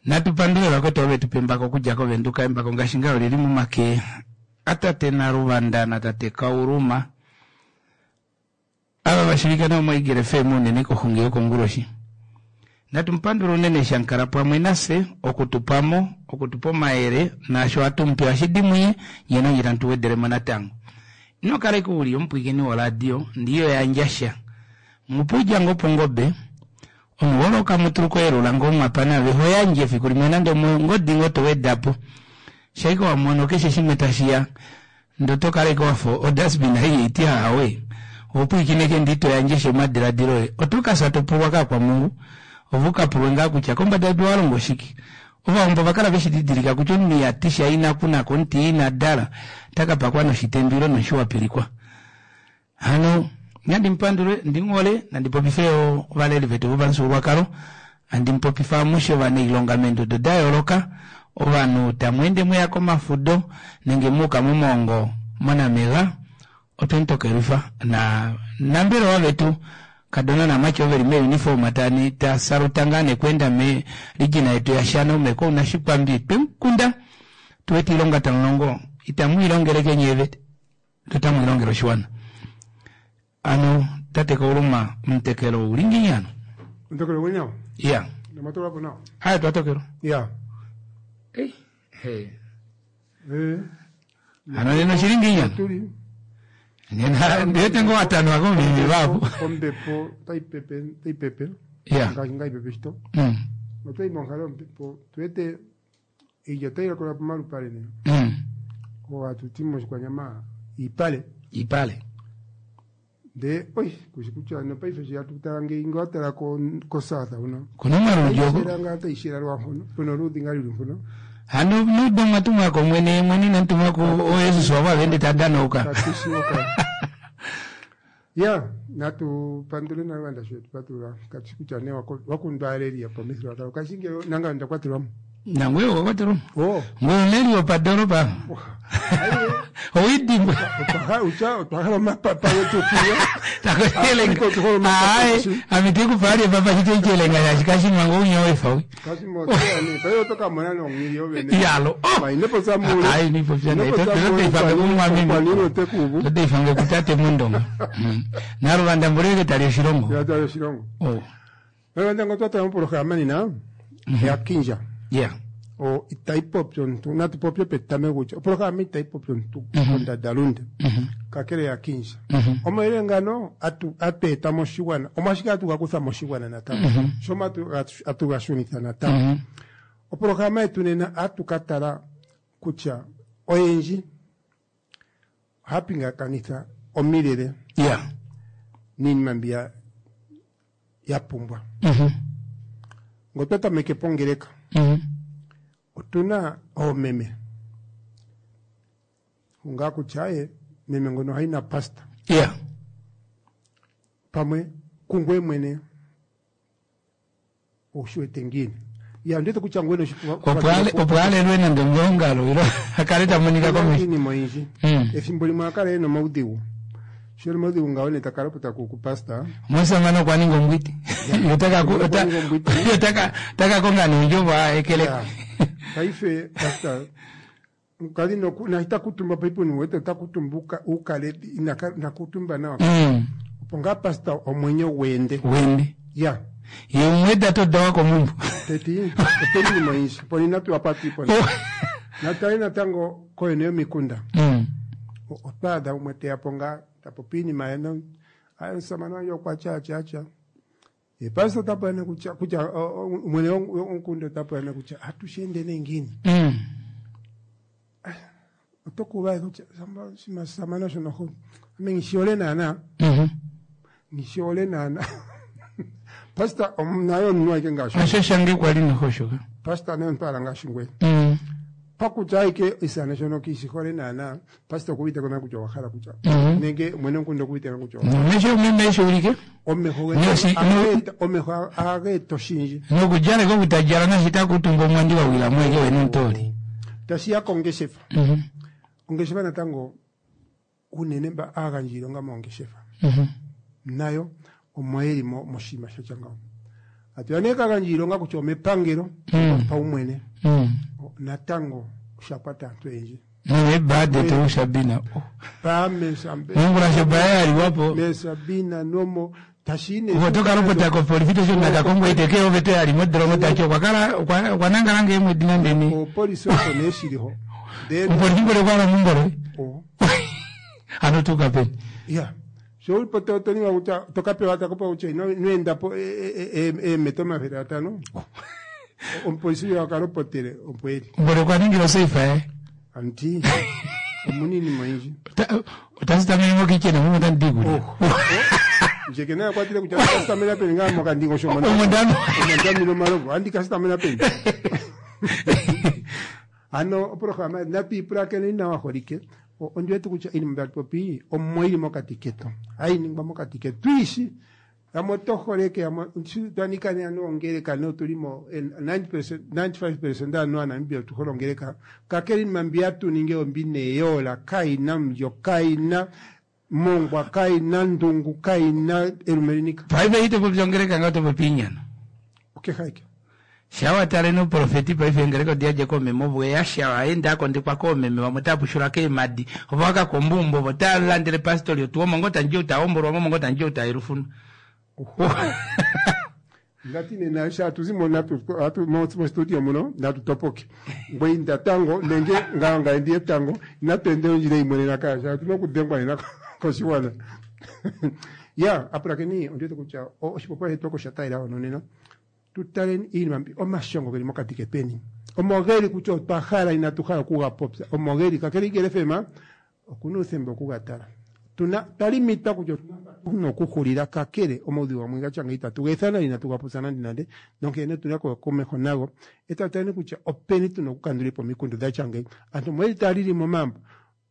Natu pandule vakwetu ove tu pa embako okudja koVenduka. Embako ngaashi ngaa oli li momake atate Naluvanda natate Kauluma. Ava va shiivika nawa moEagle FM unene koxungi yokonguloshi. Natu mu pandule unene eshi a kala pamwe nafye oku tu pa mo, oku tu pa omayele naasho hatu mu pe ohashi di muye, nye nanye tamu tu wedele mo natango. Ino kala ashike u li omupwilikini woradio ndee iho yandja sha. Mupe oudja ngoo pongobe, omunhu hole okamutulu koyelula ngoo mwapa nave ho yandje efiku limwe nande omongodi ngoo to weda po. Shaike wa mono keshe shimwe tashi ya Ndee oto kala ashike wafa odustbin ei haiti ahawe, oho pwilikine ashike ndee ito yandje sha omadiladilo oye. Oto ka fya to pulwa kaakwamungu, ove u ka pulwe ngaa kutya kombada yedu owa longa oshike. Ovawambo ova kala veshi didilika kutya omunhu iha ti sha ina kuna ko omuti ye ina dala, ota ka pakwa noshitendo ile nomushi wa pilikwa. Hano nandi mu pandule, ndi mu hole, nandi popife yo ovaleli vetu vopamufyuululwakalo, handi mu popifa amushe ovanailonga meendodo da yooloka, ovanhu tamu ende mweya komafudo nenge muuka momaongo moNamega, otwe mu tokelwifa na nambelewa vetu kadona namati ovo veli meeuniform tani ta saluta ngaa nekweenda me region yetu yaShana ume kounashikwambi twe mu kunda tu wete oilonga tamu longo itamu i longele kenye vete Otamu ilongele oshiwana. Ano tate Kauluma omutekelo ouli ngiini ano? Omutekelo ouli nawa? Ya. Nomwa tokelwa po nawa? Aye twa tokelwa. Ya. Ei, he. Eh. Ano nena oshili ngiini ano? Otuli. Nena ndiwete ngoo watanwa komulimi vapo. Ombepo otai pepe, otai pepe. Ya. Ngaashi ngaa ipepe shito. Otwai monghalo yombepo tuwete Iilya otai lokelwa pomalupale nee. Oo hatu ti moshikwanyama iipale. Iipale. Ndee oi kushi kutya nopaife eshi hatu tala ngeyi nge wa tala ko koSouth huno. Kuna omaludi oko. Otai shela ngaa otai shela lwampono puna oluudi ngaa luli mpono. Hano neudo mwa tumwa kOmwene ye mwene inamu tumwa ku ooJesus wavo ava ende ta danauka. Katu shi oka. Ya natu pandule Naluvanda sho etu patulula katu shi kutya nee wakundwa aaleli yopamithigululwakalo kashi ngele nangame onda kwatelwa mo. Nangoye owa kwatelwa mo. Oh. Ngoye omuleli wopadoolopa. Owidimbwa. Otwa hala omapapa getu tuye. Aye, ame te ku pa ali epapa shite ichelenga shaashi kashima ngo unya wefa we. Kashima oteya nee, paife oto ka mona nonghili yo vene. Yalo. Oh! Ma ino popya muule. Aye, ino popya Ino naye. popya Toto muule, teifange kumumwameme. Omukwaniilwa ote ku uvu. Toto teifange kutate Mondonga. Naluvanda mboli tali oshilongo. Ya tali oshilongo. Oh. Naluvanda ngo twa tala mopolohalama nena ya kindja. Yeah. O itayi popi omuntu, natu popye petameko kutya opolohalama itayi popi omuntu kondandalunde. Kakele ya kindja. Omayele ngano atu atu eta moshigwana, omwashike atu ga kutha moshigwana natango. Sho atu atu ga shunitha natango. Opolohalama yetu nena atu ka tala kutya oyendji ohaya pingakanitha omilele niinima mbi ya ya pumbwa. Ngo twa tameke pongeleka otuna oomeme ngaa kutya aye meme ngono ohayi na pastor pamwe kungweye mwene Owu shi wete ngiini? Ya, ondi wete kutya ngoye ino shi Opo ale- opo alelwe nande omeongalo ilo a kale ta monika komesho iinima oyindji. Ethimbo limwe oha kala e na omaudhigu. Sho e na omaudhigu ngawo nee ta kala po ta kuku pastor. Omusamane okwa ninga ombwiti. Ye ota ka ku- Okwa ota- ninga ombwiti. ye ota ka- ota ka konga neendjovo a ekeleke. Ya. Paife pastor Mukadhi noku na ita kutumba paife wete ota kutumba uka, ukale ina na kutumba nawa. Opo ngaa pastor omwenyo gweende. Gwende. Ya. Ye umwe ta todawa komumbo. Teti opena iinima oyindji opo inatu wapa twiipona. Natale natango koyene yomikunda. Otwa adha gumwe teya po ngaa ta popi iinima ye no aye omusamane wandje okwa tya atya atya. Ye pastor ota pula nee kutya kutya mwene womukunda ota pula nee kutya atu shi ende nee ngiini? Oto ku uva kutya oshinima samana shono ho ame nghi shi hole naana. Nghi shi hole naana. Pastor naye omunhu aike ngaashi Osho shange kwali noho shoka. Pastor naye omuntu ala ngaashi ngweye. Pakutya aike isana shono kishi hole naana pastor okuuvite ko naa kutya owa hala kutya nenge mwene womukunda okuuvite ko kutya owa hala. Nomesho meme eshi ulike. Omeho getu Noshi- ohaga eta- omeho ohaga eta oshindji. Nokudjala ko kutadjala nashi ta kuutumba omwandi wa wila mo eke wene omutooli. Tashi ya kongeshefa. Ongeshefa natango unene mba aagandji yiilonga moongeshefa nayo omo yeli mo moshinima sha tya ngawo. Atu ya nee kagandja iilonga kutya omepangelo paumwene. Natango osha kwata aantu oyendji. Nome detu Sabina. Pame Sabina. Mongula sho baya yaliwapo. Me Sabina nomo tashine. Oto lopota kopolifi to shuna kakongo iteke ovete yali modolongo tati okwa kala okwa nangala ngee mwedi nande ni. Opolisi oko nee shiliho. Opolifi mbole kwala mumbole. Ano tuka peni. Ya. Sho uli po to ninga kutya to ka pewa ta kopa kutya ino enda po eemeta 500. Omupolisi uya akalopotele opo eli. Mbole okwa ningila oseifa ye. Anti omunini moyindji. Otasitamene mokitchen omo otandi ikulya. Nje ke naye kwatile kutya kasitamena peni ngaa mokandingosho Omondano. omondamino omalovu andi kasitamena peni. Ano oprograma natu ipulakeneni nawa holike. Ondi wete kutya iinima mbya popi omo ili mokati ketu. Hayi ningwa mokati ketu. Tuishi yamwe oto holeke yamwe twanika ne anu ongeleka ne otuli mo 90% 95% anu aNamibia otu hole ongeleka. Kakele iinima mbi hatu ningi ombi neyola kaina mulyo kaina mongwa kaina ndungu kaina elumelinika. Paife ito popi ongeleka nga oto popi inyano. Okehaike. Shawa tale noprofeti paife ngeleka odiadja koomeme ovo yasha aenda akondekwa koomeme vamwe otava pushula keemadi ovo vakakomba ovo otava landele pastori otuwa omo ngoo tandje ou tahombolwa mo omo ngoo tandje ou taelufunwa. Ngati nena sha tuzimo natu atu mo studio muno natu topoke. Ngwe inda tango nenge nga ndiye tango natwende ondjila imwe nena kasha tuna okudengwa nena koshiwana. Ya apulakeni ondiwete kutya oshipopiwa shetu oko sha talela ono nena. Tutaleni iinima mbi omashongo geli mokati ketweni. Omo geli kutya otwa hala inatu hala okuga popya. Omo geli kakele Igele FM okuna uuthemba okuga tala. Tuna twalimita kutya otuna okuhulila kakele omaudhigu gamwe gatya ngeyi itatu ga ethana inatu ga popya nande nande. Nonkene otuna okuya komeho nago. Eta taleni kutya openi tuna okukandula po omikundu dhatya ngeyi. Aantu omo yeli taya lili momambo.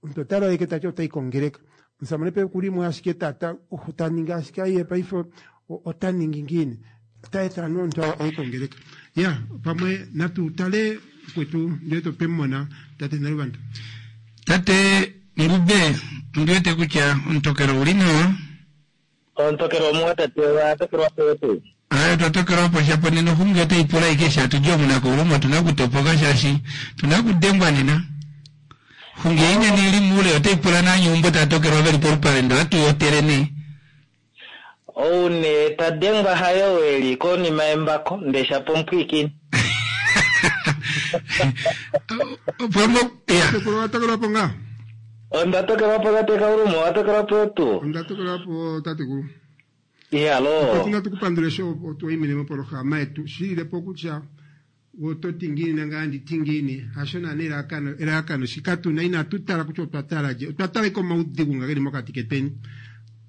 Omuntu ota laleke tati otayi kongeleka. Omusamane pe kulimo ashike tata ota ningi ashike aye paife ota ningi ngiini. Ota etha omuntu aye kongeleka. Ya pamwe natu tale kwetu ndele tope mona tate Naluvanda. Tate Ngube ondiwete kutya omutokelo uli nawa. Omutokelo omuwa tate wa tokelwa po. Ayo twatokelwa po shapo nena oxungi otai pula ike sha tuje omunako ulumwe otuna okutopoka shaashi tuna okudengwa nena. Xungi ei nena ili muule otai pula naanyuumbo taa tokelwa veli polupale ndo hatu yotele nee. Oune tadengwa hayo eli konima yembako ndesha pomupwiikini. Pombo ya. Tatekulu watokelwa po ngaa? Onda tokelwa po tate Kaulumo, watokelwa po tuu. Onda tokelwa po tatekulu. Iyalo. Otuna tukupandule sho otwaimine mopolohalama yetu. Shilile po kutya ototi ngiini nanga anditi ngiini hasho naana elalakano elalakano shika tuna inatu tala kutya otwa tala lye otwa tala ike omaudhigu nga geli mokati ketweni.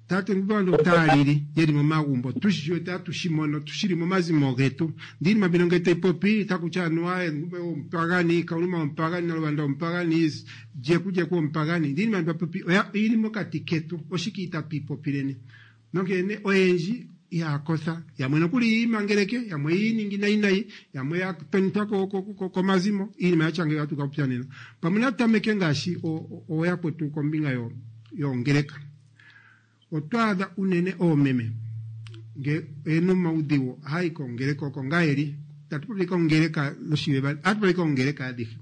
Tate ngubando otaya lili yeli momagumbo tushi wete atushi mono tushili momazimo getu. Ndi iinima mbino ngele tayi popi takutya anuwa ngube omupagani Kauluma omupagani Naluvanda omupagani Jeku Jeku omupagani. Ndi iinima mbi popi oya ili mokati ketu oshike itatu ipopileni. Nonkene oyendji ihaya yamwe nokuli yiimangeleke yamwe yiiningi nayi nayi yamwe ya tonitwa komazimo iinima yatya ngeyi ohatu ka popya nena. Pamwe natameke ngaashi ooyakwetu kombinga yoongeleka. Otwa adha unene oomeme nge oyena omaudhigu ohayi kongeleka oko ngaa yeli. Tatu popi kongeleka noshiveva ohatu popi kongeleka adhihe.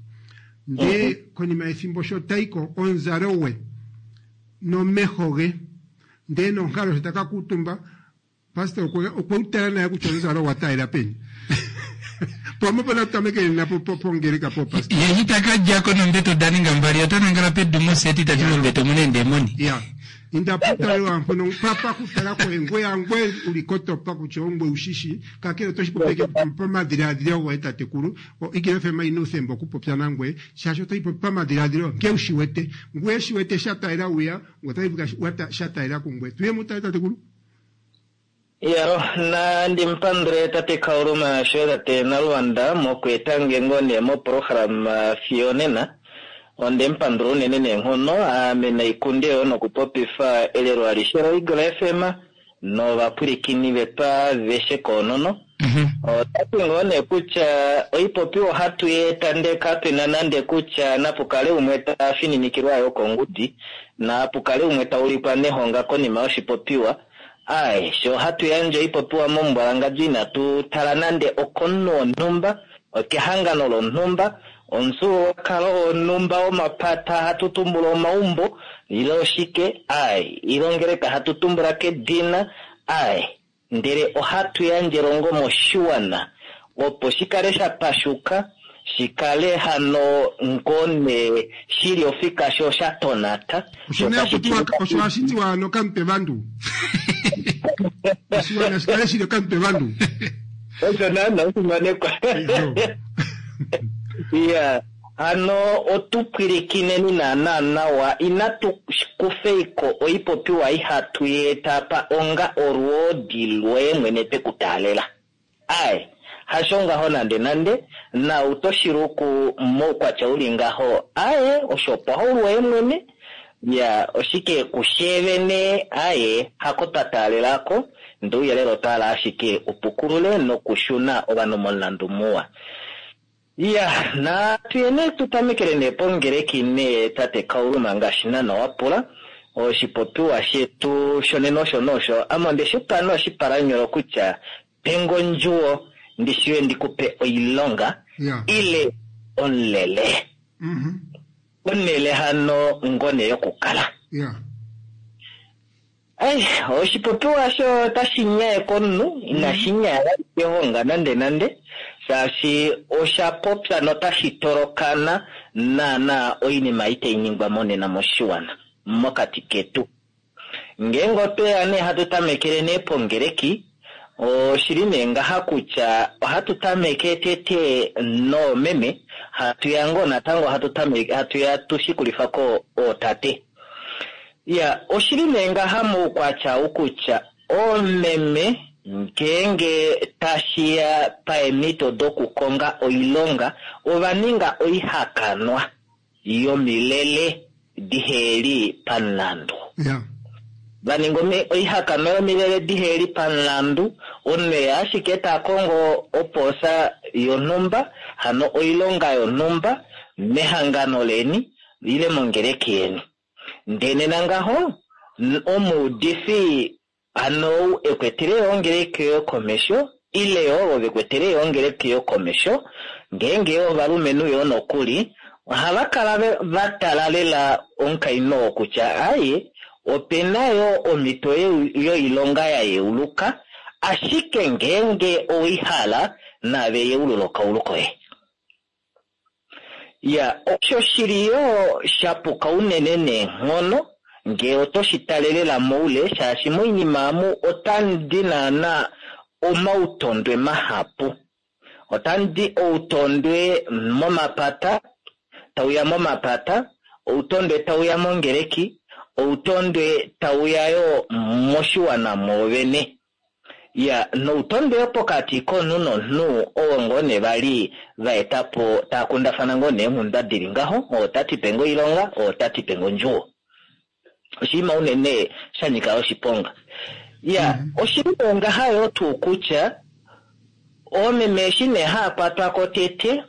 Ndee konima yethimbo sho tayiko omuzalo gwe nomeho ge ndee nonkalo sho taka kuutumba pastor okwe tala naye kutya omuzalo gwa taalela peni. Pamwe pona tutameke nena pongeleka po pastor. Ye itaka djako nombeto da ninga mbali ota nangala pedu moseti tati mombeto muna eendemoni. Ya. Inda putalelwa mpono papa kutala koye ngwe angwe uli kotopa kutya ongwe ushishi kakele otoshi popeke pamadhiladhilo goye tatekulu. Igele FM ina uuthemba okupopya nangwe shaashi otoyi popi pamadhiladhilo nke ushi wete ngwe shi wete sha talela wiya ngwe otayi popi sha talela kungwe. Tuye mutale tatekulu. Iyalo nandi mpandule tate Kauluma sho tate Naluvanda mokweeta nge nee moprograma fiyo nena. Onde mpandula unene neenghono ame naikunde yo nokupopifa elelo alishe loEagle FM novapwilikini vetu aveshe koonono. Otati ngoo nee kutya oipopiwa ohatu yeeta ndee kapena nande kutya napukale umwe ta fininikilwa yo kongudi napukale umwe ta ulikwa nehonga konima yoshipopiwa. Ai, sho hatu yandje oipopiwa momumbwalangandjo inatu tala nande okomunhu wonhumba, okehangano lonhumba, omufyuululwakalo wonhumba womapata hatu tumbula omaumbo, ile oshike, ai, ile ongeleka hatu tumbula kedina, ai, ndele ohatu yandje elongo moshiwana opo shi kale sha pashuka, shi kale hano ngoo nee shili ofika sho sha tonata. Osho nee hakutiwa, osho hashi tiwa hano kamutwe vandu. Oshiwana shi kale shili okamutwe vandu. Osho naana ofimanekwa. Iya, hano otu pwilikineni naana nawa, inatu kufeiko oipopiwa ihatu yeeta apa onga olwoodi lwoye mwene twe ku taalela. Ai, hasho ngaho nande nande, nau to shi luku moukwatya uli ngaho, ae, osho opaulu woye mwene, ya, oshike kushe vene, ae, hako twa taalela ko, ndee ouyelele otwa hala ashike u pukulule nokushuna ovanhu momulandu muwa. Ya, natu ye nee tu tamekele nee pongeleki nee tate Kauluma ngaashi naana wa pula. Oshipopiwa shetu shonena osho nee osho. Ame onde shi pa nee oshipalanyolo kutya Pe nge ondjuwo ndi shiwe ndi ku pe oilonga ile omulele. Onhele hano ngoo nee yokukala. Ai, oshipopiwa osho otashi nyaye komunhu, inashi nyaya vali kehonga nande nande, shaashi osha popya notashi tolokana naana oinima ei tai ningwa monena moshiwana, mokati ketu. Ngeenge otwe ya nee hatu tamekele nee pongeleki, oshili nee ngaha kutya ohatu tameke tete noomeme, hatu ya ngoo natango hatu tameke, hatu ya tu shikulifa ko ootate. Iya, oshili nee ngaha moukwatya ou kutya oomeme ngeenge tashi ya paemhito dokukonga oilonga ova ninga oihakanwa yomilele diheli pamulandu. Va ninga oihakanwa yomilele diheli pamulandu, omunhu oye ashike ta kongo opoosa yonhumba, hano oilonga yonhumba mehangano leni ile mongeleki yeni. Ndele nena ngaho, omuudifi hano ou e kwetele yo ongeleki yoye komesho, ile yo ovo ve kwetele yo ongeleki yoye komesho, ngeenge yo ovalumenhu yo nokuli, ohava kala va tala lela omukainhu oo kutya, Aye, ope na yo omhito yoilonga ya yeuluka, ashike ngeenge owei hala, naave yeulula okaulu koye. Ya, osho shi li yo sha puka unene neenghono ngee oto shi tale lela moule, shaashi moinima amu otamu di naana omautondwe mahapu. Otamu di outondwe momapata, tau ya momapata, outondwe tau ya mongeleki, outondwe tau ya yo moshiwana mwoovene. Ya, noutondwe yo pokati komunhu nomunhu owo ngoo nee vali va eta po taa kundafana ngoo nee eenghundwa di li ngaho, oo ota ti pe nge oilonga, oo ota ti pe nge ondjuwo. Oshinima unene sha nyika oshiponga. Ya, oshi li nee ngaha yoo tuu kutya oomeme eshi nee haa kwatwa ko tete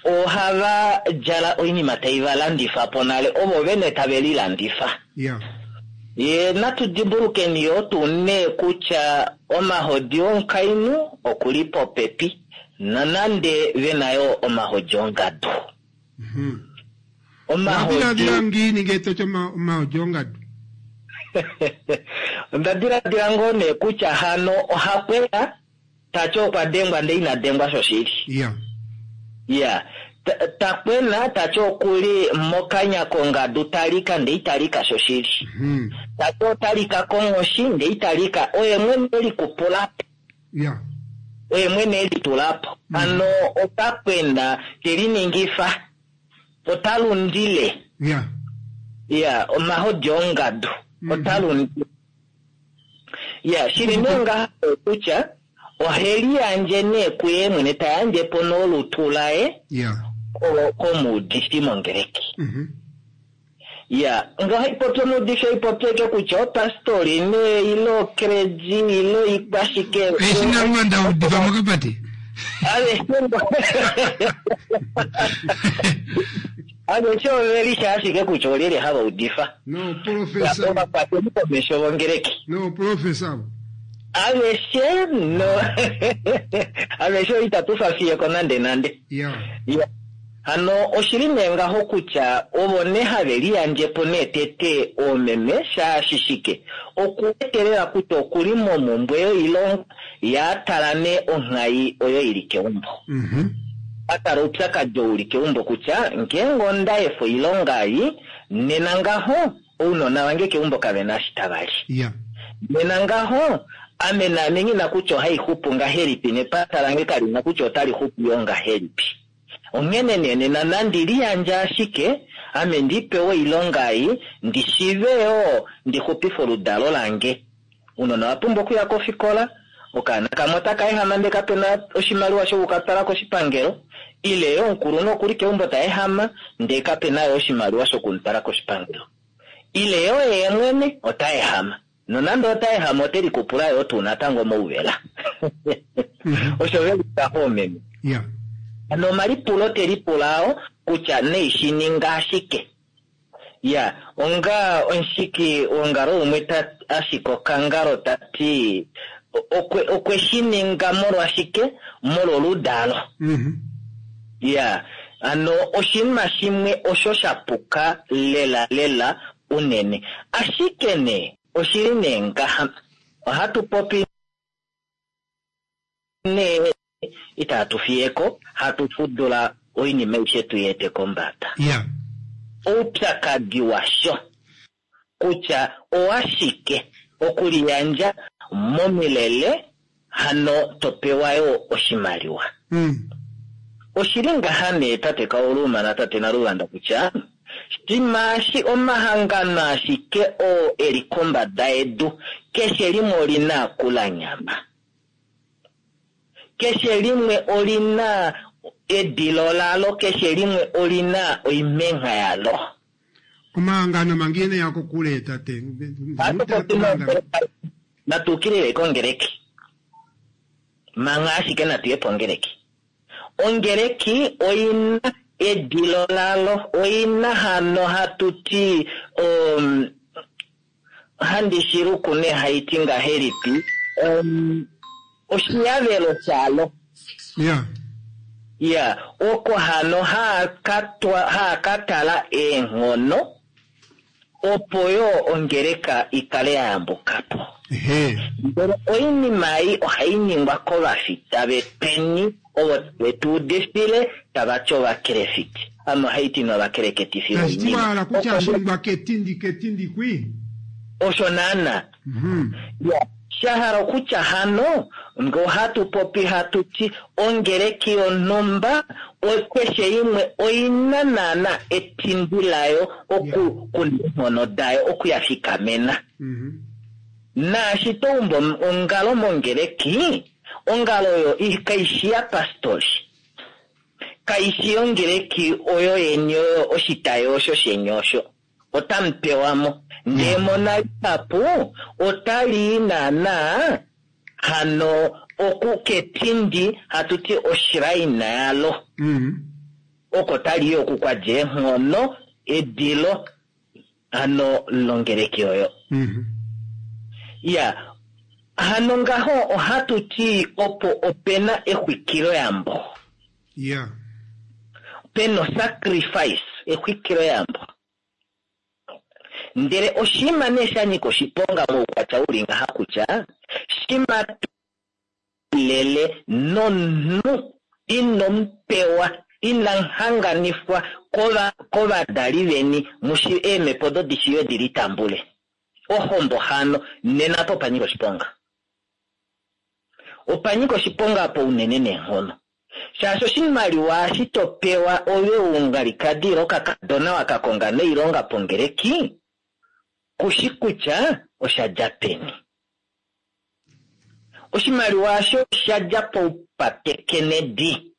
ohava djala oinima tai va landifa po nale, ovo vene tave lilandifa. Ye natu dimbulukeni yoo tuu nee kutya omahodi omukainhu oku li popepi, nonande ve na yoo omahodi ongadu. Omahodi. Owa diladila ngiini ngee to ti omahodi ongadu? Onda diladila ngoo nee kutya hano oha kwena Ta ti okwa dengwa ndee ina dengwa shoshili. Iya. Ta kwena ta ti oku li mokanya kongadu ta lika ndee ita lika shoshili. Ta ti ota lika konghoshi ndee ita lika. Oye mwene e likupula po. Oye mwene e litula po. Hano ota kwena te liningifa. Ota lundile. Iya, omahodi ongadu. Ota lundile. Ya, shili nee ngaha kutya ohe liyandje nee kuye mwene, ta yandje po nolutu laye komuudifi mongeleki. Ya, nge ohai popi omuudifi ohai popi ashike kutya opastori nee ile okredi ile oikwashike. Eshi Naluvanda udifa mokapate. Aveshe ngo. Aveshe ove lisha ashike kutya olyelye hava udifa. Nooprofesa. Ovakwateli komesho vongeleki. Nooprofesa. Aveshe no aveshe itatu fafiyeko nande nande. Ya. Ya. Hano oshili nee ngaho kutya ovo nee have liyandje po nee tete oomeme shaashi shike okuwetelela kutya okuli momumbwe yoilonga ya tala nee onghai oyo ili keumbo. A tala oupyakadi ou uli keumbo kutya ngeenge onda efa oilonga ei nena ngaho ounona vange keumbo kavena eshi tava li. Ya. Nena ngaho ame naame nghina kutya ohaixupu ngahelipi nepata lange kalina kutya otali xupu yo ngahelipi. Onghene nee nena nandi liyandje ashike ame ndipewe oilonga ei ndishive yoo ndixupife oludalo lange. Ounona owa pumbwa okuya kofikola, okaana kamwe otaka ehama ndee kapena oshimaliwa shokukatwala koshipangelo, ile yoo omukulunhu okuli keumbo ta ehama ndee kapena yoo oshimaliwa shokumutwala koshipangelo. Ile yoo yee mwene ota ehama. Nonande ota ehama ote likupula yoo tuu natango mouvela. Osho veli ngaho omeme. Ya. Hano omalipulo te lipula ao kutya neishi ninga ashike. Ya, onga omushiki wongalo umwe ta ashika okangalo ta ti okwe shi ninga molwashike? Molwoludalo. Ya, hano oshinima shimwe osho sha puka lela lela unene. Ashike nee, oshili nee ngaha. Ohatu popi nee itatu fiyeko, hatu fudula oinima aishe tu yeete kombada. Ya. Oupyakadi washo kutya owashike okuliyandja momilele hano topewa yo oshimaliwa. Oshili ngaha nee tate Kauluma na tate Naluvanda kutya shimaashi omahangano ashike oo eli kombada yedu keshe limwe olina akulanyama. Keshe limwe olina edilo lalo, keshe limwe olina oimengha yalo. Omahangano mangene yako kule tate. Natukilile kongeleki. Manga ashike natuye pongeleki. Ongeleki oina edilo lalo, oina hano hatuti handi shiluku ne haiti ngahelipi oshiyavelo shalo. Ya. Ya, oko hano haakatala eenghono opo yo ongeleka ikale ya yambuka po. Ndele oinima ei ohai ningwa kovafita vepeni ovo vetu udifile tava ti ovakelefiti. Ame ohai ti novakeleketifi Tashi ti wala kutya shingwa ketindi ketindi kwi. Osho naana. Ya, shahala okutya hano ngo hatu popi hatu ti ongeleki yonhumba keshe imwe oina naana etindi layo oku kuna dayo okuya fikamena. Naashi toumbo ongalo mongeleki, ongalo oyo kaishi ya pastori. Kaishi yongeleki oyo yeni oyo oshitayi osho sheni osho. Otamu pewamo. Ndee mona lihapu otali naana hano oku ketindi hatu ti oshiraina yalo. Oko tali oku kwa eenghono edilo hano longeleki oyo. Ya, hano ngaho ohatu ti opo opena exwikilo yambo. Ya. Peno sacrifice exwikilo yambo. Ndele oshima nee sha nyika oshiponga moukwatya uli ngaha kutya shima lele nomunhu inomupewa inamhanganifwa kovadali veni mushi eemhepo dodishiyo dili tambule. Ohombo hano nena po opanyika oshiponga. Opanyika oshiponga po unene neenghono. Shaashi oshimaliwa eshi topewa ove ungalikadi ile okakadona wakakonga noilonga pongeleki, kushi kutya osha dja peni. Oshimaliwa osho osha dja poupatekenedi.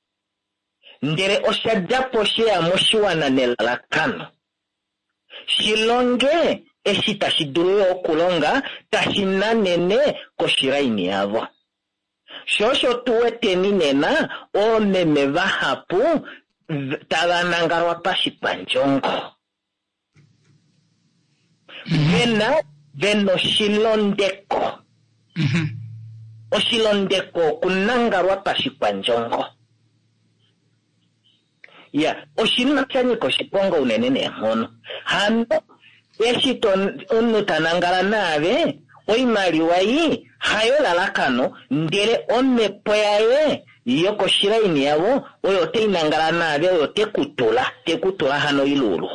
Ndele osha dja po sheya moshiwana nelalakano. Shilonge eshi tashi dulu yo okulonga tashi nanene koshilaini yavo. Sho osho tu weteni nena oomeme vahapu Tava nangalwa pashikwandjongo. Vena vena oshilondeko. Oshilondeko okunangalwa pashikwandjongo. Ya, oshinima sha nyika oshiponga unene neenghono. Hano eshi to omunhu ta nangala naave, oimaliwa ei hayo elalakano, ndele omhepo yaye yokoshilaini yavo oyo tai nangala naave, oyo te ku tula, te ku tula hano oilulu.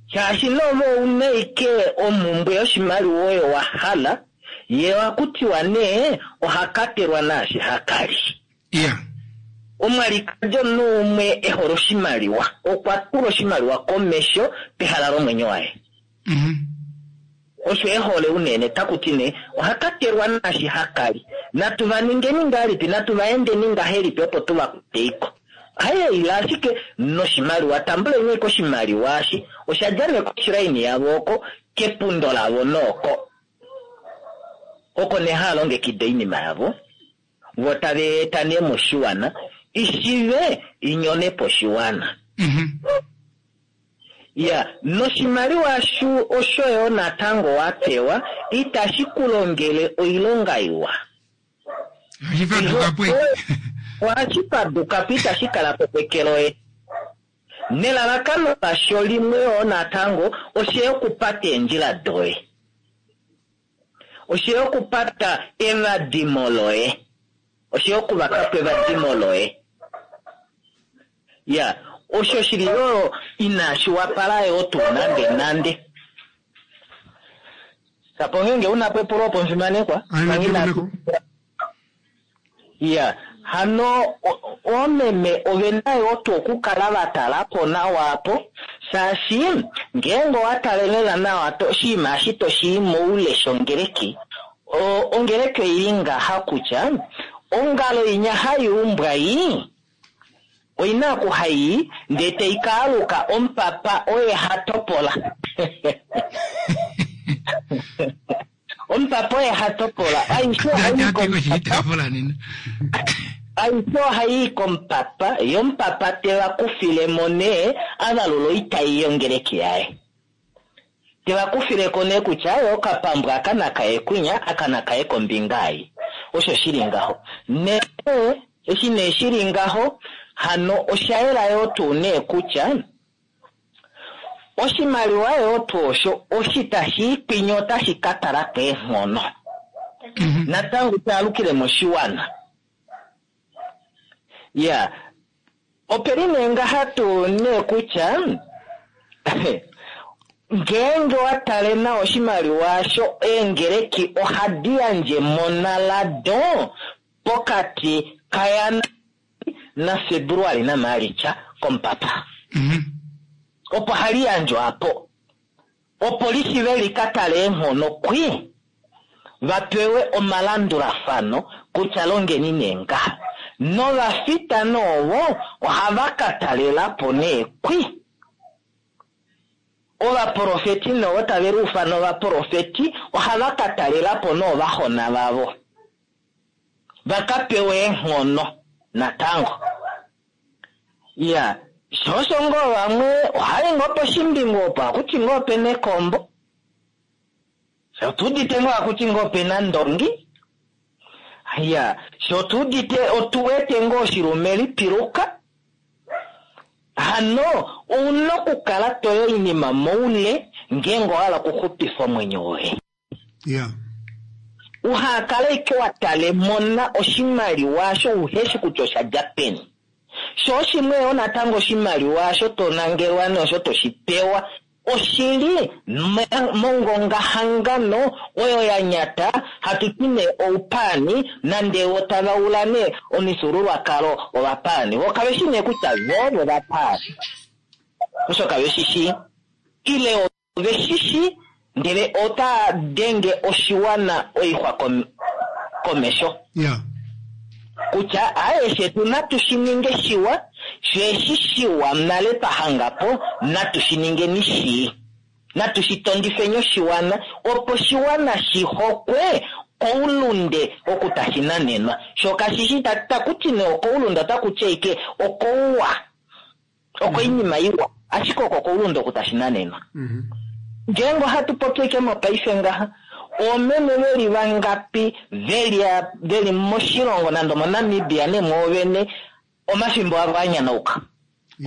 Shaashi nove ouna ike omhumbwe yoshimaliwa oyo wa hala, ye ohaku tiwa nee oha katelwa naashi ha kali. Omwalikadi omunhu umwe e hole oshimaliwa, okwa tula oshimaliwa komesho pehala lomwenyo waye. Osho e hole unene, taku ti nee oha katelwa naashi ha kali. Natu va ningeni ngahelipi, natu va endeni ngahelipi opo tu va kwate iko. Haye ila ashike noshimaliwa, tambuleni ashike oshimaliwa eshi. Osha dja nee koshilaini yavo oko, kepundo lavo nooko. Oko nee hava longekida oinima yavo, vo tava eta nee moshiwana, ishive inyone po oshiwana. Ya, noshimaliwa osho yo natango wa pewa, itashi ku longele oilonga iwa. Ohashi faduka po. Ohashi faduka po, itashi kala po peke loye. Nelalakano lasho limwe yo natango, oshe okupata eendjila doye. Oshe okupata evadimo loye. Oshe okuvaka po evadimo loye. Ya, osho shili yo inashi wapala yo tuu nande nande. Sapo ngeenge una po epulo opo omufimanekwa? Ai, Manga ina- natu Ya, hano oomeme ove na yo tuu okukala va tala po nawa apo, shaashi ngeenge owa tale lela nawa to oshinima eshi to shi i moule shongeleki, ongeleki oili ngaha kutya ongalo inya hai umbwa ii, oina oku hai ndee tai ka aluka omupapa oye ha topola. Omupapa oye ha topola. Aishe ohai Tati komupapa. koshitaafula nena. Aishe ohai komupapa, ye omupapa te va kufile mo nee, a valula oitai yongeleki yaye. Te va kufile ko nee kutya yo okapambu aka nakaye kwinya, aka nakaye kombinga ei. Osho shili ngaho. Nee, eshi nee shili ngaho, hano osha yela yoo tuu nee kutya oshimaliwa yoo tuu osho, oshi tashi i kwinya otashi ka tala keenghono. Natango taalukile moshiwana. Ya, opeli nee ngaha tuu nee kutya, ngeenge wa tale nawa oshimaliwa osho, eengeleki ohadi yandje monalado pokati kaJanuari naFebruali naMaalitsa komupapa. Opo hali yandjwa apo. Opo lishive li ka tale eenghono kwi, va pewe omalandulafano kutya longeni nee ngaha. Novafita noovo ohava ka talela po nee kwi. Ovaprofeti noovo tave liufana ovaprofeti ohava ka talela po noovahona vavo. Va ka pewe eenghono natango. Ya, sho osho ngoo vamwe ohai ngoo poshimbingu opo akuti ngoo opena ekombo. Sho tuudite ngoo akuti ngoo opena ndongi. Ya, sho tuudite otuwete ngoo oshilume lipiluka. Hano ouna okukala toyo oinima moule ngeenge owa hala okuxupifa omwenyo woye. Uhakale ike wa tale mona oshimaliwa osho uheshi kutya osha dja peni. Sho oshimwe yo natango oshimaliwa osho to nangelwa nosho to shi pewa oshili mongongahangano oyo ya nyata, hatu ti nee oupaani, nande wo tava ula nee omifyuululwakalo ovapaani. Vo kave shi nee kutya vo vovapaani. Osho kave shi shii. Ile ove shi shii, ndele ota denge oshiwana oixwa komesho. Kutya aeshe tu natu shi ninge shiwa, sho eshi shiwa nale twa hanga po, natu shi ningeni shii. Natu shi tondifeni oshiwana, opo oshiwana shi hokwe Koulunde oku tashi nanenwa. Sho kashishi taku ti nee okoulunde, otaku ti ashike okouwa, okoinima iwa, ashike oko koulunde oku tashi nanenwa. Ngeenge ohatu popi ashike mopaife ngaha, oomeme veli vangapi veli moshilongo nande omoNamibia nee mwoovene omafimbo avo a nyanauka.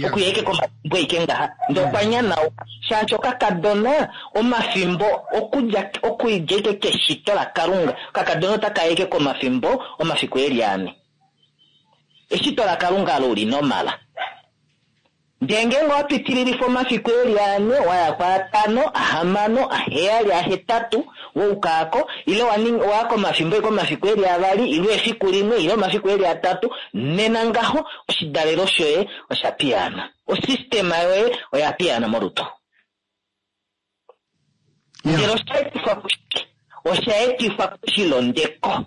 Okuya ashike komafimbo ashike ngaha, ndee okwa nyanauka. Shaashi okakadona omafimbo okudja okudja ashike keshito laKalunga, okakadona otaka ashike komafimbo omafiku eli ane. Eshito laKalunga alo uli normal. Ndee ngeenge owa pitililifa omafiku eli ane, wa ya kwaatano, ahamano, aheyali, ahetatu, woukaako, ile wa komafimbo eke omafiku eli avali, ile efiku limwe, ile omafiku eli atatu, nena ngaho oshidalelo shoye osha piyaana. Osystema yoye oya piyaana molutu. Ndele osha etifwa kushike? Osha etifwa koshilondeko.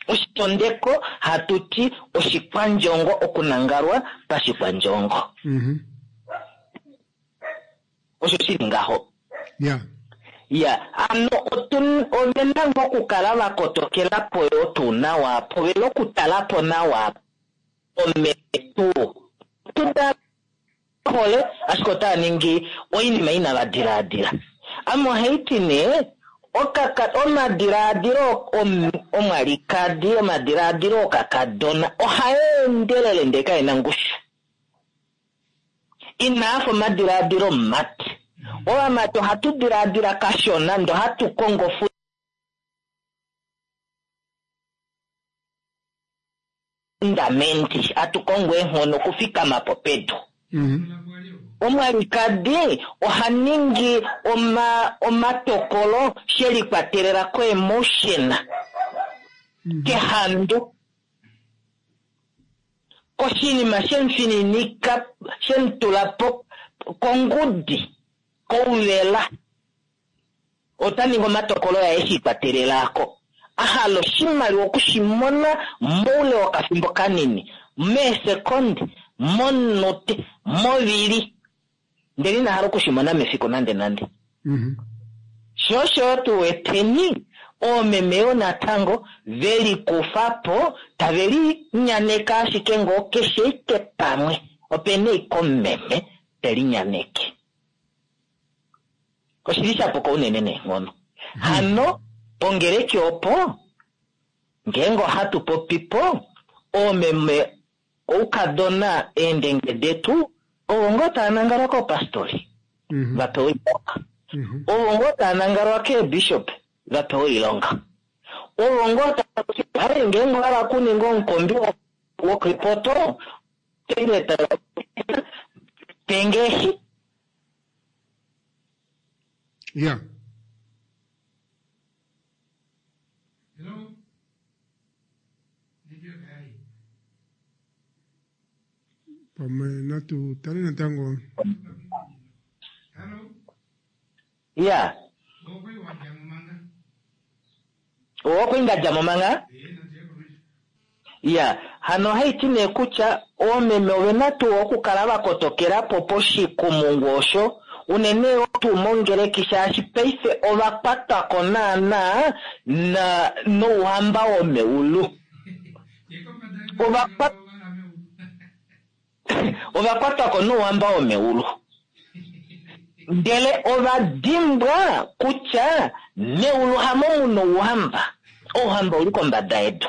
Oshilondeko hatu ti oshikwandjongo, okunangalwa pashikwandjongo. Osho shili ngaho. Ya, ano ove na ngoo okukala va kotokela po yoo tuu nawa po, ve na okutala po nawa ometu. Tuta hole, ashike otava ningi oinima inava dilaadila. Ame ohai ti nee, omadilaadilo omwalikadi, omadilaadilo okakadona ohaa endelele ndee kae na ngushu. Inaa fa omadilaadilo omumati. Ovamati ohatu dilaadila kashona ndee ohatu kongo fundamenti, hatu kongo eenghono okufikama po pedu. Omwalikadi oha ningi omatokolo she likwatelela koemotion, kehandu, koshinima shemufininika, shemutula po kongudi, kouvela. Ota ningi omatokolo yaye she ikwatelela ko. A hala oshimaliwa okushimona moule wokafimbo kanini, meesekondi, momunute, movili, ndele ina hala okushimona mefiku nande nande. Sho osho tu weteni oomeme yoo natango ve likufa po tave linyaneke ashike ngoo keshe ike pamwe ope na ike omumeme te linyaneke. Oshili sha puka unene neenghono. Hano pongeleki opo ngeenge ohatu popi po oomeme oukadona eendenge detu ovo ngoo tava nangalwa koopastori va pewa oilonga. Ovo ngoo tava nangalwa keebishop va pewa oilonga. Ovo ngoo tava ngeenge owa hala okuninga omukombi wokripoto pengeshi. Yeah. Hello? Pamwe natu tale natango. Hello? Yeah. Okwali nda dja mo manga? Ya, hano ohaiti nee kutya oomeme ove na tuu okukala va kotokela po poshikumungu osho, unene yoo tuu mongeleki shaashi paife ova kwatwa ko naanaa na nouhamba womeulu. Ova ova kwatwa ko nouhamba womeulu. Ndele ova dimbwa kutya meulu hamo mu na ouhamba. Ouhamba ouli kombada yedu.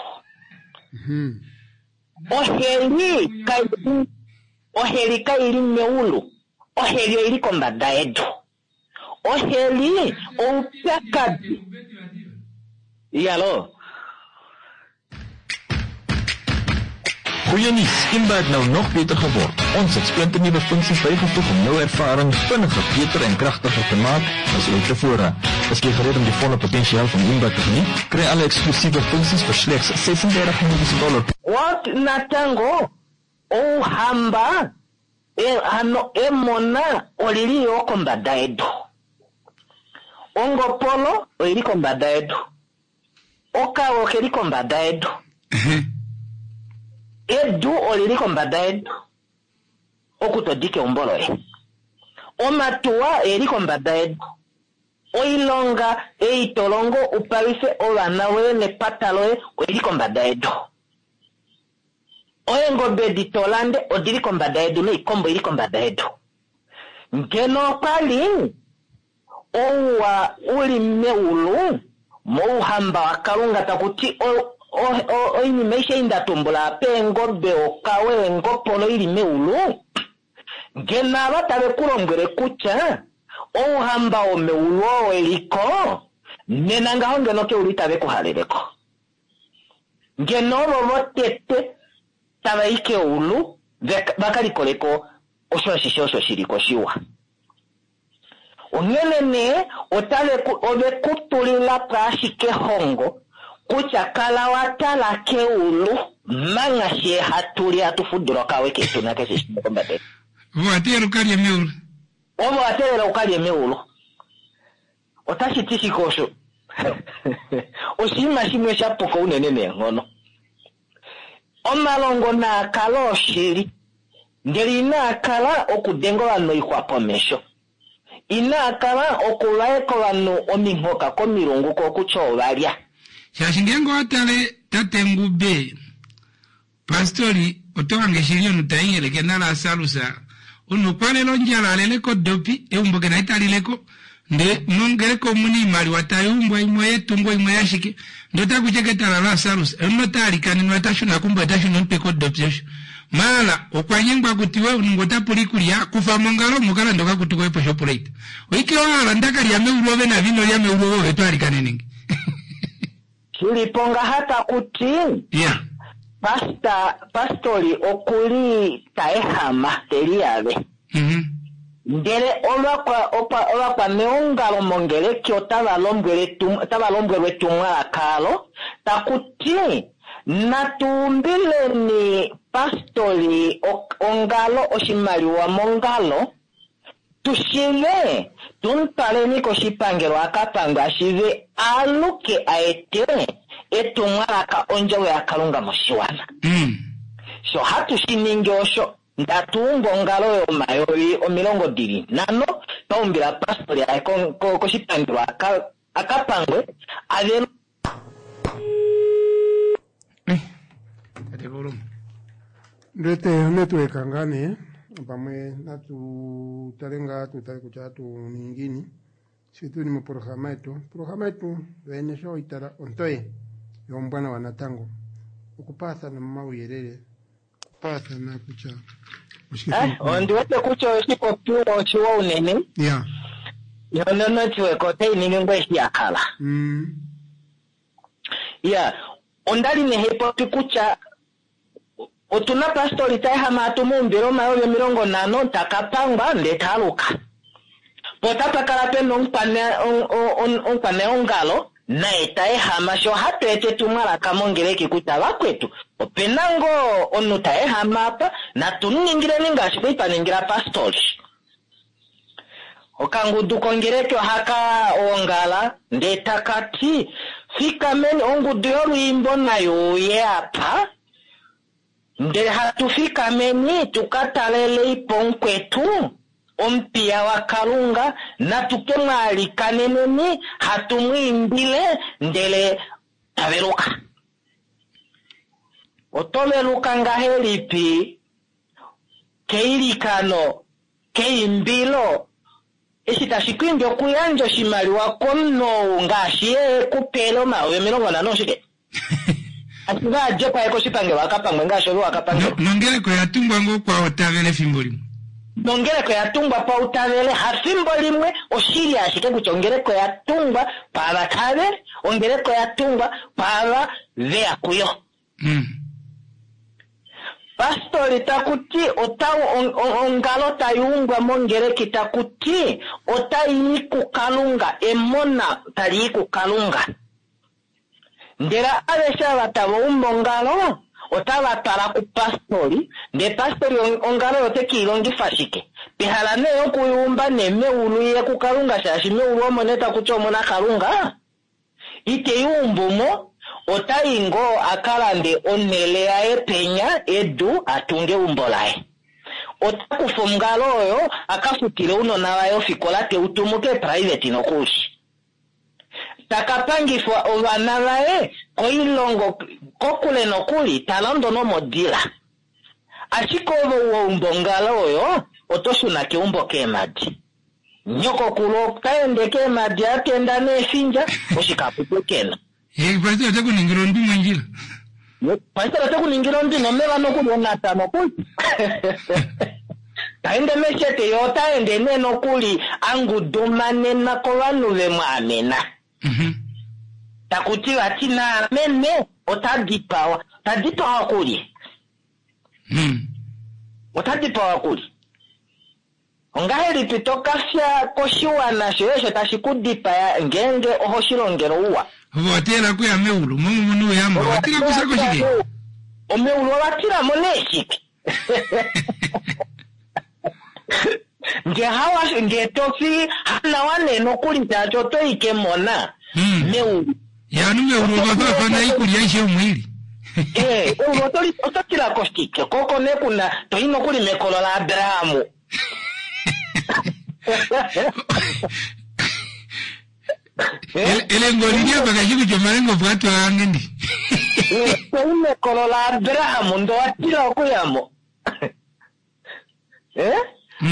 Oheli kai oheli kai li meulu. Oheli oili kombada yedu. Oheli oupyakadi. Yalo. Goeie nuus, Imba het nou nog beter geword. Ons het splinternuwe funksies bygevoeg om jou ervaring vinniger, beter en kragtiger te maak as ooit tevore. Is jy gereed om die volle potensiaal van Imba te geniet? Kry alle eksklusiewe funksies vir slegs 36 Namibiese dollar. Wat natango ouhamba hano emona olili yoo kombada yedu. Ongopolo oili kombada yedu. Okawe okeli kombada yedu. Edu olili kombada yedu. Oku to dike eumbo loye. Omatuwa oeli kombada yedu. Oilonga ei to longo u palwife ovana voye nepata loye oili kombada yedu. Eengobe edi to lande odili kombada yedu noikombo oili kombada yedu. Ngeno okwa li ouwa u li meulu mouhamba waKalunga taku ti oinima aishe ei nda tumbula apa, eengobe, okawe, eengopolo i li meulu, ngeno ava tave ku lombwele kutya ouhamba womeulu oo eliko, nena ngaho ngeno keulu itave ku halele ko. Ngeno ovo votete tava i keulu va ka likole ko osho ashishe osho shi li ko shiwa. Onghene nee otave ku, ove ku tulila po ashike ehongo kutya kala wa tala keulu mangha fyee hatu li hatu fudula okawe ketu nakeshe shimwe kombada yedu. Ove owa teelela u ka lye meulu. Ove owa teelela u ka lye meulu. Otashi ti shike osho? Oshinima shimwe sha puka unene neenghono. Omalongo naa kale oshili, ndele inaa kala okudenga ovanhu oixwa pomesho. Inaa kala okuvaeka ovanhu ominghoka komilungu kokutya ova lya. Shaashi ngeenge owa tale tate Ngube, Pastori, oto hange shili omunhu ta nyenyeleke naLasarus. Omunhu okwa lela ondjala, a lele kodopi, eumbo ke na ita lile ko. Ndele mongeleka omu na oimaliwa tai umbwa, imwe oyetungo, imwe oyashike. Ndele ota kuti eke tala Lasarus, omunhu ota alikanenwa, ota shuna keumbo, ota shuna omutwe kodopi osho. Maala, okwa nyengwa kutiwe, omunhu ngee ota pula oikulya, kufa mo ongalo omo ka lande okakutu koye poShoprite. Oike wa hala nda ka lya meulu ove nave ino lya meulu ove ove to alikanene nge. Shili po ngaha taku ti, Yeah. Pasta, pastori oku li ta ehama, te liyave. Ndele ovakwa, okwa, ovakwaneongalo mongeleki otava lombwele etum, otava lombwelwa etumwalaka alo, taku ti, Natu umbileni pastori o, ongalo, oshimaliwa mongalo, Tu shive, tu mu twaleni koshipangelo a ka pangwe a shive a aluke a ete etumwalaka ondjovo yaKalunga moshiwana. Sho hatu shi ningi osho, ndatu umbu ongalo yomayovi 50, twa umbila pastori aye koshipangelo a ka pangwe a velwe. Eh, tate Kauluma. Ndete network ngaa nee pamwe natu tale ngaa tu tale kutya atu ningini shi tuli moprograma yetu. Oprograma yetu yoyene sho itala ontoye yo ombwanawa natango okupaathana momauyelele okupaathana kutya oshike Eh, ondi wete kutya oshipopiwa oshiwa unene. Ya. Yo nonetwork otai ningi ngoo eshi ya hala. Ya, onda li nee hei popi kutya otu na pastori ta ehama hatu mu umbile omayovi 50 ta ka pangwa ndee ta aluka. Po otapa kala pe na omukwaneongalo naye ta ehama sho hatu eta etumwalaka mongeleki kutya vakwetu ope na ngoo omunhu ta ehama apa natu mu ningileni ngaashi kwali twa ningila pastori. Okangudu kongeleki ohaka ongala ndee taka ti, Fikameni, ongudu yolwiimbo nai uye apa, ndele hatu fikameni tu ka talelei po mukwetu, omupiya waKalunga, natu ke mu alikaneneni, hatu mu imbile, ndele ta veluka. Oto veluka ngahelipi keilikano keimbilo, eshi tashi ku imbi okuyandja oshimaliwa komunhu ou ngaashi ye e ku pele 50,000 oshike? Ashike a dje po aye koshipangelo a ka pangwe ngaashi ove wa ka pangelwa. Nongeleka oya tungwa ngoo kwaotavele efimbo limwe? Nongeleka oya tungwa pautavele, hafimbo limwe, oshili ashike kutya ongeleka oya tungwa kwaava tavele, ongeleka oya tungwa kwaava ve ya kuyo. Pastori taku ti ota ongalo tai umbwa mongeleki taku ti otai i kuKalunga, emona tali i kuKalunga. Ndele aveshe ava tava umbu ongalo otava twala kupastori, ndele pastori ongalo oyo ote ke i longifa shike? Pehala nee yoku i umba nee meulu iye kuKalunga shaashi meulu omo nee taku ti omu na Kalunga, Ite i umbu mo, ota i ngoo a ka lande onhele yaye penya, edu, a tunge eumbo laye. Ota kufa ongalo oyo a ka futile ounona vaye ofikola te u tumu keeprivate nokuli. Taka pangifwa ovana vaye koilongo kokule nokuli, ta londo nomodila. Ashike ove wa umba ongalo oyo, oto shuna keumbo keemadi. Nyokokulu ota ende keemadi a tenda neefindja, oshikapu te kena. Ye pastor ote ku ningile ondwi mondjila. Pastor ote ku ningile ondwi nomeva nokuli onata nokuli. Ta ende meshete ye ota ende nee nokuli a ngudumanenwa kovanhu ve mu amena. Taku ti vati naamene ota dipawa. Ta dipawa kulye? Ota dipawa kulye? Ongahelipi to ka fya koshiwana shoye osho tashi ku dipaya ngeenge oho shi longele ouwa? Ove owa tila okuya meulu, momo mu nouyamba, owa tila okufya koshike? Omeulu owa tila mo nee shike? Nge hawa, nge to fi hanawa nee nokuli shaashi oto i kemona meulu. Ya, ovanhu meulu ova faafana oikulya aishe omo i li. Ee, eulu oto li, oto tila ko shike? Ko oko nee ku na, to i nokuli mekolo laAbraham. Elenga oli li apa kashi kutya omalenga opo a twala ange ndi. To i mekolo laAbraham ndee owa tila okuya mo. Eh?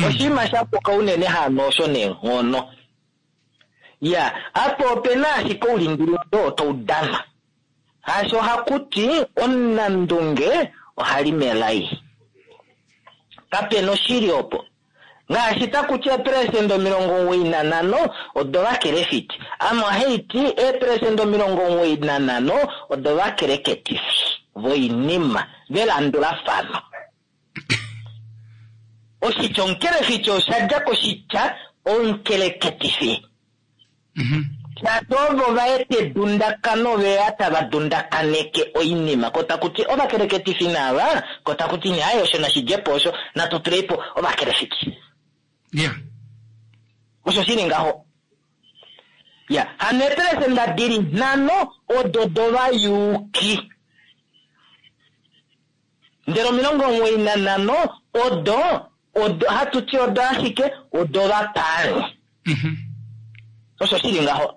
Oshinima sha puka unene hano osho neenghono. Ya, apa ope na ashike oulingilingi oo tau danwa. Hasho ohaku ti omunandunge oha li melai. Kape na oshili opo. Ngaashi taku ti eeperesenda 95 odovakelefiti. Ame ohai ti eeperesenda 95 odovakeleketifi voinima velandulafano. Oshitya omukelefiti osha dja koshitya omukeleketifi. Shaashi ovo va eta edundakano ve ya tava dundakaneke oinima. Ko taku ti ovakeleketifi naava, ko taku ti nee aaye osho nashi dje po osho, natu tulei po ovakelefiti. Osho shi li ngaho. Ya, hano eepelesenda di li nhano odo dovayuuki. Ndele 95 odo, odo, hatu ti odo ashike, odovapaani. Osho shi li ngaho.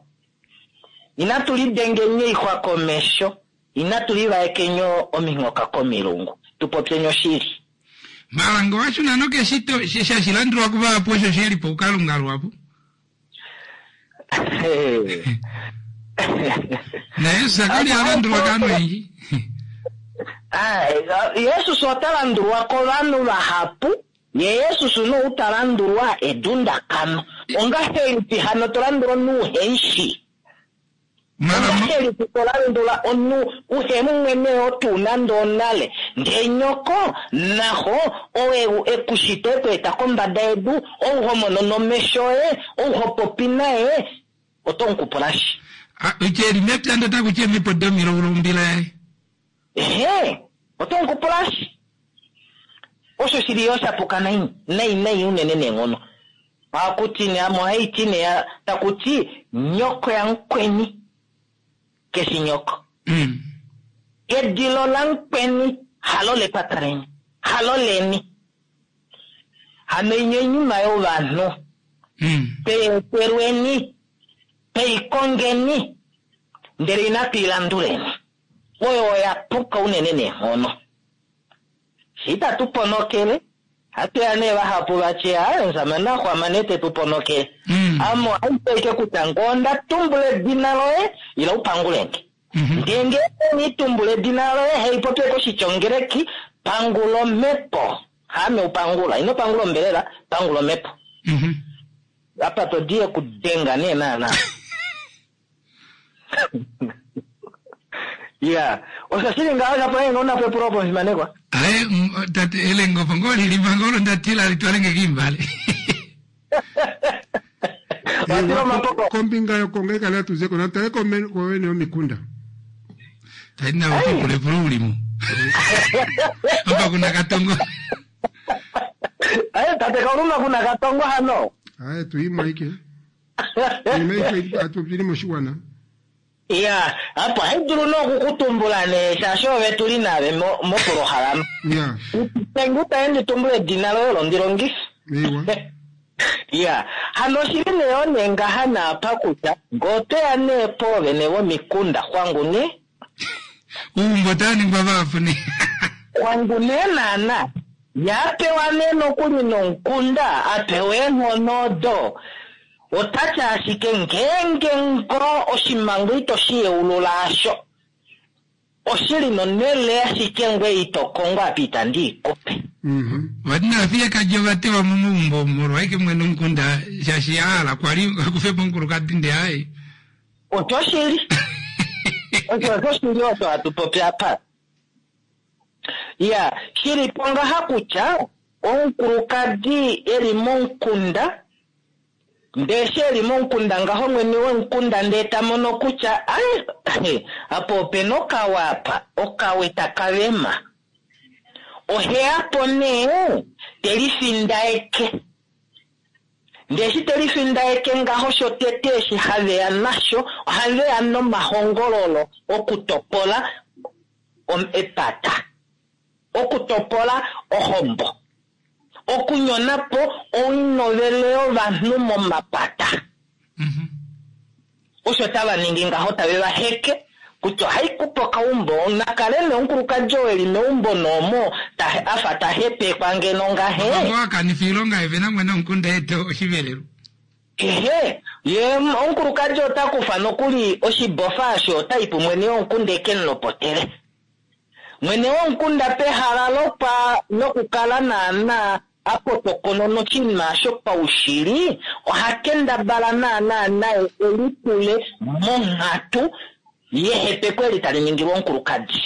Inatu lidengeni oixwa komesho, inatu livaekeni ominghoka komilungu, tu popyeni oshili. Mala nge owa shuna nokeshito, shashi landulwa kuvahapu osho shi li poukalunga luhapu. NaJesus ka li a landulwa kovanhu oyendji. Jesus ota landulwa kovanhu vahapu, ye Jesus nou ta landulwa edundakano. Ongahelipi hano to landula omunhu uhe shi? Ongahelipi to landula omunhu uhe mu mwene oo tuu nande onale, ndee nyoko naxo oo e ku shita e ku eta kombada yedu, ou ho mono nomesho oye, ou ho popi naye, oto mu kupula shi? Oitya eli mepya ndee otaku ti eemhepo domilaulu ombila yaye. Ehee, oto mu kupula shi? Osho shili yo sha puka nai, nai nai unene neenghono. Ohaku ti nee, ame ohai ti nee, taku ti nyoko yamukweni keshi nyoko. Edilo lamukweni halo lepata leni, halo leni. Hano inya oinima yovanhu. Tweetelweni, tweikongeni, ndele inatu i landuleni. Oyo oya puka unene neenghono. Shi itatu ponokele, hatu ya nee vahapu va tye, Aaye, omushamane a xwama nee te tu ponokele. Ame ohandi ti ashike kutya ngee onda tumbula edina loye, ila u pangule nge. Ndee ngeenge inii tumbula edina loye, hai popi ashike oshityongeleki, pangula omhepo. Haame u pangula. Ino pangula ombelela, pangula omhepo. Apa to di ekudenga nee naana. Ya, osho shili ngaho shapo ngeenge una po epulo opo omufimanekwa. Aye, tate elenga opo ngoo lili manga olo nda tila li twale nge kiimbale. Watila omapoko. Kombinga yokongeleka natu ze ko natu tale koovene yomikunda. Tadi navo pupula epulo ulimo. Apa kuna katongo. Aye, tate Kauluma kuna katongo hano. Aye, tuimwa ike. Oinima aishe hatu popi li moshiwana. Ya, apo ohai dulu nee okukutumbula nee shaashi ove tu li nave mopolohalama. Ya. Nge itaye ndi tumbula edina loye olo ndi longife. Eiwa. Ya. Hano oshili nee yoo nee ngaha naapa kutya ngee otweya nee poovene vomikunda xwangu nee. Uumbo otava ningwa vahapu nee. Xwangu nee naana. Ye a pewa nee nokuli nomukunda, a pewa eenghono odo, ota ti ashike ngeenge ngoo oshimango ito shi yeulula asho, oshili nonhele ashike ngweye ito kongo apa itandi i kupe. Vati naafiyekadi ova tewa mo meumbo molwa ashike mwene womukunda shaashi a hala kwali a kufe po omukulukadi ndee aaye. Oshoshili. Osho oshoshili osho hatu popi apa. Ya, shili po ngaha kutya omukulukadi e li momukunda Ndee eshi e li momukunda ngaho mwene womukunda ndee ta mono kutya ai apa ope na okawe apa, okawe taka vema. Ohe ya po nee te lifindaeke. Ndee eshi te lifindaeke ngaho shotete eshi have ya nasho, ohave ya nomahongololo okutopola epata, okutopola ohombo. Okunyona po oinovele yovanhu momapata. Osho tava ningi ngaho tave va heke kutya ohai kupe okaumbo, nakale nee omukulukadi oo e li meumbo noomo a fa ta hepekwa ngeno ngahe. Ofambo a kanifa oilonga ye vena mwene womukunda eete oshivelelwa. Ehe, ye omukulukadi ota kufa nokuli oshibofa osho ota i pumwene womukunda eke mu lopotele. Mwene womukunda pehala lopa lokukala naanaa a potokonona oshinima osho paushili, oha kendabala naanaa naye e litule monghatu yehepeko eli tali ningilwa omukulukadi.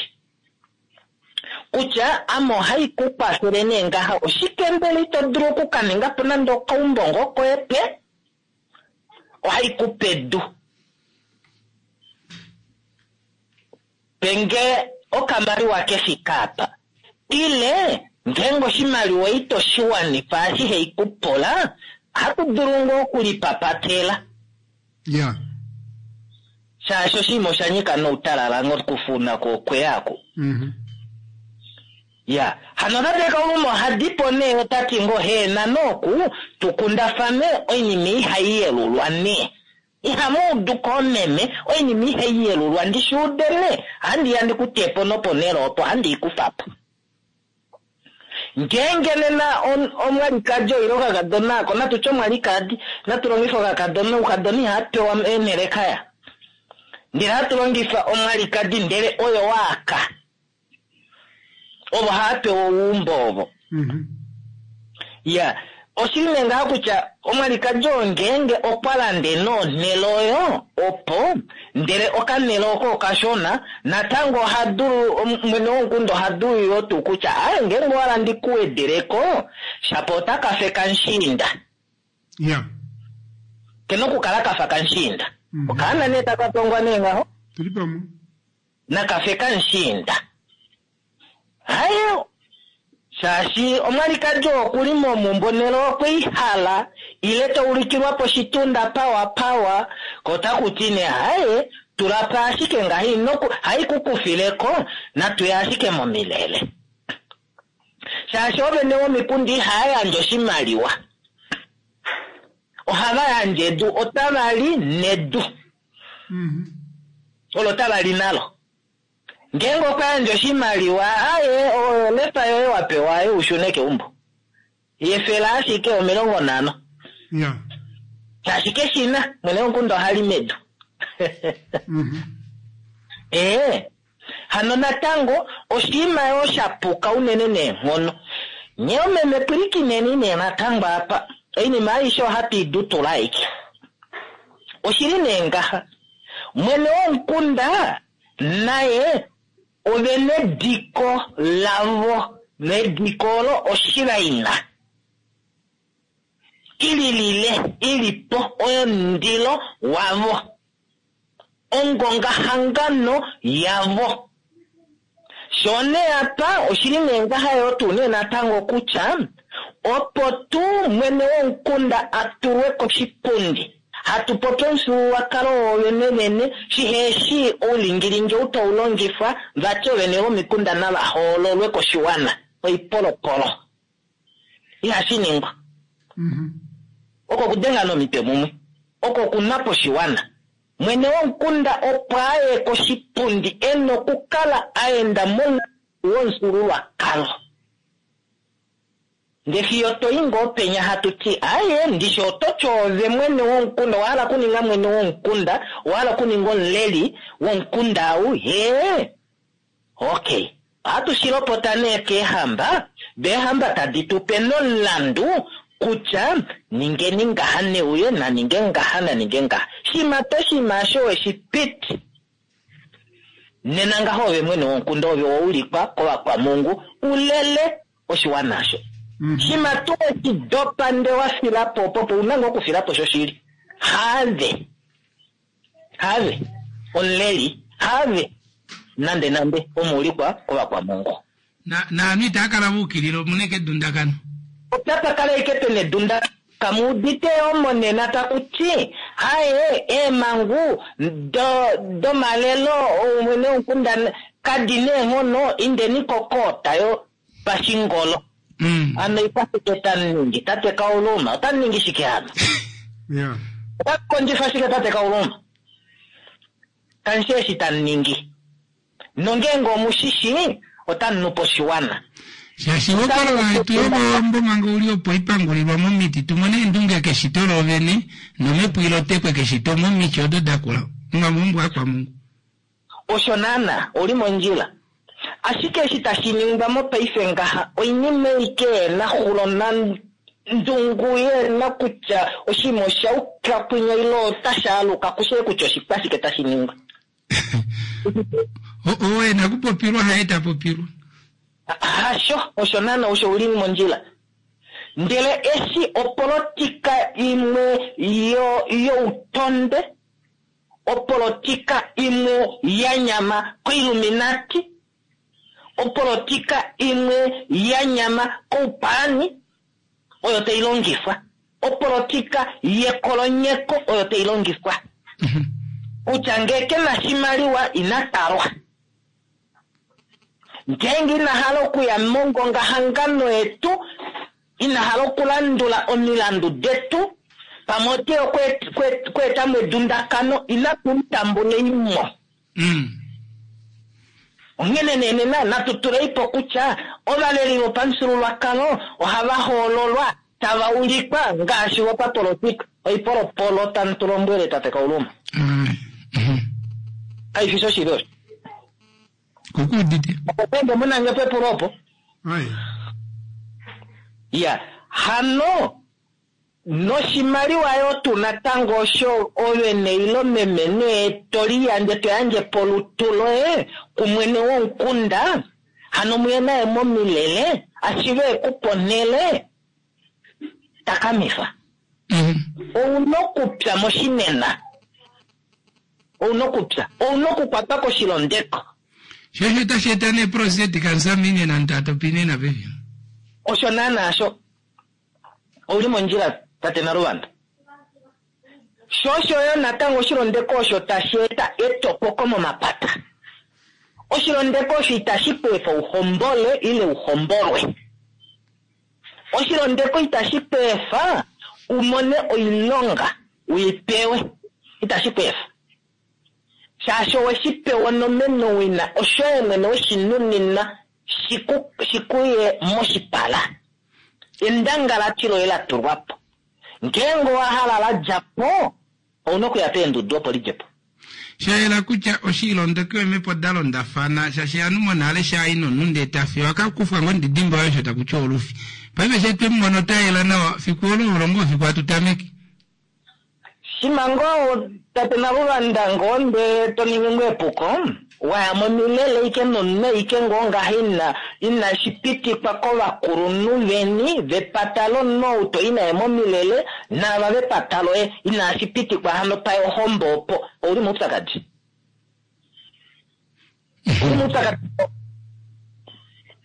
Kutya, ame ohai ku kwafele nee ngaha, oshike mbela ito dulu oku ka ninga po nande okaumbo ngoo koye pe? Ohai ku pedu. Pe nge okamaliwa ke fike apa. Ile, ngeenge oshimaliwa ito shi wanifa eshi hei ku pula, ohatu dulu ngoo okulipapatela. Ya. Shaashi oshinima osha nyika noutalala nokufuna ko okweya aku. Ya. Hano tate Kauluma oha di po nee ota ti ngoo heena nooku tu kundafane oinima ihai yelulwa nee. Ihamu udu koomeme, oinima ihai yelulwa, ndi shi ude nee, ohandi ya ndi ku te po noponhele opo, ohandi i kufa po. Ngeenge nena omwalikadi oile okakadona ako, natu tye omwalikadi, natu longife okakadona, oukadona ihaa pewa eenhele kaya. Ndele hatu longifa omwalikadi ndele oyo waaka. Ovo hava pewa ouumbo ovo. Ya, oshili nee ngaha kutya omwalikadi oo ngeenge okwa lande nonhele oyo opo, ndele okanhele oko okashona, natango oha dulu, mwene womukunda oha dulu yoo tuu kutya aye ngeenge owa landa ku wedeleko, shapo otaka fe kamushiinda. Ya. Kena okukala kafa kamushiinda. Okaana nee taka tongwa nee ngaho. Tuli pamwe. Nakafe kamushiinda. Haye, shaashi omwalikadi oo oku li momumbo nele okwe i hala, ile ta ulikilwa poshitunda pawa pawa, ko taku ti nee haye, tula po ashike ngaha ino ku, hai ku kufile ko, natu ye ashike momilele. Shaashi oovene vomikunda ihaya yandje oshimaliwa. Ohava yandje edu, otava li nedu. Olo tava li nalo. Ngeenge okwa yandje oshimaliwa, aye, oyo lefa yoye wa pewa aye u shune keumbo. Yefela ashike 50. Shaashi keshi na, mwene womukunda oha li medu. Ee, hano natango oshinima yoo sha puka unene neenghono. Nye omeme pwilikineni nee natango apa. Oinima aishe ohatu i dutula aike. Oshili nee ngaha, mwene womukunda naye ove nediko lavo, nediko olo oshilaina ililile ili po oyo omundilo wavo, ongongahangano yavo. Sho nee apa oshili nee ngaha yoo tuu nee natango kutya opo tuu mwene womukunda a tulwe koshipundi, hatu popi omufyuululwakalo woovene vene, shiheshi oulingilingi ou tau longifwa, vati oovene vomikunda nava hoololwe koshiwana, oipolopolo. Ihashi ningwa. Oko okudenga nomitwe mumwe. Oko okunwa poshiwana. Mwene womukunda opo a ye koshipundi e na okukala a enda momulandu womufyuululwakalo. Nde fiyo to i ngoo penya hatu ti, Aye, ndishi oto ti oove mwene womukunda, owa hala okuninga mwene womukunda, owa hala okuninga omuleli womukunda au, hee? Ok. Ohatu shi lopota nee keehamba, do eehamba tadi tu pe nomulandu kutya ningeni ngaha neuye na ninge ngaha na ninge ngaha. Shima to oshinima osho we shi piti, nena ngaho ove mwene womukunda ove wa ulikwa kovakwamungu u lele oshiwana osho. Shima tuu we shi dopa nde wa fila po opo, ou na ngoo okufila po shoshili. Haave. Haave omuleli, haave nande nande omuulikwa kovakwamongo. Na, naanhu itaa kala va ukilila, omu na eke edundakano. Otapa kala eke pe na edundakano. Kamu udite yoo monena taku ti, Haye, eemhangu do, domalelo oumwene womukunda kadi na eenghono, indeni kokoota yopashingolo. Mm. Hano oikwashike tamu ningi, tate Kauluma? Otamu ningi shike hano? Yeah. Otamu kondjifa shike, tate Kauluma? Kamu shi eshi tamu ningi. Nongeenge omu shi shii, otamu nu po oshiwana. Shaashi ohokololo yetu yOvawambo manga u li opo i pangulilwa momiti, tu mone eendunge keshito loovene, nomhepo i lotekwe keshito momiti odo da kula omamumbo akwamungu. Osho naana, ou li mondjila. Ashike eshi tashi ningwa mopaife ngaha oinima ei keena xulo nandungu yeena kutya oshinima osha uka kwinya ile otashi aluka kushee kutya oshikwashike tashi ningwa. Oo e na kupopilwa haye ta popilwa. Hasho, osho naana osho uli mondjila. Ndele eshi opolotika imwe yo youtondwe Opolotika imwe ya nyama koIlluminati, opolotika imwe ya nyama koupaani oyo tai longifwa, opolotika yekolonyeko oyo tai longifwa. Kutya ngee ke na shimaliwa ina talwa. Ngeenge ina hala okuya mongongahangano yetu, ina hala okulandula omilandu detu, pamwe ote ya okweeta mo edundakano, inatu mu tambulei mo. Onghene nee nena natu tulei po kutya ovaleli vopamufyuululwakalo ohava hoololwa tava ulikwa ngaashi vopapolotika. Oipolopolo tamu tu lombwele tate Kauluma. Kai fi shoshili osho? Kukuudite. Opo mu na nge pepulo opo. Ai. Ya, hano noshimaliwa yo tu natango osho ove neilo meme nee to liyandje to yandje polutu loye kumwene womukunda, hano muye naye momilele ashive ekupe onhele takamifa. Ou na okupya moshinena. Ou na okupya. Ou na okukwatwa koshilondeko. Sho osho tashi eta nee prostate cancer minena ntatopinena pevi. Osho naanaa sho. Ou li mondjila, tate Naluvanda. Sho osho yo natango oshilondeko osho tashi eta etopoko momapata. Oshilondeko osho itashi ku efa u hombole ile u hombolwe. Oshilondeko itashi ku efa u mone oilonga u i pewe. Itashi ku efa. Shaashi owe shi pewa onomenowina, oshoye mwene we shi nuninwa shi ku, shi ku ye moshipala. Endangalati loye la tulwa po. Ngeenge owa hala la dja po, ou na okuya peendudu opo li dje po. Sha yela kutya oshiilondoki eemhepo da londafana, shaashi ovanhu monale sha i nomunhu ndee ta fi oha ka kufwa ngoo ondidimba oyo osho taku tiwa olufi. Paife she twe mu mona ota yela nawa, fiku olo olo ngoo fiku hatu tameke. Shima ngoo tate Naluvanda ngoo ndee to ningi ngoo epuko, wa ya momilele ike nomunhu ike ngoo ngaha ina inashi pitikwa kovakulunhu veni vepata lomunhu ou to i naye momilele naava vepata loye inashi pitikwa hano paye ohombo opo ouli moupyakadi. Ouli moupyakadi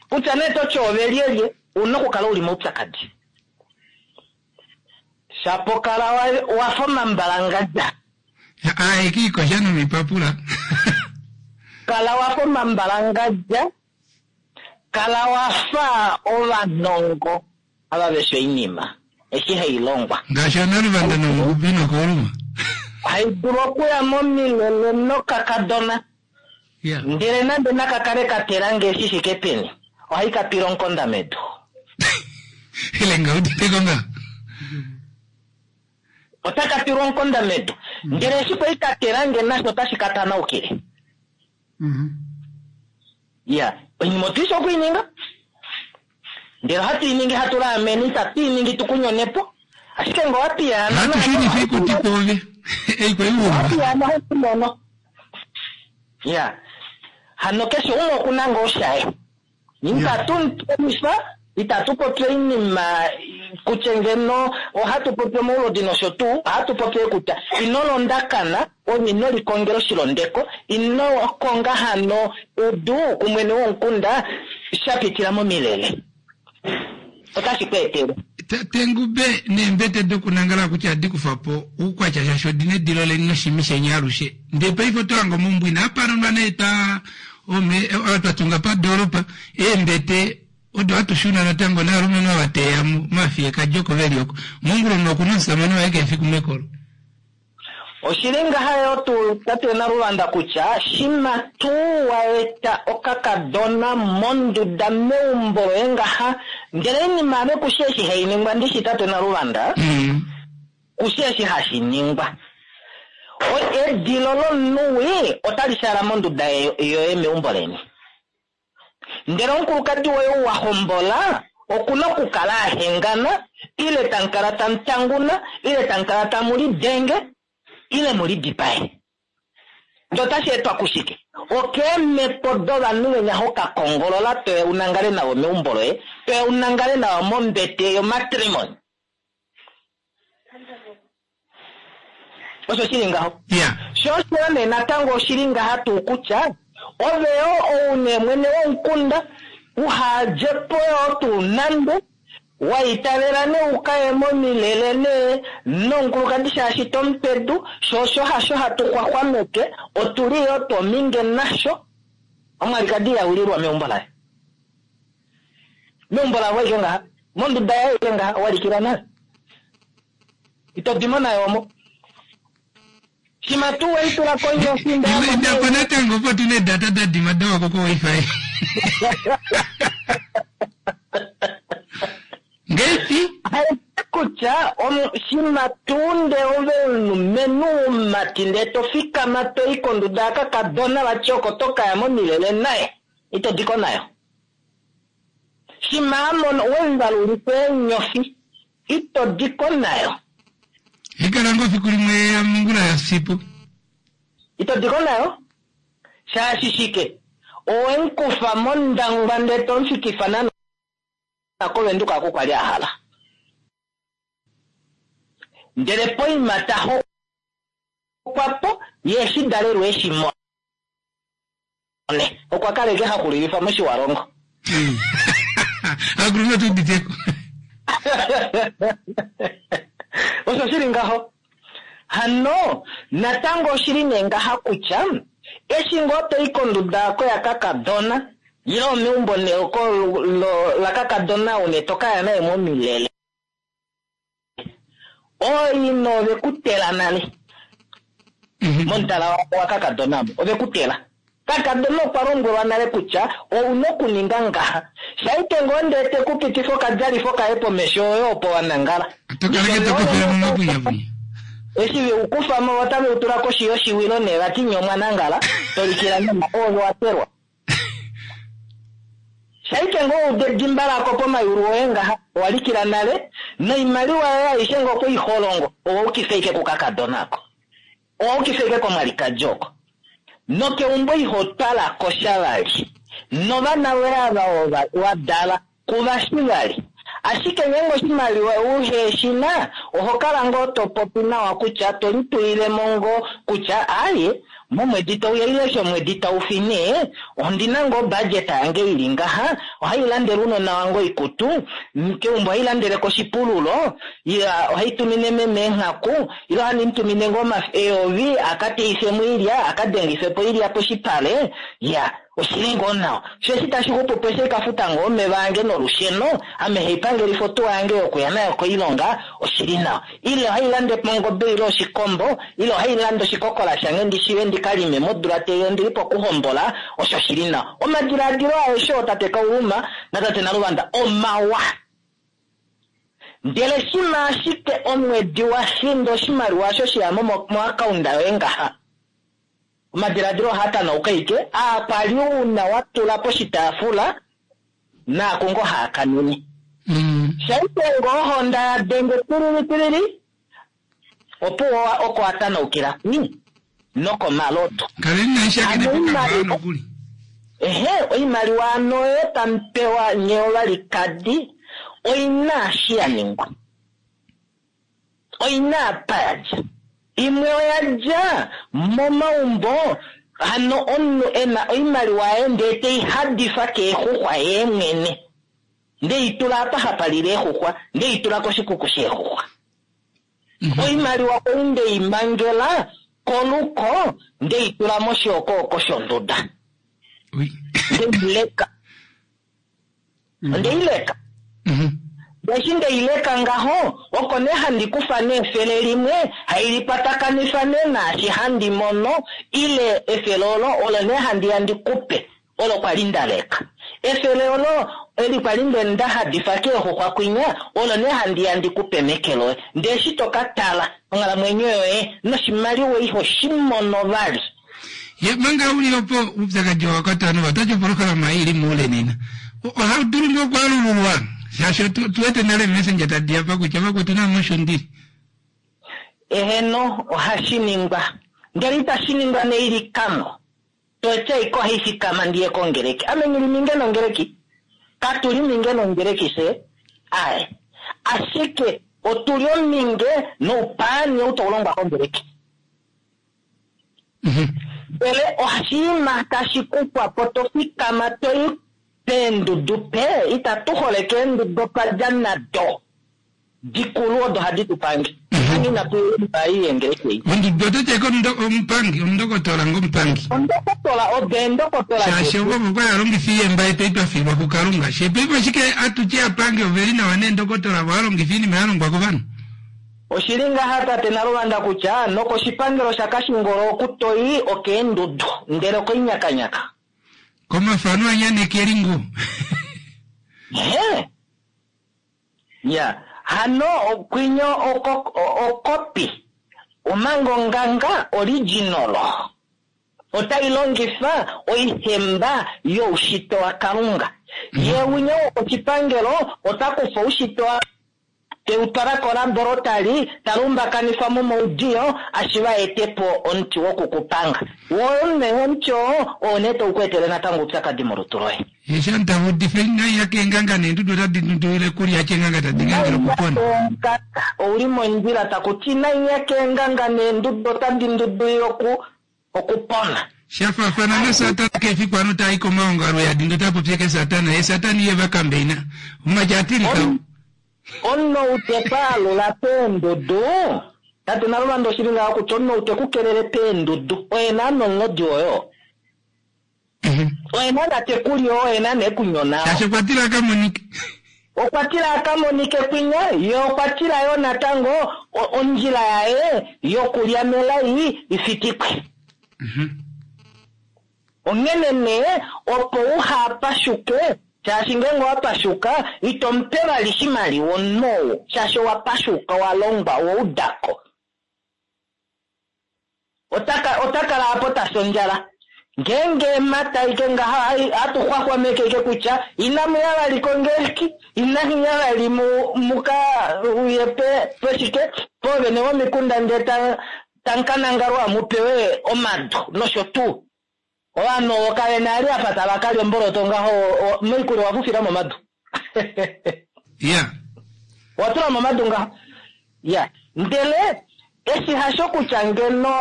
kutya nee to ti ove lyelye ouna okukala uli moupyakadi. Shapo kala wa fa omambalangadja. Aye kiikosha nomipapula. Kala wa fa omambalangadja. Kala wa fa ovanongo ava veshi oinima. eshi hai longwa. Ngaashi Analuvanda nomugubi nokooluma. Hai dulu okuya momilele nokakadona. Ndele nande naka kale ka tela nge shi shike peni, ohai ka twila omukonda medu. Elenga uditeko nga. Otaka twilwa omukonda medu. Ndele eshi kwali ka tela nge nasho otashi ka tanaukile. Ya, oinima otu shi oku i ninga. Ndele ohatu i ningi hatu laamene, itatu i ningi tu ku nyone po. Ashike ngee owa piyaana Ohatu shunifa oikuti kwoove. Ei kwali Owa uumba. piyaana ohatu mono. Ya, hano keshe umwe oku na ngoo shaye. Itatu mutumifa, itatu popi oinima kutya ngeno ohatu popi omaulodi nosho tuu, ohatu popi kutya ino londakana, ove ino likongela oshilondeko, ino konga hano edu kumwene womukunda sha pitila momilele. Otashi ku etele. Tengube neembete dokunangala kutya adi kufa po oukwatya shaashi odi na edilo leni noshimi sheni alushe. Ndee paife oto hange omaumbo inaa palulwa nee twa ome twa tunga padoolopa eembete odo hatu shuna natango naalumenhu ava teya mafiyekadji oko veli oko. Mongula omunhu okuna omusamane waye keshe efiku mekolo. Oshili ngaha yo tuu tate Naluvanda kutya shima tuu wa eta okakadona monduda meumbo loye ngaha ndele oinima ame kushi eshi hai ningwa ndishi tate Naluvanda kushi eshi hashi ningwa. Edilo lomunuwi otali shaala monduda yoye meumbo leni. Ndele omukulukadi woye ou wa hombola okuna okukala a hengana ile tamukala tamutanguna ile tamukala tamu lidenge ile mu lidipae. Ndele otashi etwa kushike? Okeemhepo dovanhu venya ho ka kongolola toya u nangale navo meumbo loye, toya u nangale navo mombete yomatrimony. Osho shili ngaho. Sho osho nee natango oshili ngaha tuu kutya ove yo ou nee mwene womukunda uhadje po yo tuu nande wa itavela nee ukaye momilele nee nomukulukadi shaashi tomupedu, sho osho hasho hatu xwaxwameke, otuli yo twominge nasho. Omwalikadi iha wililwa meumbo laye. Meumbo lavo aike ngaha, monduda yaye aike ngaha, wa likilwa nale. Ito dimo nayo omo. Shima tuu wei tula konyofi nda Ime inda po natango opo tu ne data da dima dawa ko ko wifi. Ngeipi? Kutya shima tuu nde ove omulumenhu womumati ndee to fikama to i konduda ya kakadona vati oko to kaya momilele naye, ito diko nayo. Shima a mono wemuvalulifa eenyofi, ito diko nayo. Ikala ngoo fiku limwe ya mongula ya sipo. Ito diko nayo? Shaashi shike? Owe mukufa mondangwa ndee to mufikifa nana koVenduka oko kwali a hala. Ndele poima ta hokwa po, ye eshi dalelwe eshi mone. Okwa kala eke haxulilifa moshiwalongo. Akulunhu otu uditeko. Osho shili ngaho. Hano, natango oshili nee ngaha kutya, eshi ngoo to i konduda oko ya kakadona, ile omeumbo nee oko la kakadona ou nee to ka ya naye momilele. Ooina ove ku tela nale. Momutala wa kakadona omo, ove ku tela. Kakadona okwa lombwelwa nale kutya ou na okuninga ngaha. Shaike ngoo ndee te ku pitifa okadjalifo kaye pomesho oyo opo wa nangala. To kala ke to kofela momapunyapunya. Eshi ve u kufa mo otave u tula koshi yoshiwilo nee vati nye omwa nangala, to likila nena oove wa telwa. Shaike ngoo ude edimba lako pomayulu oye ngaha, owa likila nale, noimaliwa yoye aishe ngoo okwe i holongo, owa ukifa ike kukakadona ako. Owa ukifa ike komwalikadi oko. Nokeumbo iho twala ko sha vali. Novana voye ava wa dala, kuva shi vali. Ashike ngeenge oshimaliwa uhe shi na, oho kala ngoo to popi nawa kutya to litulile mo ngoo kutya aaye, momwedi tau ya ile eshi omwedi tau fi nee, ondi na ngoo budget yange ili ngaha, ohai landele ounona wange oikutu, keumbo ohai landele ko oshipululo, ohai tumine meme eenghaku, ile ohandi mu tumine ngoo eyovi a ka teife mo oilya, a ka dengife po oilya poshipale, ya. Oshili ngoo nawa. Sho eshi tashi xupu po eshi ka futa ngoo omeva ange nolusheno, ame haipangelifa otuwa yange yokuya nayo koilonga, oshili nawa. Ile ohailande po ongobe ile oshikombo, ile ohailande oshikokola shange ndi shiwe ndi ka lime modula tei ondili pokuhombola, osho shili nawa. Omadilaadilo aeshe oo tate Kauluma natate Naluvanda omawa. Ndele shima ashike omwedi wa finda oshimaliwa osho sheya mo moakaunda yoye ngaha, omadilaadilo ohaa tanauka ike, aa kwali una wa tula poshitaafula naaku ngoo haa kanene. Shaike ngoo ohonda ya denge tilili tilili, opuwo oko wa tanaukila kwi nokomalodu. Kaleni naishakene Ano pokambaa oimaliwa nokuli. Ehe, oimaliwa ano oyo tamu pewa nye ovalikadi oina eshi ya ningwa. Oina apa ya dja. Imwe oya dja momaumbo, hano omunhu e na oimaliwa yaye ndee tei hadifa keexuxwa yee mwene. Ndee i tula apa hapa lile eexuxwa, ndee i tula koshikuku sheexuxwa. Oimaliwa kwali ndei mangela koluko, ndei tula moshiokooko shonduda. Ndei leka. Ndei leka. Eshi ndei leka ngaho, oko nee handi kufa neefele limwe, hai likwatakanifa nee naashi handi mono, ile efele olo, olo nee handi ya ndi kupe, olo kwali nda leka. Efele olo, eli kwali nde nda hadifa keexuxwa kwinya, olo nee handi ya ndi kupe meke loye. Ndee eshi to ka tala onghalamwenyo yoye noshimaliwa iho shi mono vali. Ye manga uli opo oupyakadi owa kwatwa nova otati opolohalama ei ili moule nena. Ohau dulu ngoo okwaalululwa shaashi tu wete nale messenger tadi apa kutya vakwetu namo osho ndili. Eheno, ohashi ningwa. Ndele itashi ningwa neilikano. Totya iko ohai fikama ndiye kongeleki. Ame nghi liminge nongeleki. Katu liminge nongeleki fye. Ae. Ashike otu li ominge noupaani ou tau longwa kongeleki. Ndele oshinima tashi kufwa po to fikama to i peendudu pe, itatu holeke eendudu otwa dja nado dikulu odo hadi tu pange. Hano inatu yeleka ei yengeleki ei. Ondudu oto tya ike omupangi, omundokotola ngomupangi. Ondokotola, odo eendokotola Shaashi detu. ovo okwa alongifa iyemba yetu ei twa fiilwa kuKalunga. She paife ashike atu tye apangi ove li nawa neendokotola vo alongifa oinima ya longwa kovanhu. Oshili ngaha tate Naluvanda kutya nokoshipangelo shaKashingolo oku toi okeendudu ndele okoinyakanyaka. Komafano anyanekeli ngo. He. Ya, hano okwinyo okopi omanga onganga original. Otai longifa oihemba youshitwe waKalunga. Ye winyo wokoshipangelo ota kufa oushitwe wa teutwala kolaborotali, talumbakanifa momaudiyo, ashiva ete po omuti wokukupanga. Woo omuti oo, oo nee tau ku etele natango oupyakadi molutu loye. Ye shanta udife nai yake enganga neendudu otadi ndundulile kulya chenganga tadi ngangela okupona. Ouli mondjila taku ti nai yake enganga neendudu otadi ndundulile okupona. Shafaafana na Satana kefi kwano tai komaongalo ya dindo ta popye ke Satana, ye Satana iye va kambeina. Omaja atilika. Omunhu ou te paalula peendudu, tate Naluvanda oshili ngaho kutya omunhu ou te ku kelele peendudu, oye naana omulodi woyo. Oye naana te ku li oo, oye naana e ku nyona oo. Shaashi okwa tila a ka monike. Okwa tila a ka monike kwinya, ye okwa tila yo natango ondjila yaye yokulya melai i fitikwe. Onghene nee, opo uha pashuke, shaashi ngeenge owa pashuka, ito mupe vali shimaliwa omunhu ou, shaashi owa pashuka, owa longwa, owa udako. Ota kala apo ta fi ondjala. Ngeenge emata ike ngaha, hatu xwaxwameke ike kutya, inamu ya vali kongeleki, inamu ya vali muka uye peshike, poovene vomikunda ndee tamukanangalwa mupewe omadu nosho tuu. Ovanhu ovo kave na ali apa tava kalya omboloto ngaho, moikulya owa fufila momadu. Owa tula momadu ngaho. Ndele eshi hasho kutya ngeno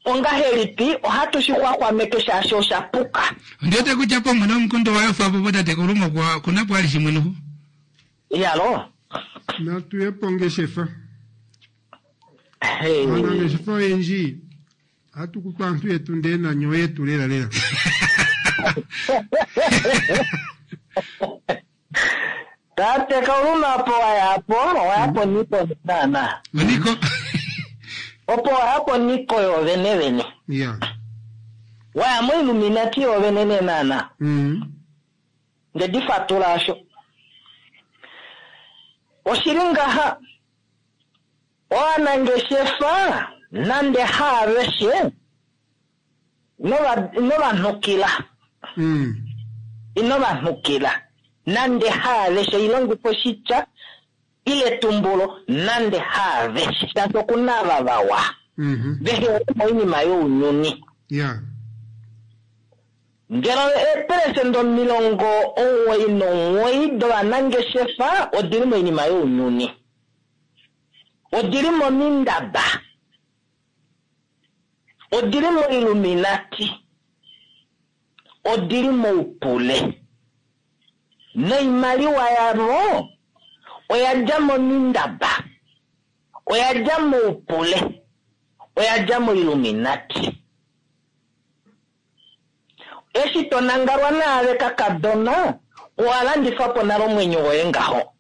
ongahelipi ohatu shi xwaxwameke shaashi osha puka. Ndi wete kutya pomwe nomukundo wayo fa popo tate Kulumo kuna po ali shimwe noho. Yalo. Natu ye pongeshefa. Hey. Aanangeshefa oyendji ohatu kutu aantu yetu ndee nanyo yetu lela lela. Tate Kauluma opo waya po, owaya po niko naana. Niko. Opo waya po niko yo vene vene. Ya. Waya mo Illuminati yo vene ne naana. Nde di fatula asho. Oshili ngaha ovanangeshefa nande haaveshe inovanhukila. Inovanhukila. Nande haaveshe ilongifa oshitya ile tumbulo nande haaveshe shaashi okuna ava vawa. Vehe moinima younyuni. Ngeno eepelesenda 99 dovanangeshefa odili moinima younyuni. Odili momindaba. Odili moiluminati. Odili moupule. Noimaliwa yavo oya dja momindaba. Oya dja moupule. Oya dja moiluminati. Eshi to nangalwa naave kakadona, owa landifa po nale omwenyo woye ngaho.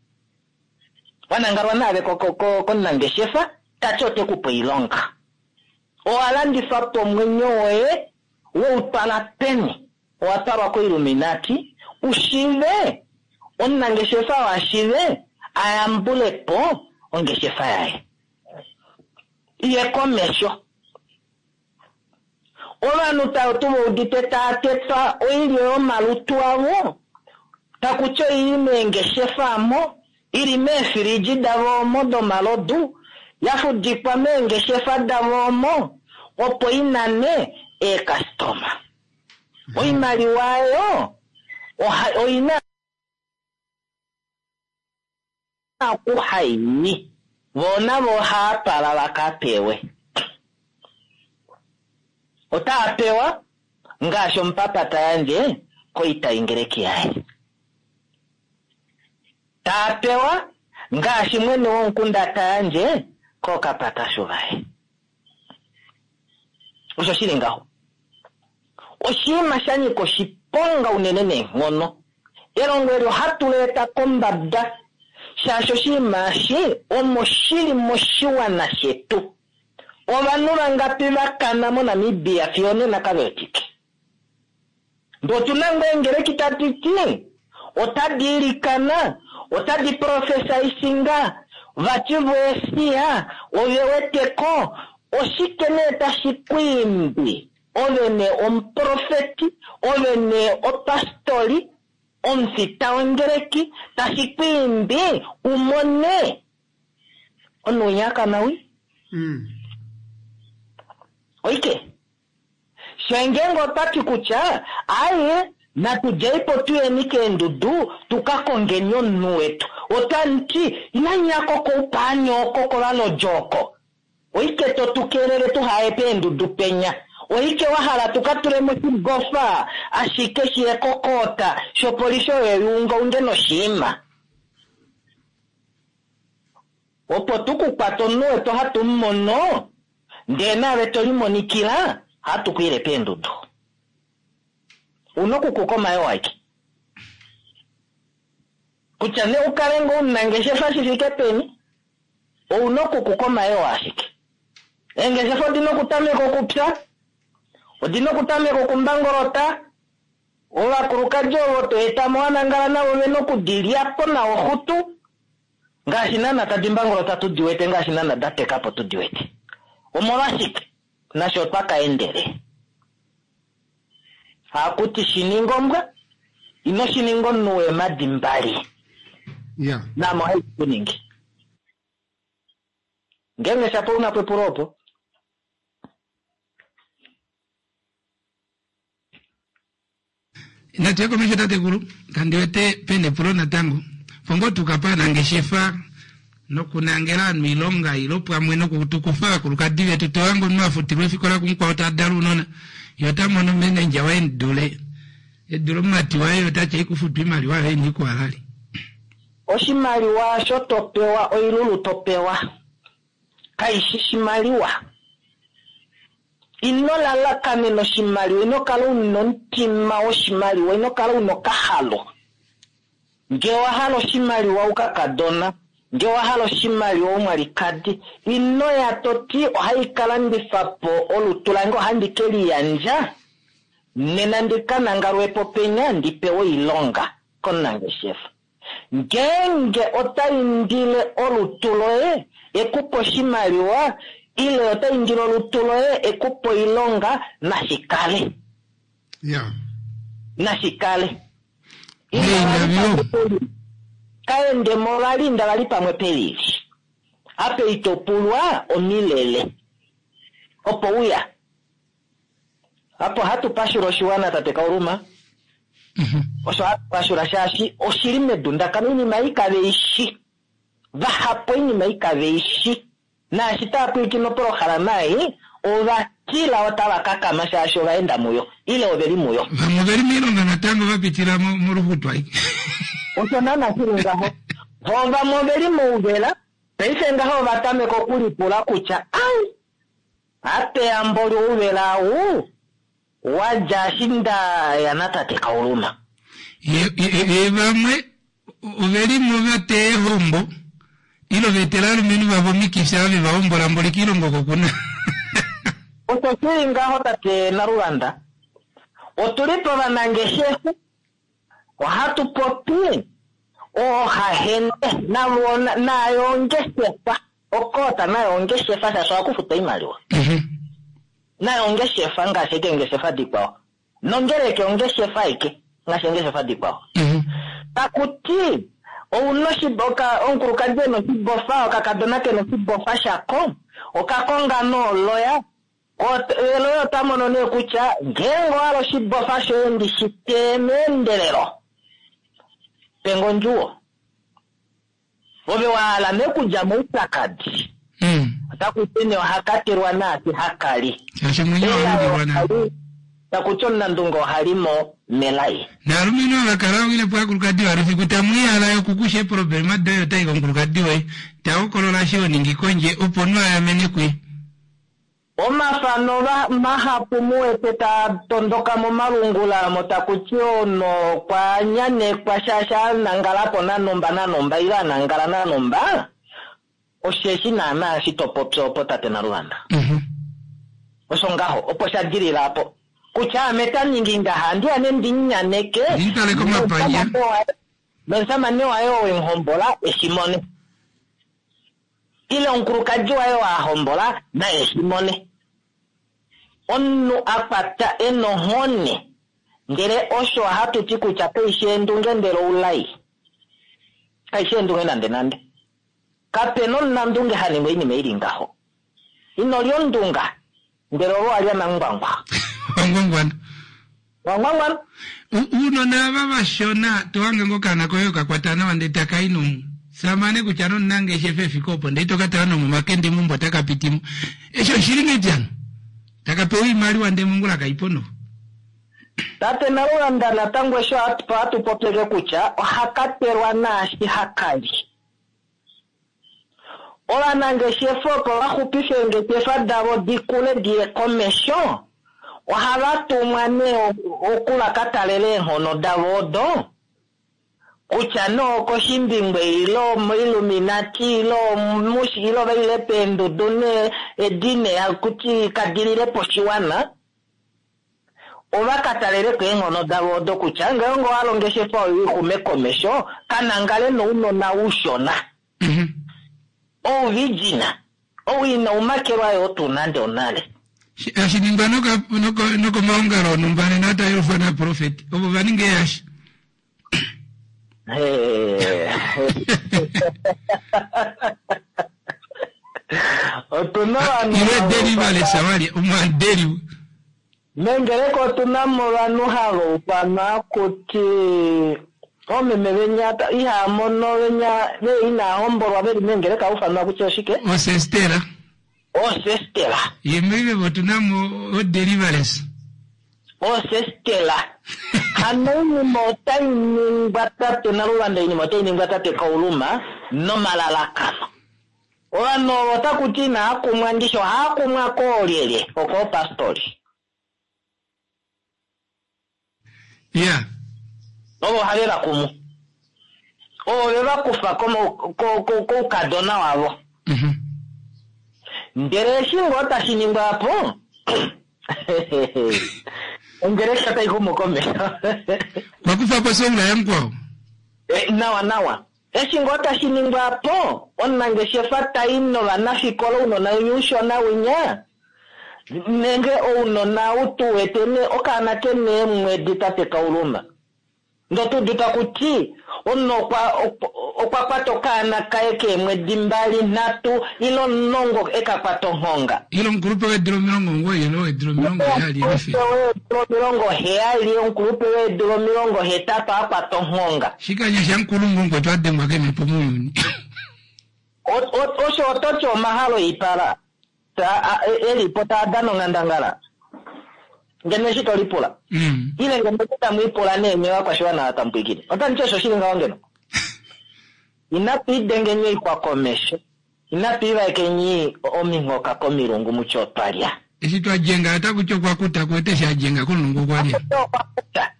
Wa nangalwa naave komunangeshefa, tati ote ku pe oilonga. Owa landifa po omwenyo woye, woutwala peni? Owa twalwa koiluminati, ushive, omunangeshefa washive, ayambule po ongeshefa yaye. Iye komesho. Ovanhu tava udite taa tetwa oilyo yomalutu avo, takutya oili meengeshefa amo, ili meefiliji davo omo domalodu, ya fudikwa meengeshefa davo omo, opo inane eekastoma. Oimaliwa ayo oina okuhaini. Vo navo ohava twala vaka pewe. Otaa pewa ngaashi omupapa ta yandje koitaingeleki yaye. Taa pewa ngaashi mwene womukunda ta yandje kokapatashu vaye. Osho shili ngaho. Oshinima sha nyika oshiponga unene neenghono. Elongo eli ohatu leeta kombada shaashi oshinima eshi omo shili moshiwana shetu. Ovanhu vangapi vakana moNamibia fiyo nena kave wetike. Ndee otuna ngoo eengeleki tadi ti otadi ilikana, otadi profesaisinga, vati voesia, ove weteko, oshike nee tashi ku imbi? Ove nee omuprofeti, ove nee opastori, omufita wongeleki, tashi ku imbi umone omunhu winya akana wi? Oike. Shengenge otati kutya aye natudjeipo tuyeni keendudu tukakongeni omunhu wetu. Otanti inanyako koupaani oko kovalojo oko. Oike totukelele tuhaye peendudu penya. Oike wahala tukatule moshibofa ashike shiye kokota shopolifi oyo yuungaunge noshiima. Opo tukukwata omunhu wetu hatu mumono ndee naave tolimonikila hatu kuile peendudu. Una okukuka omayoo aike. Kutya nee ukale ngoo omunangeshefa shi fike peni, ouna okukuka omayoo ashike. Eengeshefa odina okutameka okupya, odina okutameka okumbangolota, ovakulukadi ovo to etamo wanangala navo vena okudilyapo nawa oxutu, ngaashi naana tadi mbangolota tudi wete, ngaashi naana da teka po tudi wete. Omolwashike? Nasho otwa ka endele. Hakuti shininga ombwa, ino shininga omunhu weemadi mbali. Namo hai ku ningi. Ngeenge shapo una po epulo opo. Natu ye komesho tatekulu, kandi wete pena epulo natango. Pongo tukapa nangeshefa nokunangela ovanhu oilonga ilo pamwe nokutukufa ovakulukadi vetu tohange omunhu afutilwa efikola kumukwao tadala ounona ye ota mono manager waye emudule edule omumati waye otati aikufutwa oimaliwa yoye iniikuhalali. Oshimaliwa osho to pewa oilulu to pewa kaishi shimaliwa. Ino lalakanena oshimaliwa, ino kala una omutima woshimaliwa, ino kala una okahalo. Ngee owa hala oshimaliwa ukakadona, ngee owa hala oshimaliwa umwalikadi, ino ya to ti ohai ka landifa po olutu lange, ohandi ke liyandja, nena ndi ka nangalwe po penya ndi pewe oilonga komunangeshefa. Ngeenge ota indile olutu loye ekupe oshimaliwa, ile ota indile olutu loye ekupe oilonga, nashi kale. Nashi kale. Kaende mo vali inda vali pamwe pelili. Ape ito pulwa omilele. Opo uya. Apo hatu pashula oshiwana tate Kauluma. Osho hatu pashula shaashi oshili medundakano oinima ei kave i shi. Vahapu oinima ei kave i shi. Naashi tava pwilikine opolohalama ei, ova tila otava kakama shaashi ova enda muyo, ile ove li muyo. Vamwe ove li moilonga natango va pitila moluxutwa. Osho naana shi li ngaho. Vo vamwe ove li mouvela, paife ngaho ova tameka okulipula kutya, ai, apeyambo lyouvela ou wa dja eshi nda ya natate Kauluma. Ye vamwe ove li mo va teya eehombo, ile ova etela ovalumenhu vavo omikifi ava ve va hombola mboli koilongo oko ku na. Osho shi li ngaho tate Naluvanda. Otu li povanangeshefa, ohatu popi oohahende navo naayo ongeshefa. Okoota nayo ongeshefa shaashi ohaku futwa oimaliwa. Nayo ongeshefa ngaashi ashike eengeshefa dikwao. Nongeleke ongeshefa aike ngaashi eengeshefa dikwao. Taku ti ouna oshiboka, omukulukadi e na oshibofa, okakadona ke na oshibofa shako, oka konga nooloya, eloya ota mono nee kutya ngeenge owa hala oshibofa shoye ndi shi teye meendelelo, pe nge ondjuwo. Ove wa hala nee okudja moupyakadi. Otaku ti nee oha katelwa naashi haka li. Shaashi omwenyo wa lundilwa nale. Taku ti omunandunge oha li mo melai. Naalumenhu ava kala wile po aakulukadi valo fiku tamu ihala yokukusha eeproblema doye otai komukulukadi woye ta hokolola eshi ho ningi kondje opo omunhu a yamene kuye. Omafano mahapu mu wete taa tondoka momalungula omo taku ti omunhu okwa nyanekwa shaashi a nangala po nanhumba nanhumba ile a nangala nanhumba, osheshi naana eshi to popi opo tate Naluvanda. Osho ngaho, opo sha dilila apo. Kutya ame ta ningi ngaha, andi ya nee ndi nyaneke Ndi mu tale komapandja. nomusamane waye oo wemuhombola e shi mone. Ile omukulukadi waye oo a hombola naye shi mone. Omunhu a kwata e na onghone, ndele osho ohatu ti kutya kai shi eendunge ndele oulai. Kai shi eendunge nandenande. Kape na omunandunge ha ningi oinima i li ngaho. Ino lya ondunga, ndele ove owa lya namungwangwa. Wangwangwana. Wangwangwana. Uunona ava vashona to hange ngo okaana koye oka kwata nawa ndele taka i nomusamane kutya nomunangeshefa efika opo ndele ito ka tala nomomakende meumbo otaka piti mo. Eshi oshili ngedi hano? Taka pewa oimaliwa ndele mongula kai po noho. Tate Nalulanda natango eshi ohatu popyeke kutya ohaka telwa naashi haka li. Ovanangeshefa opo va xupife eengeshefa davo di kule di ye komesho, ohava tumwa nee oku va ka talela eenghono davo odo, kutya nee okoshimbingwe ile omoIlluminati ile omushi ile ova ile peendudu nee edi nee haku ti kadi lile po oshiwana. Ova ka talele ko eenghono davo odo kutya ngeenge owa hala ongeshefa oyo i xume komesho, ka nangale nounona ushona, ouvirgin, ou inau makelwa yoo tuu nande onale. Hashi ningwa nokomaongalo onhumba nena otaa yelufwa naaprofeti ovo va ninga eehashi. Otu na ovanhu Ile deliverance wali omwadeli. Mengeleka otu na mo ovanhu hava ufanwa kuti oomeme venya ihaa mono venya ve inaa hombolwa ve li mengeleka ufanwa kutya oshike? Osestera. Osestera. Ye meive otu na mo odeliverance. Osestela. Hano oinima otai ningwa tate Naluvanda, oinima otai ningwa tate Kauluma nomalalakano. Ovanhu ovo otaku ti inaa kumwa ndishi ohaa kumwa koolyelye okoopastori. Ya. Ovo ohave va kumu. Ovo ve va kufa koukadona wavo. Ndele eshi ngoo tashi ningwa po ongeleka otai xumu komesho. Wakufa po soula yamukwao. Nawa nawa. Eshi ngoo tashi ningwa po, omunangeshefa tai novanafikola ounona winya ushona winya, nenge ounona u tu wete ne okaana ke neemwedi tate Kauluma. Ndo tu taku ti omunhu okwa kwata okaana kaye keemwedi 2, 3 ile 10 e ka kwata onghonga. Ile omukulupe weedula 90 ile weedula 70. Weedula 70, omukulupe weedula 80 a kwata onghonga. Shikanya shamukulu ngokwetu a dengwa kemhepo mounyuni. Osho oto ti omahalo oipala elipo taa dana onghandangala. Ngeno eshi to lipula. Ile ngeno tamu ipula nee ovakwashiwana tamu pwilikine. Otandi ti osho shili ngaho ngeno. Inatu idengeni oixwa komesho. Inatu ivaekeni ominghoka komilungu mutye otwa lya. Eshi twa djenga otaku ti okwa kuta kuwete eshi a djenga komulungu okwa lya. Okwa kuta.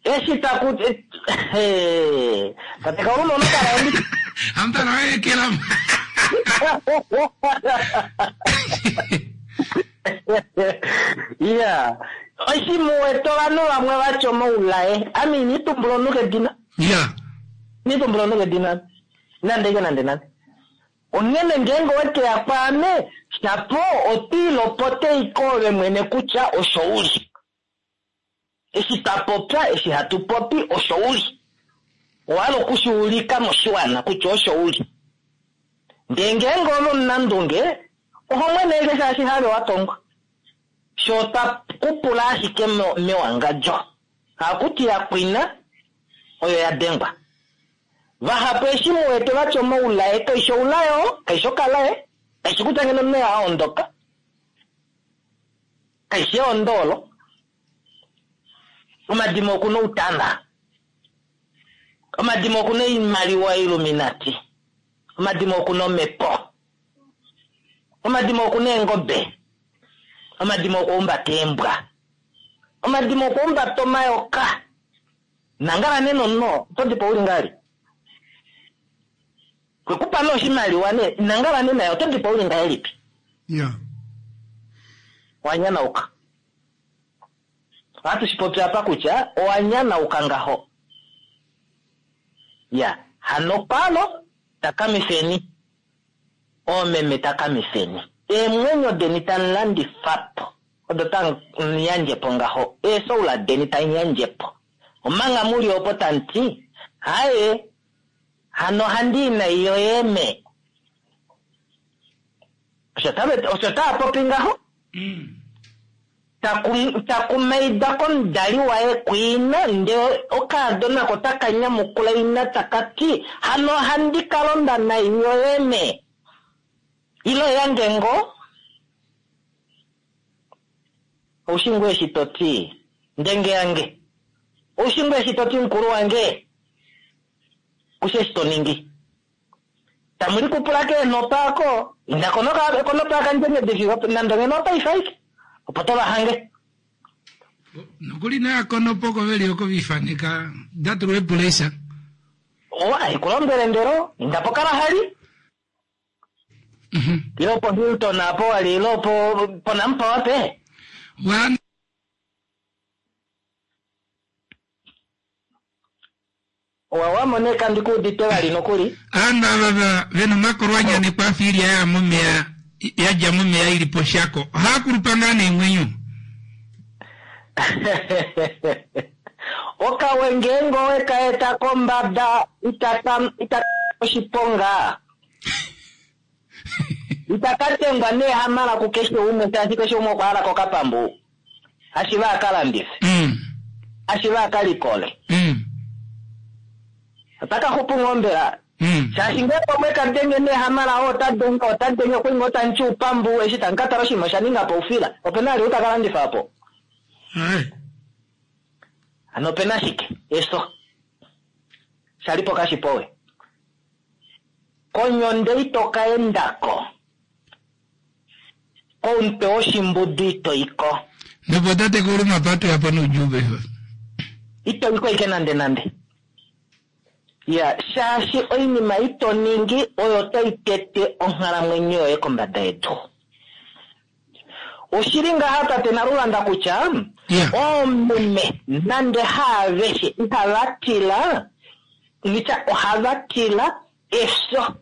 Eshi taku tate Kauluma onokala ondi. Amutala waekela. Ya. Eshi muwete ovanhu vamwe vatya omaulaye. Ame ini tumbula omunhu kedina. Ya. Ini tumbula omunhu kedina. Nande ke nande nande. Onghene ngeenge owekeya kwaame, shapo otwiilopote iko ove mwene kutya osho uli. Eshi twa popya, eshi hatu popi, osho uli. Owa hala okushiulika moshiwana kutya osho uli. Ndee ngeenge ove omunandunge, oho mwene eke shaashi have wa tongwa. Sho twa kupula ashike mewangadjo. Hakuti ya kwina, oyo ya dengwa. Vahapu eshi muwete vatya omaulaye, kaishi oulaye oo, kaishi okalaye, kaishi kutya ngeno omunhu a ondoka. Kaishi eondoolo. Omadimo oku na outana. Omadimo oku na oimaliwa Illuminati. Omadimo oku na omhepo. Omadimo oku na eengobe. Omadimo okwa humbata eembwa. Omadimo okwa humbata omayoka. Nangala nena omunhu, oto di po uli ngahelipi? Kwekupa nee oshimaliwa nee, nangala nena oto di po uli ngahelipi? Ya. Wanyanauka. Ohatu shi popi apa kutya owanyanauka ngaho. Ya, hano palo takamifeni. Oomeme takamifeni. Eemwenyo deni tamu landifa po. Odo tamu yandje po ngaho. Eesoula deni tamu yandje po. Omanga muli opo tamu ti, haye, hano handi nai yoye me. Osho taa popi ngaho. Takumaida komudali waye kuina, ndele okaadona ko taka nyamukula ina taka ti, hano handi ka londa nai yoye me. Ilo yange ngo. Oushingwe eshi to ti, ndenge yange. Oushingwe eshi to ti mukulu wange. Kushe eshi to ningi. Tamuli kupula keenhopa ako. Inda konopa akandjenge nande ngeno opaife aike. Opo to va hange. Nokuli na konopo ko veli oko vifaneka datulwa epulesa. Owa, ikulombwele ndelo, inda po Kalahari. Ilo po Hilton apo wali, ilo po Nampa wape. Owa wamone kandi kuudite vali nokuli. Aanhu ava vena omakolo a nyanekwa afa ilya ya momeya, ya dja momeya ili poshako. Ohaa kulupa ngaa neemwenyo? Okawe ngeenge owe ka eta kombada, itaka oshiponga. Itaka tengwa neehamala kukeshe umwe, shaashi keshe umwe okwa hala kokapambu. Ashiva aka landife. Ashiva aka likole. Otaka xupu ngoo mbela. Shaashi ngeenge omwe ka denge neehamala, oo ota denge, ota denge, okwe ngoo tamu ti upambu, eshi tamu ka tala oshinima osha ninga po oufila. Ope na ali utaka landifa po. Hano ope na shike? Eso. Shali po kashipowe. Konyonde ito ka endako. Komutwe woshimbudu ito iko. Nopo tate Kauluma apa toya po noudjuu paife. Ito iko ike nande nande. Ya, shaashi oinima ito ningi oyo tai tete onghalamwenyo yoye kombada yedu. Oshili ngaha tate Naluvanda kutya oomeme nande haaveshe ihava tila, ngitya ohava tila efyo.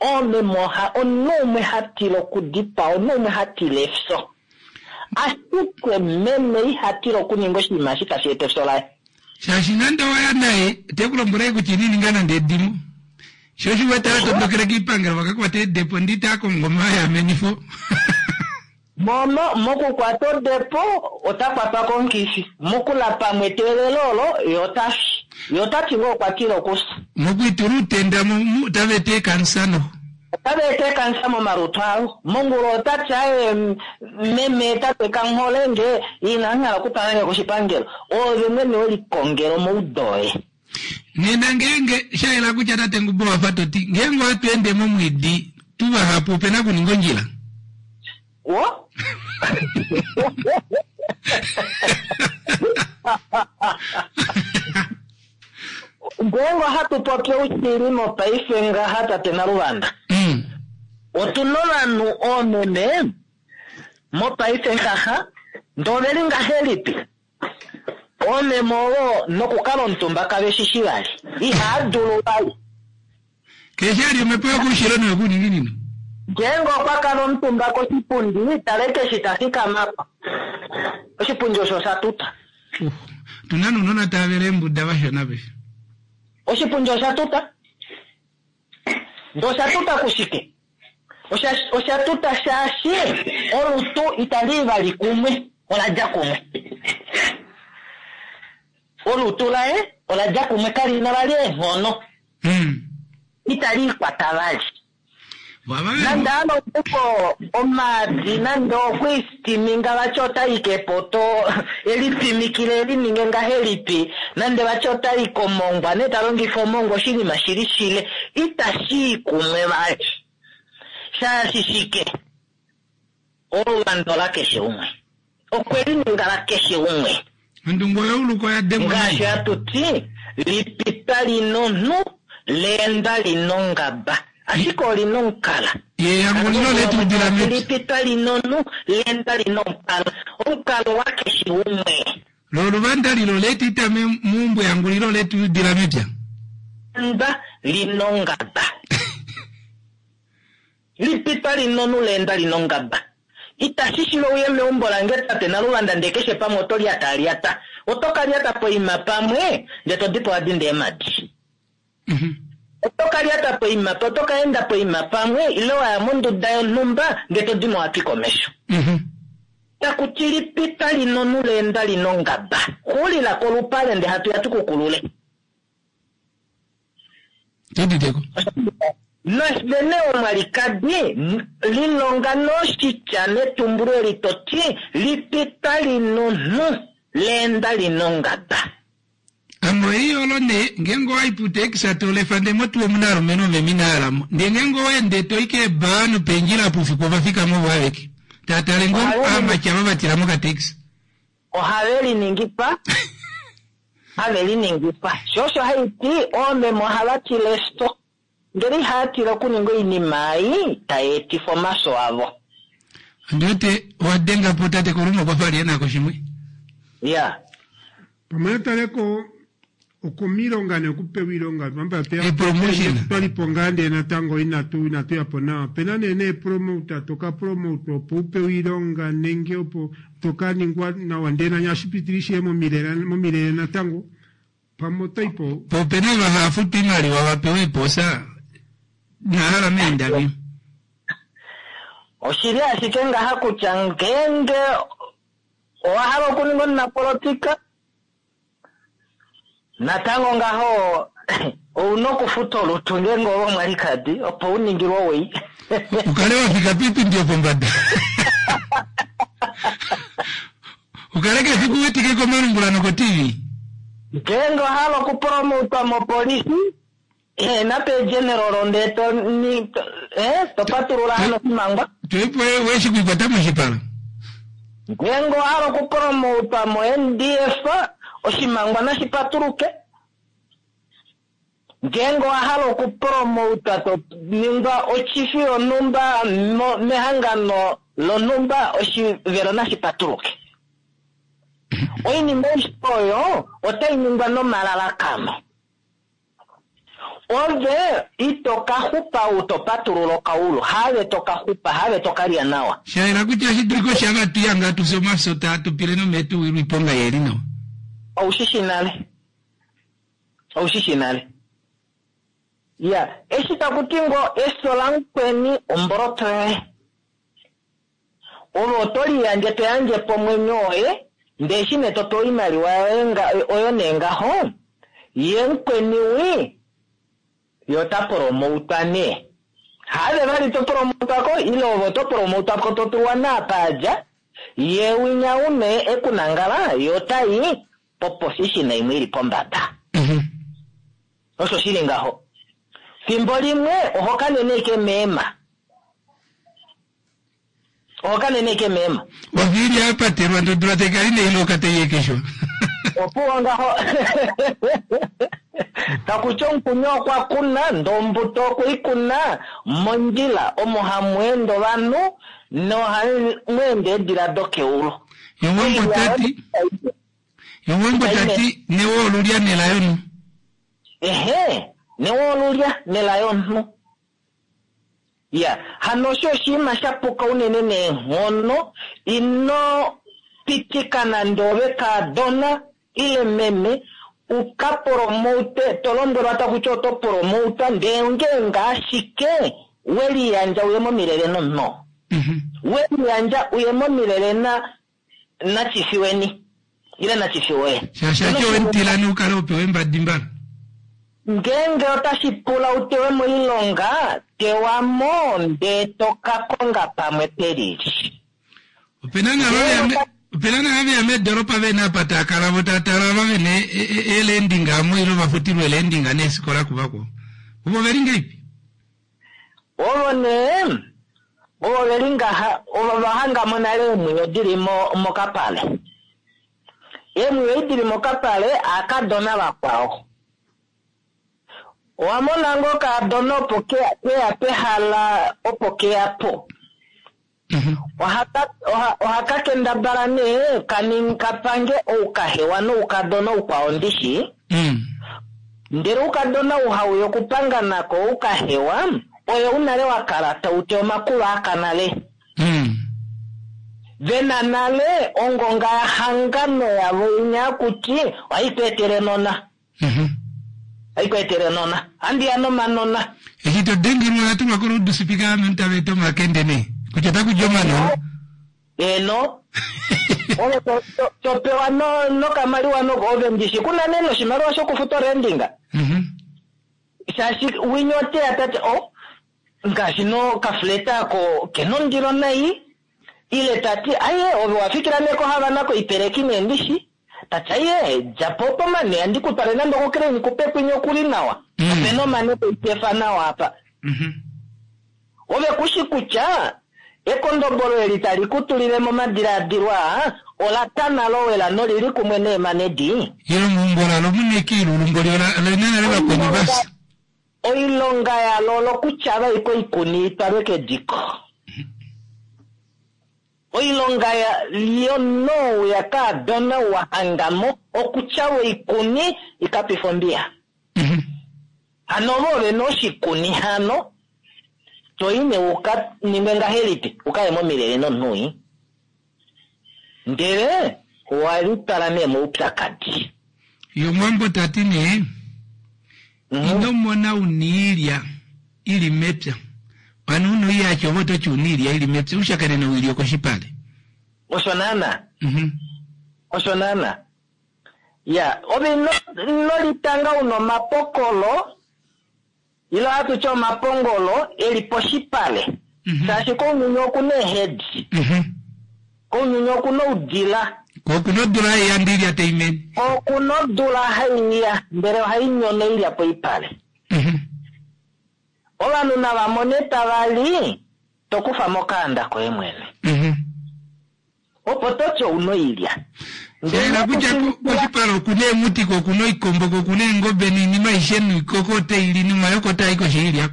Oomeme oha omunhu umwe ha tila okudipaa, omunhu umwe ha tila efyo. Ashike meme iha tila okuninga oshinima eshi tashi eta efyo laye. Shaashi nande owa ya naye, te ku lombwele ashike kutya ino ninga nande edimo. Sho osho u wete a tondokele kiipangelo va ka kwate eedepo ndi taa kongo omayamenifo. Momo, mokukwata odepo, ota kwatwa komukifi. Mokula pamwe eteelelo olo, ye ota fi. Ye ota ti ngoo okwa tila okufya. Mokwiitula uutenda, mu, mu, otava eta eekansa noho. Otava eta eekansa momalutu avo. Mongula ota ti, Aye, meme, tate, kanghole nge, inandi hala okutwala nge koshipangelo. Oove mwene we likongela omaudo oye. Nena ngeenge, sha yela kutya tate Ngubo owa fa to ti, ngeenge ohatu ende momwiidi tu vahapu ope na okuninga ondjila. Wo? Ngeenge ohatu popi oushili mopaife ngaha tate Naluvanda, otu na ovanhu oomeme mopaife ngaha ndee oveli ngahelipi? Oomeme ovo nokukala omutumba kave shi shi vali. Ihaa dulu vali. Keshe ali omhepo yokoushilo noyokuuninginino. Ngeenge okwa kala omutumba koshipundi, tala ashike eshi ta fikama po. Oshipundi osho osha tuta. Uh, otu na nounona tava vele eembuda vashona paife. Oshipundi osha tuta. Ndee osha tuta kushike? Osha, osha tuta shaashi olutu itali i vali kumwe, ola dja kumwe. Olutu laye ola dja kumwe, kali na vali eenghono. Itali ikwata vali. Nande a longo omaadi, nande okwe istiminga vati ota i kepoto, e lipimikile e lininge ngahelipi, nande vati ota i komongwa nee ta longifa omongwa oshinima shi li shile, itashi i kumwe vali. Shaashi shike? Oluvando lakeshe umwe. Okwe li ninga lakeshe umwe. Ondungu oyouluka oya dengwa Ngaashi nayi. hatu ti, lipita li nonhu, leenda li nongaba. Ashike oli nomukala. Ye yangulilo letu udila mepya. Lipita li nonhu, leenda li nomukala. Omukalo wakeshe umwe. Lo oluvanda lilo letu ita meumbo yangulilo letu udila mepya. Leenda li nongaba. Lipita linonu leenda linongaba. Itashi shiva uye meumbo lange tate Naluvanda ndee keshe pamwe oto lyataalyata. Oto ka lyata poima pamwe ndee to dipo wa dinda eemadi. Oto ka lyata poima oto ka enda poima pamwe ile wa ya monduda yonhumba ndee to dimo wa twika omesho. Taku ti lipita linonu leenda linongaba. Xulila kolupale ndee hatu ya tu ku kulule. Tuditeko. Navene omwalikadi, lilonga noshitya netumbulo eli to ti, Lipita linonhu, leenda linongaba. Ame oiolo nee, ngeenge owa i putekisa to lefa ndee motuwa omu na alumenhu omeme inaa hala mo. Ndee ngeenge owa ende to i keebaa nopeendjila apa oufiku ova fikama ovo aveke. Taa tale ngoo aamati ava va tila mokatekisa. Ohave liningifa, have liningifa. Sho osho hai ti oomeme ohava tila efyo, ndele ihava tila okuninga oinima ei tai etifa omafyo avo. Ondi wete owa denga po tate Koluma okwa fa a li e na ko shimwe. Ya. Pamwe nataleko okomilonga nee okupewa iilonga pamba Epromotion. twalipo ngaa ndee natango inatu inatu yapo nawa opena nee neepromota toka promotwa opo upewe iilonga nenge opo toka ningwa nawa ndee nanye ohashi pitile ishewe momilele natango pamwe otoipo Po opena ava hava futwa iimaliwa va pewe eepoosa inahala meendavi. Oshili ashike ngaha kutya ngeenge owa hala okuninga omunapolotika, Natango ngaho ou na okufuta olutu ngeenge ove omwalikadi opo u ningilwe owii. U kale wa fika piipindi yopombada. U kale keshe fiku u wetike komalungula noko-TV. Ngeenge owa hala okupromotwa mopolifi, Ehena pegeneral ndee to ni to, eh, to patulula hano oshimangwa. Toipo weshi kuikwata moshipala. Ngeenge owa hala okupromotwa mo-NDF, oshimangwa nashi patuluke. Ngeenge owa hala okupromotwa to ningwa ochifi yonhumba mehangano lonhumba, oshivelo nashi patuluke. Oinima aishe oyo otai ningwa nomalalakano. Ove ito ka xupa ou to patulula okaulu, haave to ka xupa, haave to ka lya nawa. Sha yela kutya ohashi dulika osho ava tu yanga tu fye omafyo taa tu pile nomee tu wilwe oiponga ye li nawa. Ou shi shi nale. Ou shi shi nale. Ya, eshi taku ti ngoo efyo lamukweni omboloto yoye. Ove oto liyandje to yandje po omwenyo woye, ndee eshi nee to pewa oimaliwa yoye nga, oyo nee ngaho, ye mukweni wi, ye ota promoutwa nee. Haave vali to promoutwa ko, ile ove oto promoutwa ko to tulwa naapa a dja, ye winya u nee e ku nangala, ye ota i poposishina imwe i li pombada. Osho shi li ngaho. Fimbo limwe oho kanene ashike meema. Oho kanene ike meema. Oviili ya patelwa ndodula tai kala ina iloka tai ekeshwa. Opuwo ngaho. Taku ti omukuni okwa kuna, ndee ombuto okwe i kuna mondjila omo hamu ende ovanhu nohamu ende eedila dokeulu. Yowambo ta ti, Yowambo ta ti newo olulya nela yomunhu. Ehe, newo olulya nela yomunhu. Iya, hano osho oshinima sha puka unene neenghono. Ino pitika nande ove kaadona ile meme u ka promote, to lombwelwa taku ti oto promotwa, ndee ongeenge ashike we liyandja uye momilele nomunhu oo. We liyandja uye momilele na, nachifiweni ile nachifi woye. Shaashi ati owe mu tila nee u kale ho pewa eembadi mbala. Ngeenge otashi pula u tewe moilonga, tewa mo ndee to ka konga pamwe pelili. Opena naava veya meedoropa vena apa taa kala vo taa tala ava vena eelendinga amo ile ovafutilwa eelendinga neefikola kuvakwao. Ovo oveli ngahelipi? Ovo nee, ovo ve li ngaha, ovo va hanga mo nale eemwiyo di li mokapale. Eemwiyo ei di li mokapale, aakadona vakwao. Owa mona ngoo okaadona opo ke ya pehala opo ke ya po? Oha ka kendabala nee ka pange oukahewa noukadona oukwao ndishi. Ndele oukadona ou hau ya okupanga nako oukahewa, oye ou nale wa kala tau ti omakulo aka nale. Ve na nale ongonga ya hangano yavo inya akuti ohai tu etele nona. Ohai ku etele nona. Ohandi ya nomanona. Eshi to dengelwa oya tulwa koluudusipika ame tava eta omakende nee. Kutya otaku di omanona. Eeno. Ove to pewa nokamaliwa noko ove ndishi ku na nee noshimaliwa shokufuta orendinga. Shaashi winya ote ya ta ti oh ngaashi nokafleta ako ke na ondilo nai ile ta ti aye ove wa fikila nee koHavana koipeleki nee ndishi. Ta ti aye dja po pomane andi ku twale nande okokreini ku pekwinya okuli nawa. Ope na omane toikefa nawa apa. Ove ku shi kutya ekondobolo eli tali ku tulile momadilaadilo aa ola tana lowela noli li kumwe neemane di? Ile meumbo lalo mu na ekiilulu mboli ola na nale vakweni va fya. Oilonga yalo olokutyava ashike oikuni i twalwe kediko. Oilonga yomunhu ou ya kaadona ou wa hanga mo okutyava oikuni i ka pife ombiya. Hano ove ove na oshikuni hano, to i nee u ka ningwe ngahelipi u ka ye momilele nomunhu wii? Ndele owa litwala nee moupyakadi. Ye Omuwambo ta ti nee, Ino mona u na oilya i li mepya. Hano u na oiyaki ove oto ti u na oilya i li mepya, u shakene noilya okoshipale. Osho naana. Osho naana. Ya, ove ino, ino litanga u na omapokolo, ile ohatu ti omapongolo e li poshipale. Shaashi kounyuni oku na eehedi. Kounyuni oku na oudila. Ko oku na odula hai ya ndee oilya tai mene. Ko oku na odula hai ya ndele ohai nyono oilya poipale. Ovanhu nava mone tava li, to kufa mokaanda koye mwene. Opo to ti ouna oilya. Shayela kutya koshipala okuna eemuti ko okuna oikombo ko okuna eengobe noinima aishe noikoko otai li nomayoko otaa i koshi yoilya.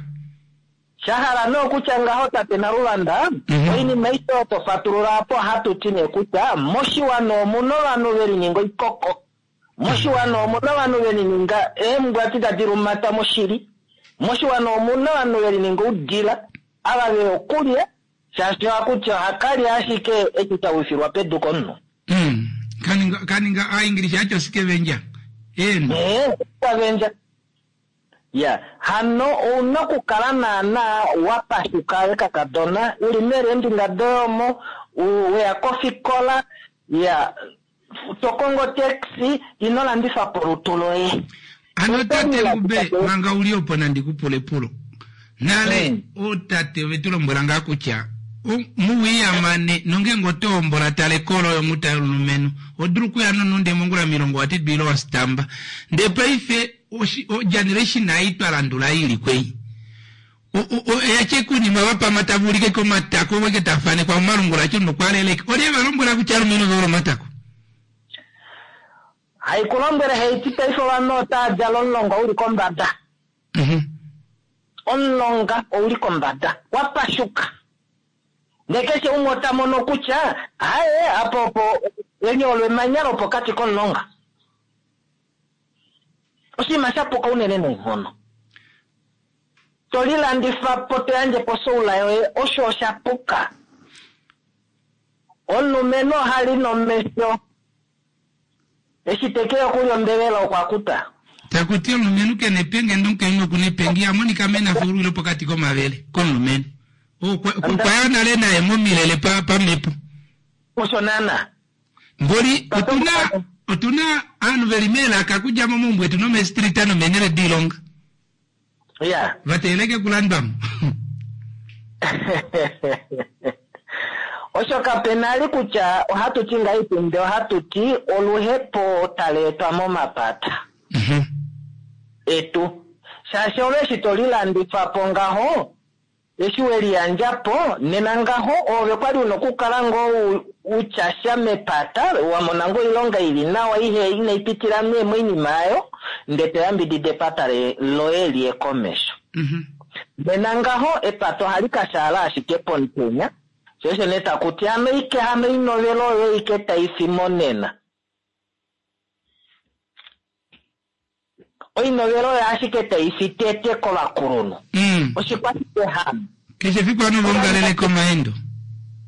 Sha hala nee okutya ngaho tate Naluvanda, oinima aishe oyo to fatulula apa ohatu ti nee kutya moshiwana omuna ovanhu ve lininga oikoko, moshiwana omuna ovanhu ve lininga eembwati tadi lumata moshili, moshiwana omuna ovanhu ve lininga oudila, ava veya okulya shaashi ohaku ti ohaka lya ashike eshi sha wifilwa pedu komunhu. Kaninga, kaninga aaingilisha yati osikevendja. Eeno. Ee, osikavendja. Ya, hano ouna okukala naana wa pashuka we kakadona, u li meeleendinga doye omo, we ya kofikola, ya, to kongo otaxi, ino landifa po olutu loye. Hano tate Ngube, manga u li opo nandi ku pule epulo. Nale, ootate ove tu lombwela ngaa kutya, muwiyamane, nongeenge oto hombola tala ekolo yonghuta yomulumenhu, oho dulu okuya nonunde mongula milongo wa tidwa ile wa sitamba. Ndee paife, oshi, ogeneration ei twa landula ei ili kwei, o, o, o, oya tya oinima va pama tava ulike komatako, ovo ike tava fanekwa momalungula acho nokwaaleleka. Olye va lombwela kutya alumenhu ove hole omatako? Hai ku lombwele haiti paife ovanhu otaa djala omulonga uli kombada. Omulonga ouli kombada, wa pashuka. Ndee keshe umwe ota mono kutya, aye, apa opo, eli olo emanya lopokati komulonga. Oshinima sha puka unene neenghono. To lilandifa po to yandje po soula yoye, osho osha puka. Omulumenhu oha li nomesho. Eshi te ke ya okulya ombelela okwa kuta. Taku ti omulumenhu ke na epenge ndee omukainhu oku na epenge iha monika mena fa olwilo pokati komavele komulumenhu. Okwa okwa ya nale naye momilele pa pamhepo. Osho naana. Mboli otu na otu na ovanhu ve li meelaka okudja momaumbo etu nomeestrita nomeenhele doilonga. Ya. Va teeleke okulandwa mo. Osho kape na li kutya ohatu ti ngahelipi ndee ohatu ti oluhepo tali etwa momapata etu. Shaashi ove eshi to lilandifa po ngaho, Eshi we liyandja po, nena ngaho oove kwa li u na okukala ngoo u tya sha mepata, wa mona ngoo oilonga i li nawa ihe inai pitila nee moinima ayo, ndee to yambidida epata loye li ye komesho. Nena ngaho epata ohali ka shaala ashike pomutenya, sho osho nee taku ti hano ike hano oinovela oyo ike tai fi monena. Oinovela oyo ashike tai fi tete kovakulunhu. Oshikwashike hano? Keshe efiku ovanhu ova ongalele komaendo.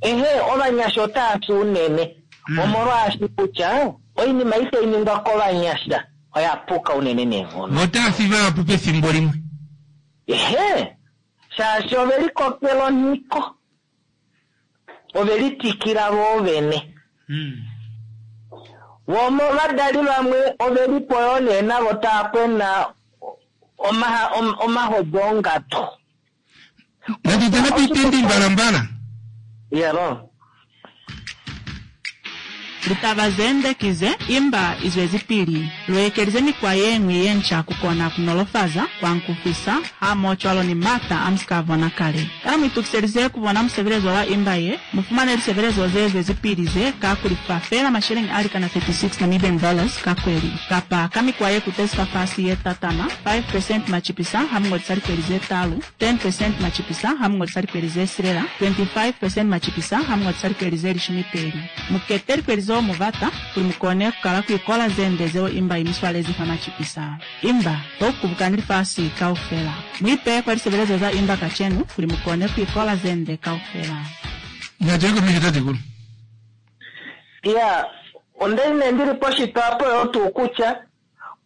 Ehe, ovanyasha otava fi unene. Omolwaashi kutya oinima ei tai ningwa kovanyasha oya puka unene neenghono. Vo otava fi vahapu pefimbo limwe. Ehe, shaashi ove likokela onhiko. Ove litikila voo vene. Vo ovadali vamwe ove li po yoo nee navo tava kwena omahodi ongadu. Natu tale poipendi mbalambala. Yelo. Litaba ze nde ki ze, imba i zwezipili. Lu ekelize mikwa ye ñwi ye nca ku kona ku nolofaza, ku ankufisa, hamohocwalo ni m'ata a mu si ka bona kale. Kana mu itukiselize ku bona musebelezo wa imba ye? Mu fumane lisebelezo ze zwezipili ze ka ku lifa feela masheleñi a likana 36 Namibian dollars ka kweli, kapa ka mikwa ye kutezi fafasi ye tatama, 5 percent macipisa ha mu ngolisa likweli ze talu, 10 percent macipisa ha mu ngolisa likweli ze silela, 25 percent macipisa ha mu ngolisa likweli ze lishumi peli. Mu kete likweli zeo mu bata kuli mu kone ku kala ku ikola ze nde zeo imba i mi swalezi fa macipisa. Imba, to kubukani lifasi kaufela. Mu ipeye kwa lisebelezo za imba kacenu kuli mu kone ku ikola ze nde kaufela. Natu ye komesho tatekulu. Iya, onda li nee ndi li poshitwa apo yoo tuu kutya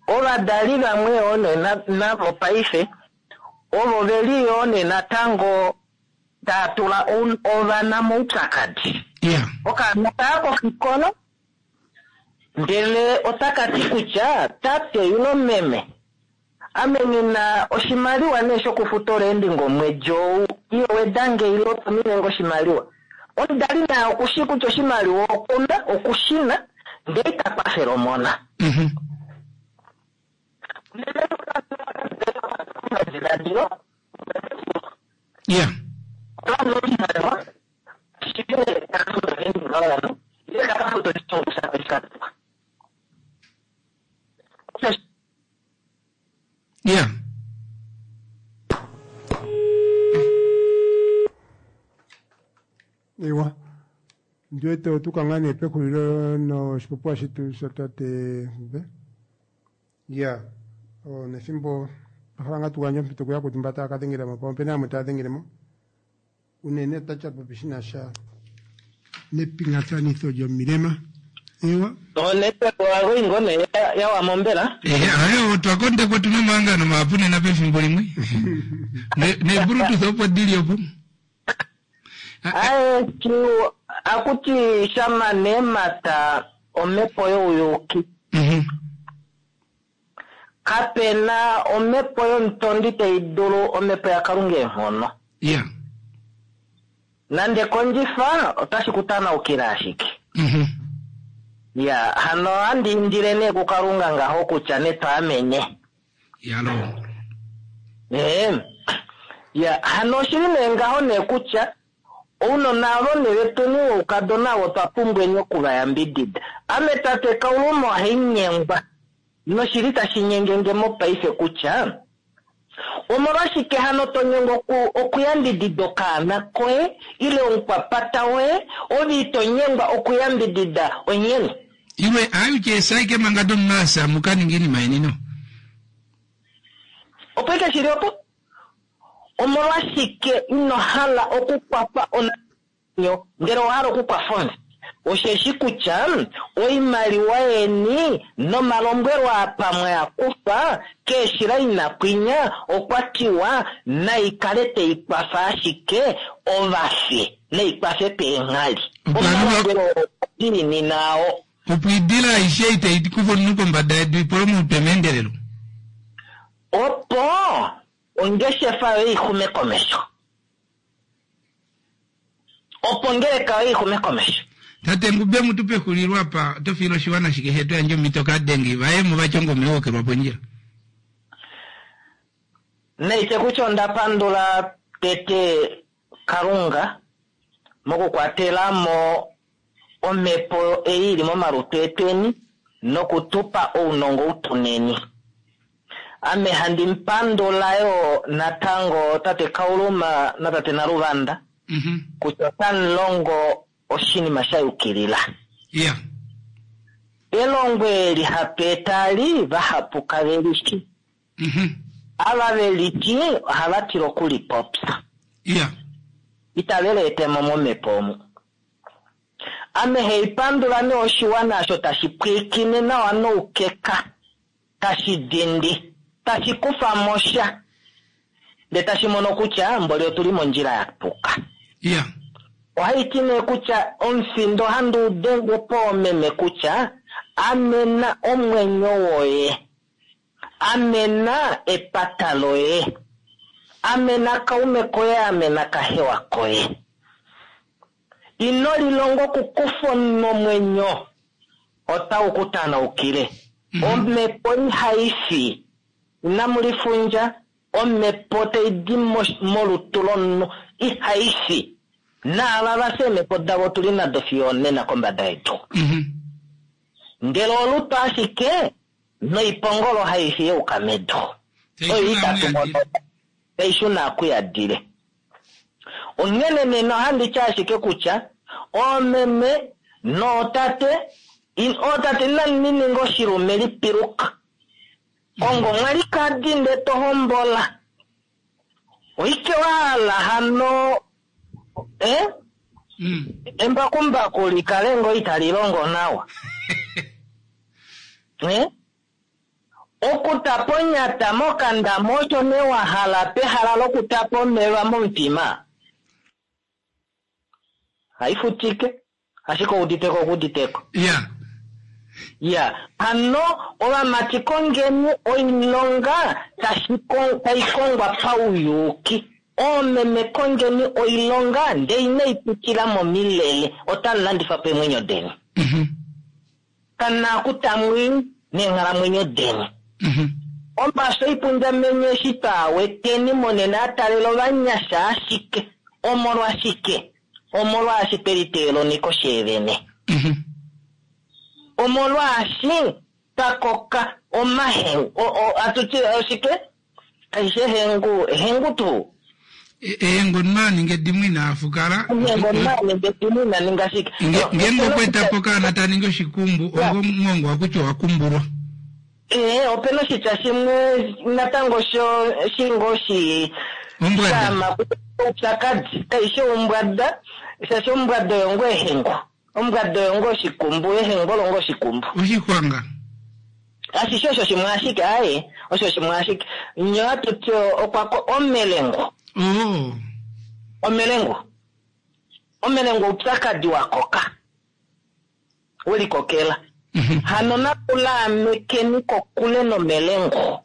ovadali vamwe yoo nee navo paife ovo ve li yoo nee natango taa tula ovana moupyakadi. Okaana kaya kofikola ndele otaka ti kutya tate ilo meme ame nghi na oshimaliwa nee shokufuta oleendinga omwedi ou, iyo weda nge ilo tumine nge oshimaliwa. Omudali naye oku shii kutya oshimaliwa okuna, oku shi na, ndele ita kwafele omona. Omadiladilo. Ya. Ya. Ewa ndiwete otuka ngaa nee pexulilo noshipopiwa shetu shatate Ngube. Ya, oh, nefimbo twa hala ngaa tugandje ompito kuyakwetu mba taya ka dhengela mo, pamwe opena yamwe taya dhengele mo. Unene otachi popi shi na sha nepingathanitho lyomilema. Ewa. Onetwork wago ingone ya mombela. Eh, ayo otwa kondekwa tuna omahangano mahapu nena pefimbo limwe. Ne ne bluetooth opo dili opo. Aye, tu akuti shama nemata omhepo youyuki. Kapena omhepo yomutondi tai dulu omhepo yaKalunga eenghono. Ya. Nande kondjifa otashi ku tanaukile ashike. Ya, hano ohandi indile nee kuKalunga ngaho kutya netwaamene. Yalo. Ee. Ya, hano oshili nee ngaho nee kutya ounona avo nee vetweni woukadona avo otwa pumbweni okuvayambidida. Ame tate Kauluma ohainyengwa noshili tashi nyengenge mopaife kutya omolwashike hano to nyengwa okuyambidida okaana koye ile omukwapata woye ove ito nyengwa okuyambidida onyeni. Iwe ayuche saike manga domasa mukaninga iinima yeni no. Opo ike shili opo? Omolwashike ino hala okukwafa onyo ndele owa hala okukwafa onzi? Osheshi kutya oimaliwa yeni nomalombwelo apa mwa kufa keeshila inakwinya okwa tiwa naikale teikwafa ashike ovafi naikwafe peenghali. Omalombwelo diinini nao. Opo idila aishe itai kufa omunhu kombada yedu ipole omutwe meendelelo. Opo ongeshefa yoye ixume komesho. Opo ngeleka yoye ixume komesho. Tate Ngube mutu pexulilo apa oto fiile oshiwana shike shetu yandje omhito kadengi vaye mo vatya ongome yohokelwa pondjila. Naitye kutya onda pandula tete Kalunga mokukwatela mo omhepo ei ili momalutu etweni nokutupa ounongo utuneni. Ame handi mupandula yo natango tate Kauluma natate Naluvanda kutya otamulongo oshinima sha yukilila. Ya. Elongo eli hatu etali vahapu kave lishi. Ava ve liti ohava tila okulipopya. Ya. Itave leetemo momhepo omu. Ame heipandula nee oshiwana osho tashi pwiikine nawa noukeka, tashi dindi, tashi kufa mo sha, ndee tashi mono kutya mboli otuli mondjila ya puka. Ya. Ohaiti nee kutya omufindo ohandi u denge poomeme kutya amena omwenyo woye, amena epata loye, amena kaume koye, amena kahewa koye. Ino lilonga okukufa omwenyo otau ku tanaukile. Omhepo ihai fi, inamu lifundja, omhepo tai di molutu lomunhu ihai fi. Naava va fya eemhepo davo otuli nado fiyo onena kombada yedu. Ndele olutu ashike noipongolo hai fi yeuka medu. Oyo itatu mono tai shuna akuyadile. Onghene nena ohandi ti ashike kutya oomeme nootate, ootate inamu ninga oshilume lipiluka. Kongo mwalikadi nde to hombola. Oike wa hala hano, Embakumbaku likale ngo itali longo nawa. Okutapa onyata mokandama osho nee wa hala pehala lokutapa omeva momutima. Haifutike, ashike ouditeko okuditeko. Ya. Ya, hano ovamati kongeni oilonga tai kongwa pauyuki. Oomeme kongeni oilonga ndee inai pitila momilele, otamu landifa po eemwenyo deni. Kana kutamwi neenghalamwenyo deni. Omafyo oipundjamenye eshi twaaweteni monena a talela ovanyasha ashike omolwashike? Omolwaashi tweliteela oniko sheevene. Omolwaashi twakoka omahengu atuti oshike? Kaishe ehengu, ehengu tuu? Ehengu omunhu aninga edimo ina afukala. Ehengu omunhu aninga edimo ina ninga shike? Ngeenge okwa eta po okaana ta ningi oshikumbu, ongo omwongo wakutya owa kumbulwa. Ee, opena oshitya shimwe natango sho shingo shi Ombwada. Oupyakadi kaishi ombwada, shaashi ombwada oyo ngoo ehengu. Ombwada oyo ngoo oshikumbu, ehengu olo ngoo oshikumbu. Oshixwanga. Ashishe osho shimwe ashike, aye, osho shimwe ashike. Nyo atuti okwa ko omelengo. Oh. Omelengo. Omelengo oupyakadi wa koka. Welikokela. Hano natulaamekeni kokule nomelengo.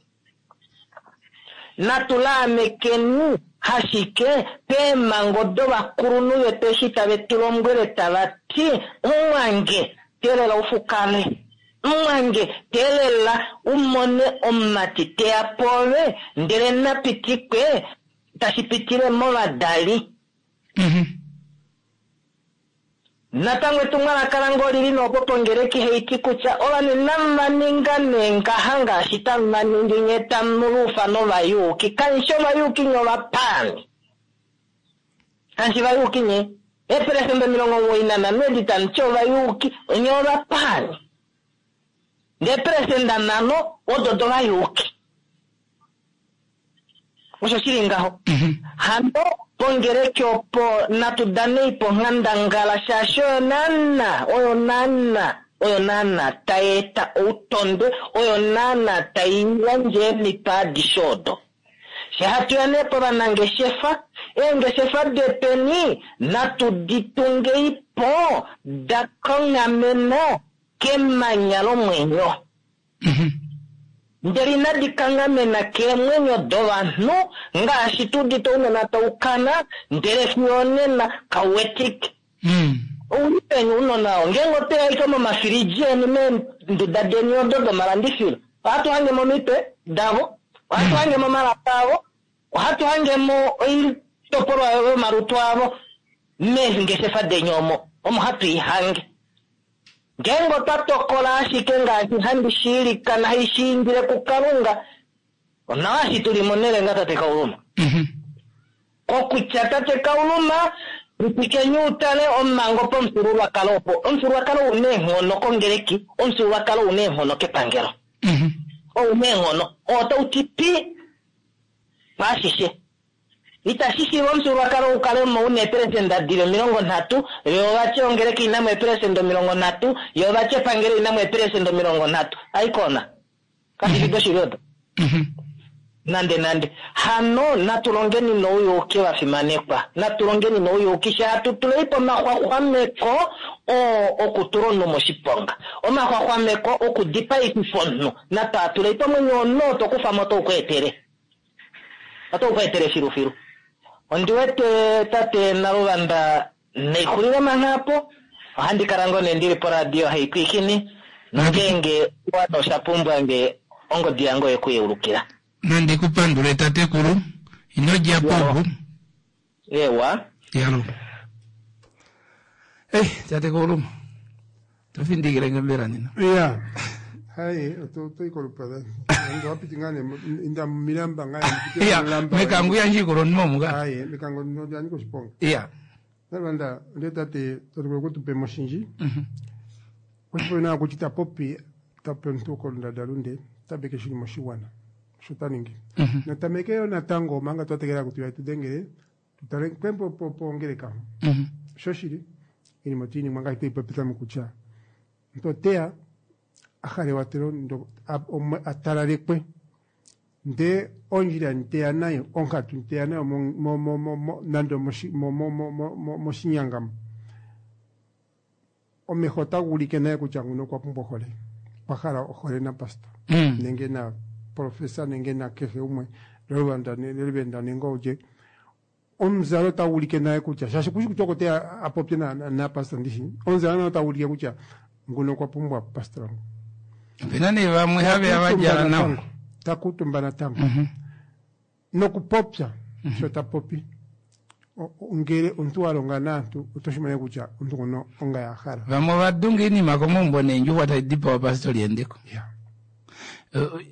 Natulaamekeni hashike peemhango dovakulunhu vetu eshi tave tu lombwele tava ti mumwange teelela ufukale, mumwange teelela umone omumati teya pwoove ndele napitikwe tashi pitile movadali. Natango etumwalaka lange olili noopo pongeleki haiti kutya ovanhu inava ninga nee ngaha ngaashi tava ningi nye tamu luufa novayuuki. Kanshi ovayuuki nye ovapaani. Kanshi vayuuki nye. Eeperesenda 95 edi tamu ti ovayuuki nye ovapaani. Ndee eeperesenda 5 odo dovayuuki. Osho shili ngaho. Hano pongeleki opo natu danei po nghandangala shaashi oyo naana, oyo naana, oyo naana tai eta outondwe, oyo naana tai yandje eemhito adishe odo. She hatu ya nee povanangeshefa, eengeshefa detweni natu di tungei po da kanghamena kemanya lomwenyo. Ndele inadi kanghamena keemwenyo dovanhu ngaashi tu udite ounona tau kana, ndele fiyo onena kau wetike. Ouli peni ounona oo? Ngeenge otwe ya ashike momafilidji eni meenduda deni odo domalandifilo, ohatu hange mo omitwe davo, ohatu hange mo omalaka avo, ohatu hange mo oitopolwa yomalutu avo meengeshefa deni omo, omo hatu i hange. Ngeenge otwa tokola ashike ngaashi handi shiilikana hai shiindile kuKalunga, onawa eshi tuli monelenga tate Kauluma. Kokutya tate Kauluma, pitikeni utale omhango pomufyuululwakalo opo. Omufyuululwakalo ou na eenghono kongeleki, omufyuululwakalo ou na eenghono kepangelo. Ou na eenghono, oo otau ti pi paashishe. Itashi shiiva omufyuululwakalo u kale mo u na eeperesenda dili 30, yo vati ongeleki ina mo eeperesenda 30, yo vati epangelo ina mo eeperesenda 30. Aikona. Kashi fi doshili odo. Nande nande. Hano natu longeni nouyuuki vafimanekwa. Natu longeni nouyuuki she hatu tulei po omaxwaxwameko oo okutula omunhu moshiponga. Omaxwaxwameko okudipaififa omunhu. Natu a tulei po omwenyo womunhu oo to kufa mo otau ku etele. Otau ku etele filufilu. Ondi wete tate Naluvanda naixulile mangha apo. Ohandi kala ngoo nee ndili poradio haipwiikini. Nongeenge wana osha pumbwa nge ongodi yange oye ku yeulukila. Nandi ku pandule tatekulu. Ino dja po opo. Ewa. Yalo. Ei, tatekulu. To findikile nge mbela nena. Ya. Hai, oto i kolupada. Ndo wapiti ngaa nee inda mumilamba ngaa nee, Ya, mulamba. mekango yandje ikolonima omu ka. Hai, mekango ndo lyanyika oshiponga. Ya. Nalwanda, nde tate tatukulu kutupe moshinji. Oshipopi nawa kutya ita popi tape omuntu kondadalunde tabeke shili moshiwana osho ta ningi. Natameke yo natango omanga twa tegelela kutya tu dengele tutale kwembo po pongeleka. Shoshili iinima otayi ningwa ngaashi tweyi popitha mokutya omuntu oteya a hala ewatelo ndo a talalekwe ndee ondjila nteya nayo onkatu nteya nayo nande moshinyanga omeho otaga ulike naye kutya nguno okwa pumbwa ohole, okwa hala ohole na pastor nenge na professor nenge na kehe umwe levenda nenge olye. Omuzalo otagu ulike naye kutya shaashi kushi kutya oko teya a popye na pastor ndishi, omuzalo naye otagu ulike kutya nguno okwa pumbwa pastor wangu. Opena nee vamwe have ya va djala nawa. Ta kuutumba natango. Nokupopya sho ta popi. Ngele omuntu wa longa naantu oto shi mono kutya omuntu ngono onga ya hala. Vamwe ova dunga iinima komaumbo neendjuxwa tadi dipawa pastori endeko. Ya.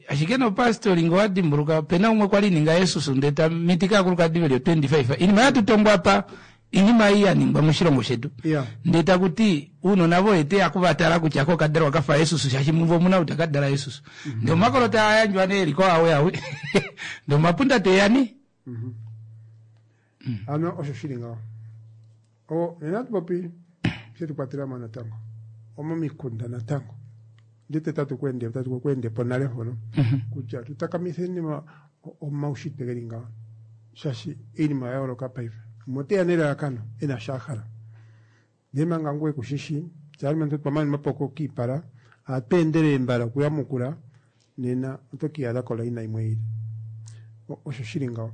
Ashike nopastori ngee owa dimbuluka opena umwe kwali ninga Yesus ndee ta mitika aakulukadi veli o 25 iinima yatu tongwa apa iinima ei ya ningwa moshilongo shetu Ya. ndee taku ti uunona voye teya kuvatala kutya ko okadalwa kafa Yesus shaashi muvo omuna ou taka dala Yesus ndee omakolo taa yandjwa nee eliko awe awe ndee omapunda teya nee. Ano osho shili ngaho. O, nena atu popi she tu kwatela mo natango. Omomikunda natango. Ndete tatu ku ende tatu ku ende po nale mpono kutya tu takamitheni omaushitwe geli ngaho. Shaashi iinima oya yooloka paife. Gumwe oteya nelalakano ena sho a hala. Ndele manga ngoye kushishi, tse aalumentu otwa mana omapoko kiipala, ohatu endelele mbala okuyamukula, nena oto kiiyadha kolaina yimwe yi ili. Osho shili ngaho.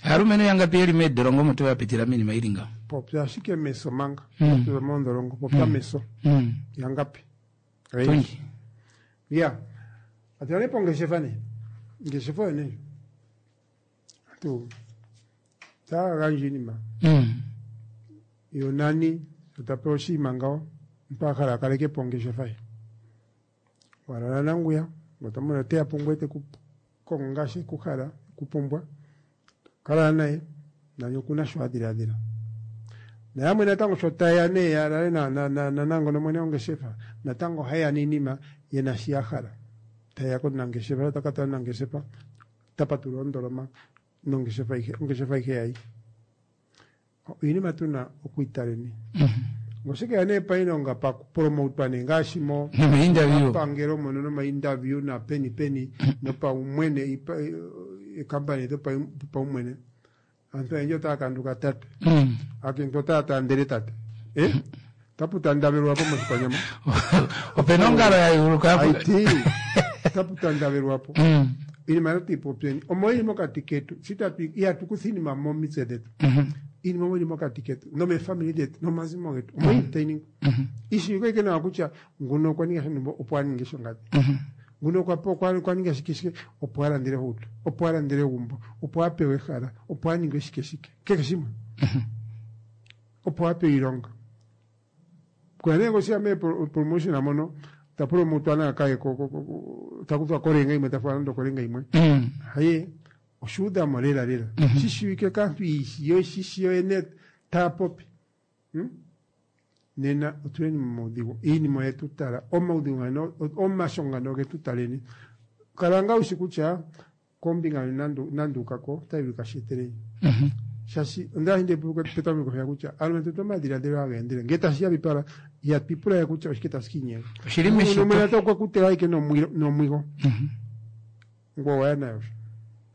Aalumentu yangapi yeli meedolongo omo to ya pitila miinima ili ngaho? Popya ashike meso manga. Popya moondholongo, popya meso. Yangapi? Oyendji. Ya. Atu ne pongeshefa ne. Ngeshefa oyo ne. Atu taa gandja iinima. Yo nani sho ta pewa oshinima ngawo, omuntu a hala a kaleke po ongeshefa ye. Wa lala nanguya, ngoye to mono oteya pungoye te ku kongo ngaashi e ku hala, e ku pumbwa. Kala naye, nani okuna sho a dhiladhila. Nayamwe natango sho taye ya nee ya lale nanangono mwene wongeshefa, natango ohaye ya niinima ye na shi ya hala. Taye ya komunangeshefa, sho ta ka tala omunangeshefa, ota patulula ondoloma nongeshefa ayihe, ongeshefa ayihe yayi. Iinima tuna okwiitaleni. Ngoshike ya nee pailonga pakupromotwa nee ngaashi mo Nomainterview. mapangelo mono nomainterview na peni peni nopaumwene eekampani dhopaumwene. Aantu oyendji otaya kanduka tate. Aakiintu otaya taandele tate. Eh? Tapu tandavelwa po moshikwanyama. Opena ongalo ya yuluka Aiti tapu tandavelwa po. Iinima yetu ipopyeni. Omo ili mokati ketu. Sitatu ihatu kutha iinima momitse dhetu. Iinima omo ili mokati ketu. Nomeefamili dhetu. Nomazimo getu. Omo ili tayi ningwa. Ishiwike ike nawa kutya nguno okwa ninga shontumba opo a ninge shongadi. Nguno okwa okwa ninga shike shike opo a landele ohauto. Opo a landele egumbo. Opo a pewe ehala. Opo a ninge shike shike. Kehe shimwe. Opo a pewe iilonga. Kuya nee ngoshiya mee promotion mono ta promotwa naa kaye ta kuthwa kolenga yimwe ta falwa nando okolenga yimwe. Haye oshuudhamo lela lela. Shi shiwike kaantu yo shi yo yene taya popi. Nena otuleni momaudhigu. Iinima oye tu tala. Omaudhigu ngano, omashongo ngano oge tu taleni. Kala ngaa wushi kutya kombinga nando uka ko otayi vulika shi eteleni. Shaashi onda li nde petameko mpeya kutya aalumentu otu na omadhiladhilo haga endelele. Ngele tashi ya piipala, ihatu ipula we kutya oshike tashi ka inyenga. Oshili meshito. Nomwene ota ku tega ashike nomwigo. Ngoye owa ya nayo sho.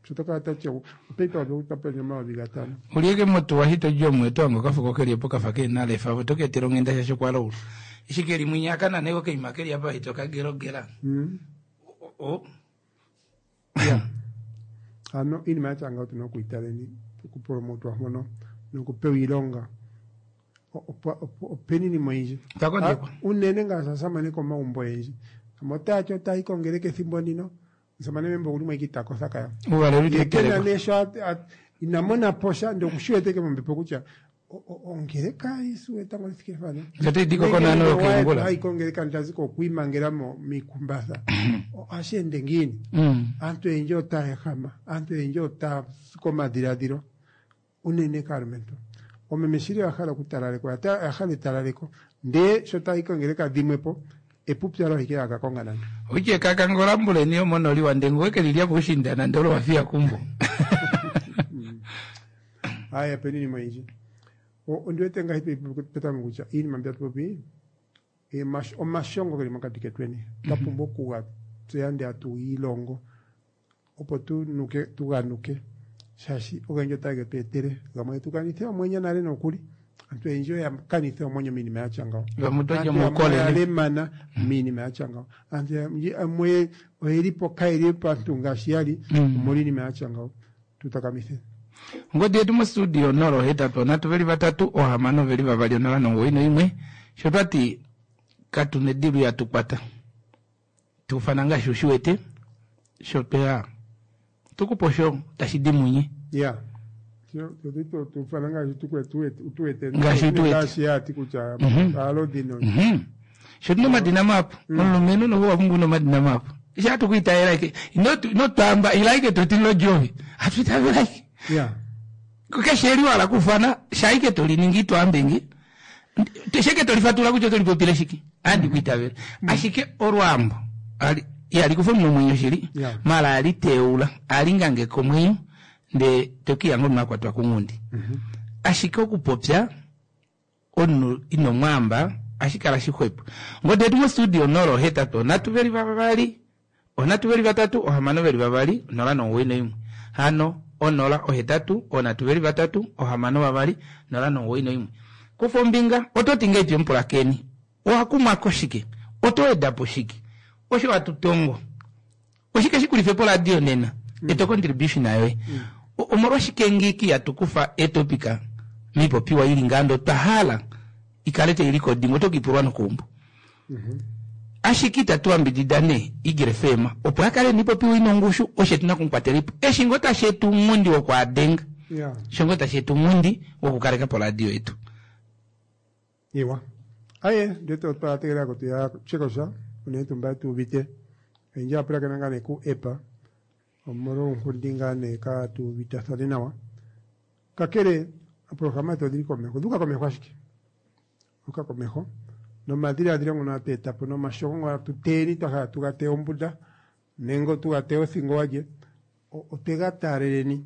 Sho to kala tati opepa ope 5000. Ulyeke motuwa shi to dji omu eto hange okafuko keli opo kafa kehena lefa ove oto ka etela onghenda shaashi okwa laula. Eshi keli mwinya aka nane ko kaima keli apa ito ka gelogela. O. Ya. Ano iinima ya tya ngawo otu na oku yi taleni okupromotwa mpono nokupewa iilonga. Openi iinima oyindji. Otwa kondekwa. Unene ngaashi aasamane komagumbo oyendji. Yamwe otaya ti otaya yi kongeleka ethimbo ndino. Omusamane membo okuli mo ashike ita kotha kaya. Uuvalelo Ye itau kena telekwa. nee sho ina mona po sha ndele okushi wete ike mombepo kutya ongeleka esiku etango li thike mpano. Ndele otayi di ko konaano yokeengula. Hayi kongeleka ndazi ko okwiimangela mo miikumbatha. Ohashi ende ngiini? Aantu oyendji otaya ehama, aantu oyendji otaya si komadhiladhilo unene kaalumentu. Oomeme shili oya hala okutalalekwa, oya hala etalaleko, ndee sho taya yi kongeleka dhimwe po, epupyalo ashike haya ka konga nando. Oitya ekaka ngola mbuleni yomonoli wandengu weke lilya puushinda nande olo wafiya kumbo. Aaye opena iinima oyindji. Ondi wete ngaashi petameko kutya iinima mbi tatu popi omashongo geli mokati ketweni twa pumbwa okuga tseya ndele tatu gi ilongo opo tu nuke tu ganuke shaashi ogendji otage tu etele gamwe getu kanithe oomwenyo nale nokuli. Aantu oyendji oya kanitha oomwenyo miinima ya tya ngawo. Vamwe oto lya Aantu yamwe oya omaukolele. lemana miinima ya tya ngawo. Aantu yamwe oyeli po kayeli paantu ngaashi ya li omolwa iinima ya tya ngawo. Tu takamithe. Ongodi yetu mostudio 083 622 091 sho twati katu nedilu ya tu kwata. Tu ufana ngaashi u shi wete sho tweya. Tukupa osho tashi di munye. Ya. Tufana ngaashi tuwete. Ngaashi tuwete. Ngaashi ya ti kutya aalodhi no. Sho tuna omadina mahapu. Omulumenhu noho owa pumbwa una omadina mahapu. Eshi hatu ku itavela ike. Ino twaamba ila ike to ti lodjovi. Hatu itavela ike. Ya. Keshe eli wala kufana shaike to liningi twaambe nge. Sheke to lifatula kutya oto lipopile shike. Andi ku itavela. Ashike olwaambo ali ihali kufa omunhu omwenyo shili. Mala ali teula, ali ngange komwenyo nde tokiya ngo omunhu akwatwa kunghundi. Ashike okupopya omunhu ino mwaamba ashi kala shixwepo. Ngode yetu mostudio 083 2 3 6 2 091. Hano 083 3 6 2 091. Kufa ombinga oto ti ngeipi omupulakeni owakumwako shike, oto wedapo shike, osho watutongo oshike shikulife po radio nena eto contribution yoye. Omolwashike ngiki yatukufa etopika mipopiwa ili ngando twa hala ikale tayi recording oto kiipulwa nokuumbo. Ashike itatu yambidida nee Eagle FM opo akale nipopiwa ina ongushu oshe tuna kumukwatelipo. Eshi ngo tashi etu ounghundi wokwaadenga. Sho ngo tashi etu ounghundi wokukaleka po radio yetu. Iwa. Aye, ndete otwa tegelela ko tuya chekosha unene tuu mba tu uvite. Oyendji ya pulakena ngaa nee ku epa omolwa ounghundi ngaa nee ka tu uvitathane nawa. Kakele oprograma yetu odhili komeho, odhuuka komeho ashike. Odhuuka komeho nomadhiladhilo ngono hatu eta po nomashongo ngono hatu teyeni twa hala tuga teye ombunda nenge tuga teye othingo walye otwega taaleleni.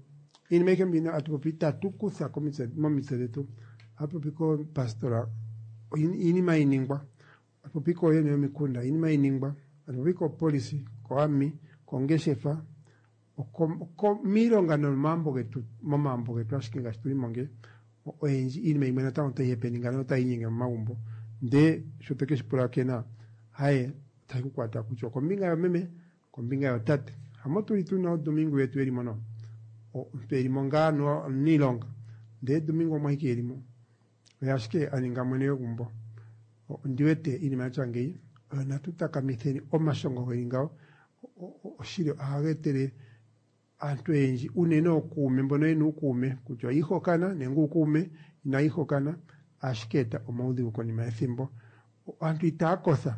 Iinima ayihe mbino hatu popi itatu kutha momitse dhetu. Ohatu popi koopastora iinima iningwa. Hatu popi kooyene yomikunda iinima iningwa. Hatu popi kopolisi, koami, kongeshefa, miilonga nomomambo getu, momambo getu ashike ngaashi tuli mo nge oyendji iinima yimwe natango otayi happening notayi inyenge momagumbo. Ndee sho toke shi pulakena haye otashi ku kwata kutya okombinga yomeme, kombinga yotate. Hamo tuli tuna odomingo yetu elimo no. Omuntu elimo ngaa omuniilonga. Ndee domingo omwahike elimo. Oye ashike a ninga mwene wegumbo. Ondi wete iinima yatya ngeyi oyo natu takamitheni omashongo geli ngawo. Oshili ohaga etele aantu oyendji unene ookuume mbono yena uukuume kutya oyiihokana nenge uukuume inayiihokana ashike eta omaudhigu konima yethimbo. Aantu itaya kotha.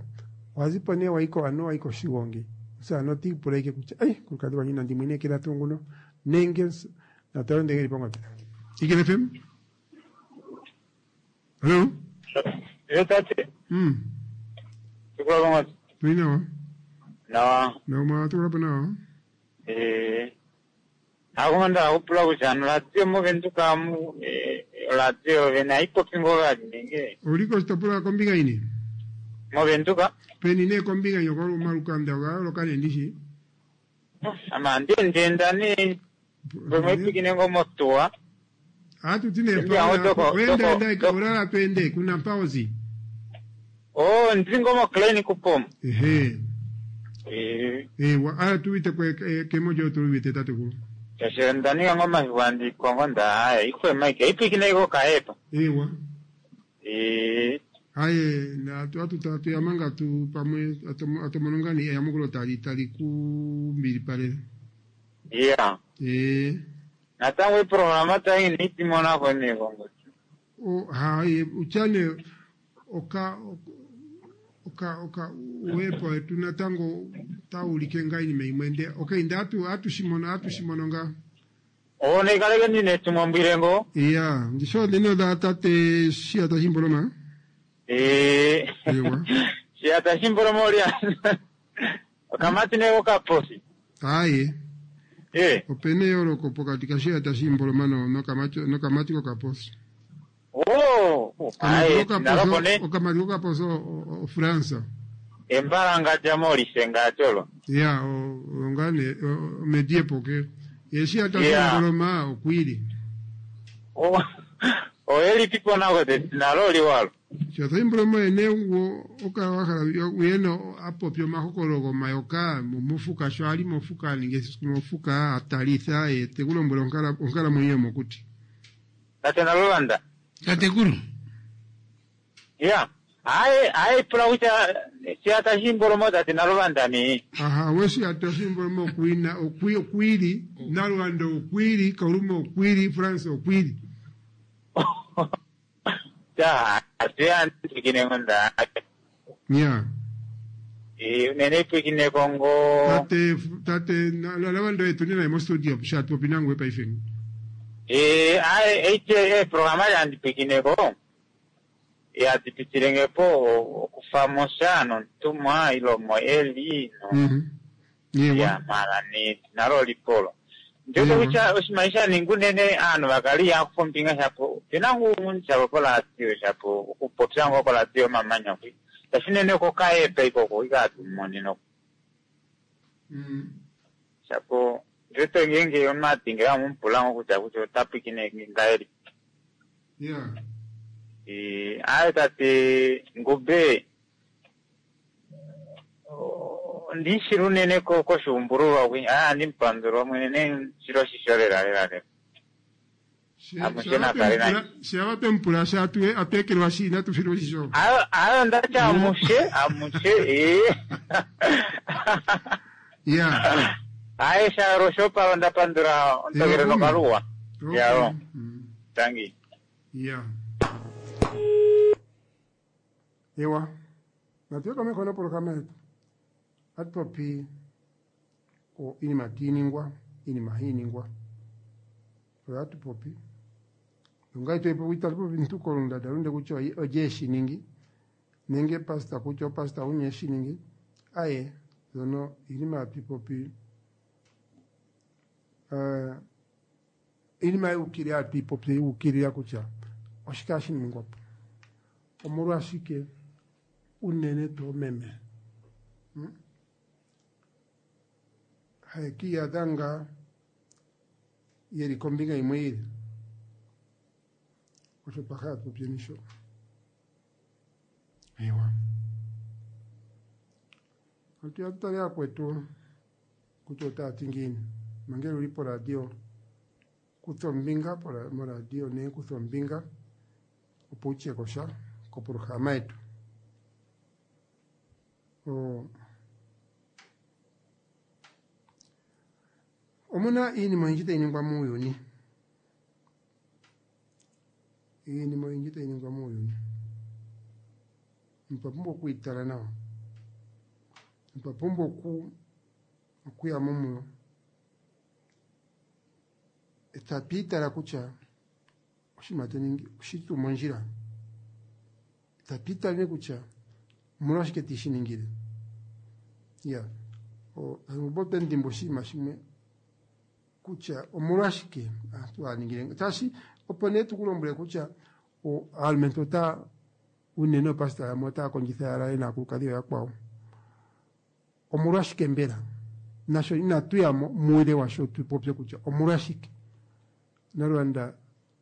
Owazipo nee wayiko anuwa wayi koshigongi. Omusamane oti ipula ike kutya ei omukulukadhi gwandje inandi mu inekela tuu nguno nenge natale ndege eli pongodhi. Ikele FM. Hello. Yo tate. Tukula pongodhi. Tuli nawa. Nawa. Nawa mwa tukula po nawa. Akumanda akupula kutya ano radio movenduka mu radio vene aipopi ngo vali nenge. Uli koshitopolwa kombinga yini? Movenduka. Peni nee kombinga yoko omalukanda oga yooloka nee ndishi. Ama ndendenda nee pamwe ipikine ngo motuwa. Atu tine pa wenda enda ulala twende kuna mpaozi. Oh, ndiri ngo mo clinic kupomo. Ehe. Ewa ala tuwite kwe kemojo tuwite tatekulu. Tasho ndanika ngo mahiwandikwa ngo ndahaya ikwe mike ipikine iko kaepa. Ewa. Aye na atu tuyamanga tu pamwe atomonongani eyamukulo tali tali kumbili pale. Yeah. Natango iprograma tayi nitimona ko ne kongo. O haye uchane oka oka oka uwepo wetu natango taulike nga iinima imwe nde okay nde atu atushimono atushimono nga. O nekaleke ndine tumwambwile ngo. Iya, ndisho ndino da tate shia tashimboloma. Ewa. Shia tashimboloma olia. Okamati neko kaposi. Aye. Opena eyooloko pokati kashia tashimboloma no nokamati kokaposi. Oh, aye, naloko okamati kokaposi ofransa. Embalanga jamolise ngatolo. Ya, ongane medie poke. Yeshia tashimboloma okwili. Oh. Oyeli pipo nako te naloli walo. Shia tashimboloma ene wo okawakhala uyeno apopya omahokolo gomayoka momufuka sho ali mofuka ninge mofuka atalitha tekulombwela onkalamwenyo yomokuti. Tate Nalulanda. Tatekulu. Ya. Aye aye pula kutya siata shimbolomo tate Naluvanda nee. Aha, weshiyata shimbolomo okwina okwi okwili Naluvanda okwili Kauluma okwili France okwili. Ta tuyandikine ngonda. Yeah. Eh unene pwikine kongo. Tate tate Naluvanda yetu ni naye mo studio shatu popinangwe paife. Eh aye eche programa yandipwikineko. Yatipitilengepo okufamosa nontumwa ilomo eli no. Yewa. Ya mara ni nalo lipolo. Njoto kutya oshimaisha sha unene aanhu vakali yakufa ombinga shapo pena ngu shapo kolatio shapo okupopya ngo kolatio omamanya kwi tashi unene kokaepa ikoko ikatumoneno shapo njoto ngenge omatinge amupula ngo kutya kutya otapwikine ngahelipi. Yeah. Aye tate Ngube ndishili unene koshuumbululwa kwi aya andimupandula mwene shilo shisho lela lela lela. Shava twemupula sha atwekelwa shi inatu filwa shisho. Ayo ndati amushe amushe ee. Yeah. Aye sharo shopalo ndapandula ontogele nokaluwa. Yao. Tangi. Yeah. Ewa. Natuye komeho nopolokama yetu. Atupopi o inima tiiningwa, inima hiiningwa. Oyo atupopi. Nongai itatupopi ntu kolundada lunde kutya oje eshiningi nenge pastor kutya opastor unye eshiningi. Aye, zono inima atupopi inima yukilila atuipopi yukilila kutya oshike hashi ningwapo. Omolwashike unene tuu meme. Haekiyadha nga yeli kombinga imwe ili. Osho twakhala tupopyeni sho. Ewa. Atu tutale akwetu kutya otaya ti ngiini. Mangele uli poradio kutha ombinga moradio ne kutha ombinga opo utye kosha kopolohalama yetu. Omuna iinima oyindji tayi ningwa muuyuni. Iinima oyindji tayi ningwa muuyuni. Otwa pumbwa okwiitala nawa. Otwa pumbwa okuya mo muyo. Etatu itala kutya oshinima to ningi oshili tuu mondjila. Tatu itale kutya omolwashike tishi ningile. Ya. Ote ndimba oshinima shimwe kutya omolwashike aantu haya ningile. Tashi opo nee tukulombwele kutya aalumentu ota unene oopastor yamwe otaya kondjitha ya lale naakulukadhi ooyakwawo. Omolwashike mbela? Nasho inatu ya mo muule washo tu popye kutya omolwashike. Naluvanda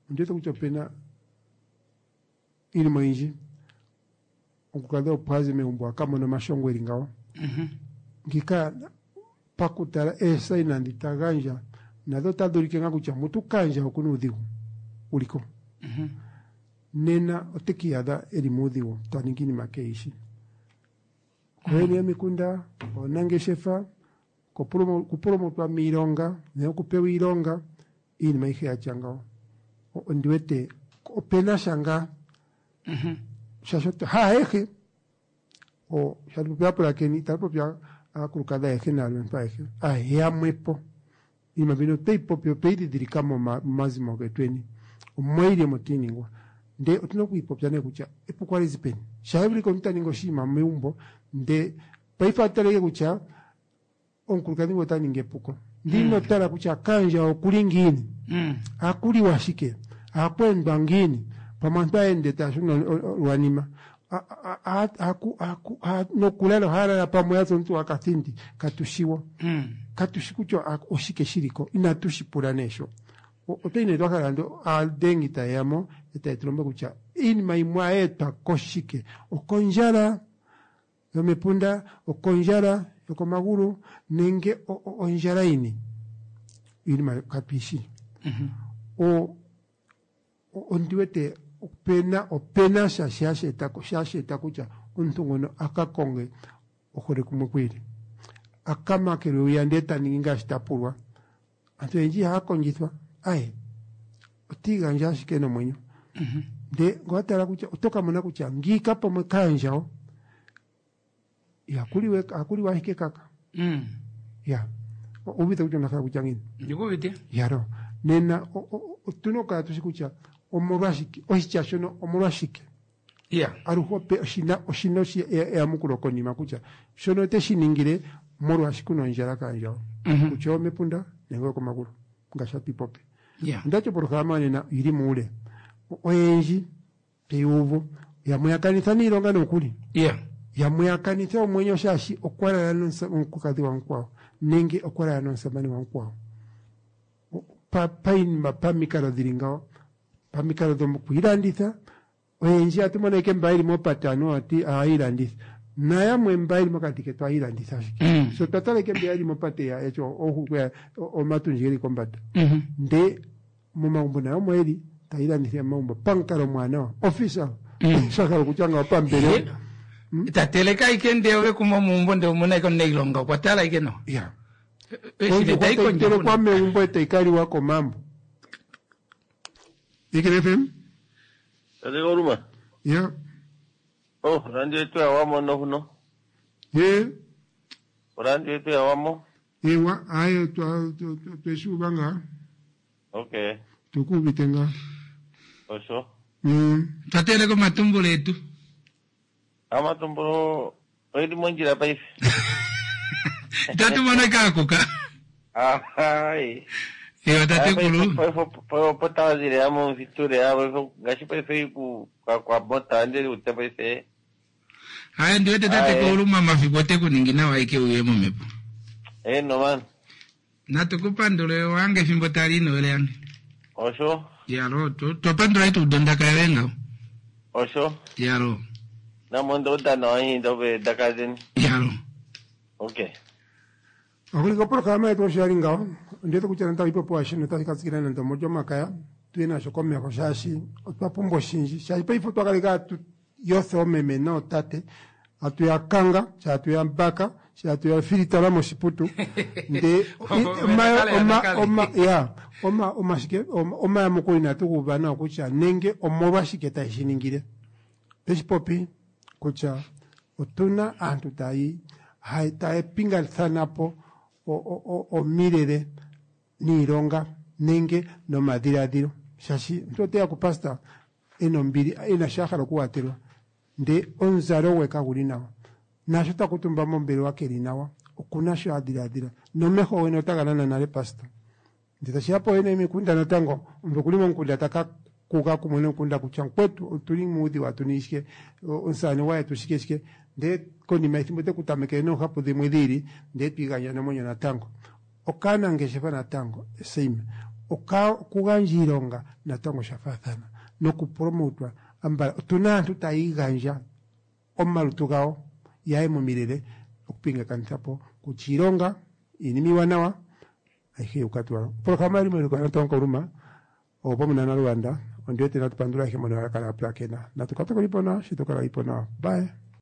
ondiwete kutya opena iinima oyindji. Omukulukadhi opo aze megumbo a ka mona omashongo eli ngawo. Ngika pakutala eesaina ndhi ta gandja nadho otadhi ulike ngaa kutya mutu kandja okuna uudhigu uliko. Nena ote kiiyadha eli muudhigu ta ningi iinima keeyishi. Kooyene yomikunda, oonangeshefa, kupulumutwa miilonga nenge okupewa iilonga, iinima ayihe yatya ngawo. Ondiwete opena sha ngaa. Shaashi haayehe shatu popya aapulakeni itatu popya aakulukadhi ayehe naalumentu ayehe ayamwepo. Iinima mbino otweyi popi otweyi dhidhilika momazimo getweni. Omo yili omo tiiningwa. Nde otuna okwiipopya nee kutya epuko ohali zi peni. Shaa vulika omuntu ta ningi oshinima megumbo nde paife ataleke kutya omukulukadhi ngu ota ningi epuko. Ndi ino tala kutya kandja okuli ngiini. Akuliwa shike. Akweendwa ngiini. Pamwe aantu aende taya shuna lwanima. Nokulala ohaya lala pamwe yaza omuntu akathindi katushiwo. Katushi kutya oshike shiliko. Inatu shi pula nee sho. Otwa ine twakala ando aadengi taye ya mo etaye tu lombwele kutya iinima yimwe oyeetwa koshike. Okondjala yomepunda, okondjala yokomagulu nenge ondjala yini. Iinima katuyishi. Ondiwete Opena opena sha shasheeta kutya omuntu ngono a ka konge ohole kumwe kwiili a ka makelwe wiya ndee ta ningi ngaashi ta pulwa. Aantu oyendji ihaya kondjithwa aye otiigandja ashike nomwenyo. Ndee ngowa tala kutya oto ka mona kutya ngiika pamwe kaandjawo ihakuliwa ashike kaka. Ya uvite kutya onda hala kutya ngiini? Ndikuuvite. Yaro nena otuna okukala tushi kutya omolwashike oshitya shono omolwashike aluhe ope oshina oshina eyamukulo konima kutya shono ote shi ningile molwaashi kuna ondjala kaandjawo kutya omepunda nenge okomagulu ngaashi hatu ipopi. Ondati opolohalama nena oyili muule oyendji teyuuvu yamwe ya kanitha niilonga nokuli yamwe ya kanitha omwenyo shaashi okwa lala nomukulukadhi wamukwawo nenge okwa lala nomusamane wamukwawo painima pamikalo dhili ngawo pamikalo dhokwiilanditha oyendji atu mono ike mba yeli mopate anuwa ati ohaayilanditha nayamwe mba yeli mokati ketu ohaayilanditha ashike so twa tala ike mbeya yeli mopate yatya oohulukweya omatundji geli kombanda ndee momagumbo nayo omo yeli tayilandithile momagumbo pamukalo omwaanawa official sha hala okutya ngawo pambelewa. Ta teleke ashike ndee ove kuma omuumbo ndee omuna ashike omunailonga okwa tala ashike nawa. Ya. Ondjuhwa tayi telekwa megumbo e tayi ka liwa komambo. Ikele FM. Tate Kauluma. Ya. Oh, radio yetu ya wamo no huno. Ye. Radio yetu ya wamo. Ewa, aye twa tweshuuva ngaa. Okay. Tukuuvite ngaa. Osho. Twa teleka omatumbulo etu. Amatumbulo oyeli mondjila paife. Itatu mono ekaakuka. Ai. Ewa tatekulu. Paife opo tawazile amo mfiture amo ngaashi paife ku kwa mota ndele ute paife. Haya ndiwete tatekulu mamafiku ote ku ningi nawa ike uye momhepo. Eno man. Natu ku pandule wange efimbo tali inowele yange. Osho. Yalo, twapandula itu udondaka yoye ngaho. Osho. Yalo. Namondo udana wahinda ove dakazeni. Yalo. Okay. Okulika opolohalama yetu osho yali ngaho ondiwete kutya natango ipopiwa shino otashi ka tsikila nande omolyomakaya tuye nasho komeho shaashi otwa pumbwa oshindji shaashi paife otwa kaleka hatu yotha oomeme nootate hatu ya kanga sha hatu ya mbaka sha hatu ya filitala moshiputu ndee ya omashike omayamukulo inatu ga uva nawa kutya nenge omolwashike taye shi ningile. Oteshi popi kutya otuna aantu tayi taya pingathanapo omilele niilonga nenge nomadhiladhilo shaashi omuntu oteya kupastor ena ombili ena sho a hala okuwatelwa ndee omuzalo gwe kaguli nawa naasho ta kuutumba mombelewa keli nawa okuna sho a dhiladhila nomeho gene otaga nana nale pastor Ndee tashiya pooyene yomikunda natango, omuntu okuli momukunda taka kuga kumwe nomukunda kutya mukwetu otuli muudhigu atu ningi shike, omusamane gwayetu shike shike, ndee konima yethimbo ote ku tamekele noohapu dhimwe dhiili ndee twiigandja nomwenyo natango. Okaanangeshefa natango same, oka okugandja iilonga natango osha faathana noku promotwa ambala otuna aantu taya igandja omalutu gawo yaye momilele okupingakanitha po kutya iilonga, iinima iiwanawa ayihe yuka tuu alo. Opolohalama yali mewiliko natango Kauluma opamwe na Naluvanda. Ondi wete natu pandula ayehe mbono ya kala ya pulakena. Natu ka tokolipo nawa shi to kala ipo nawa. Bye.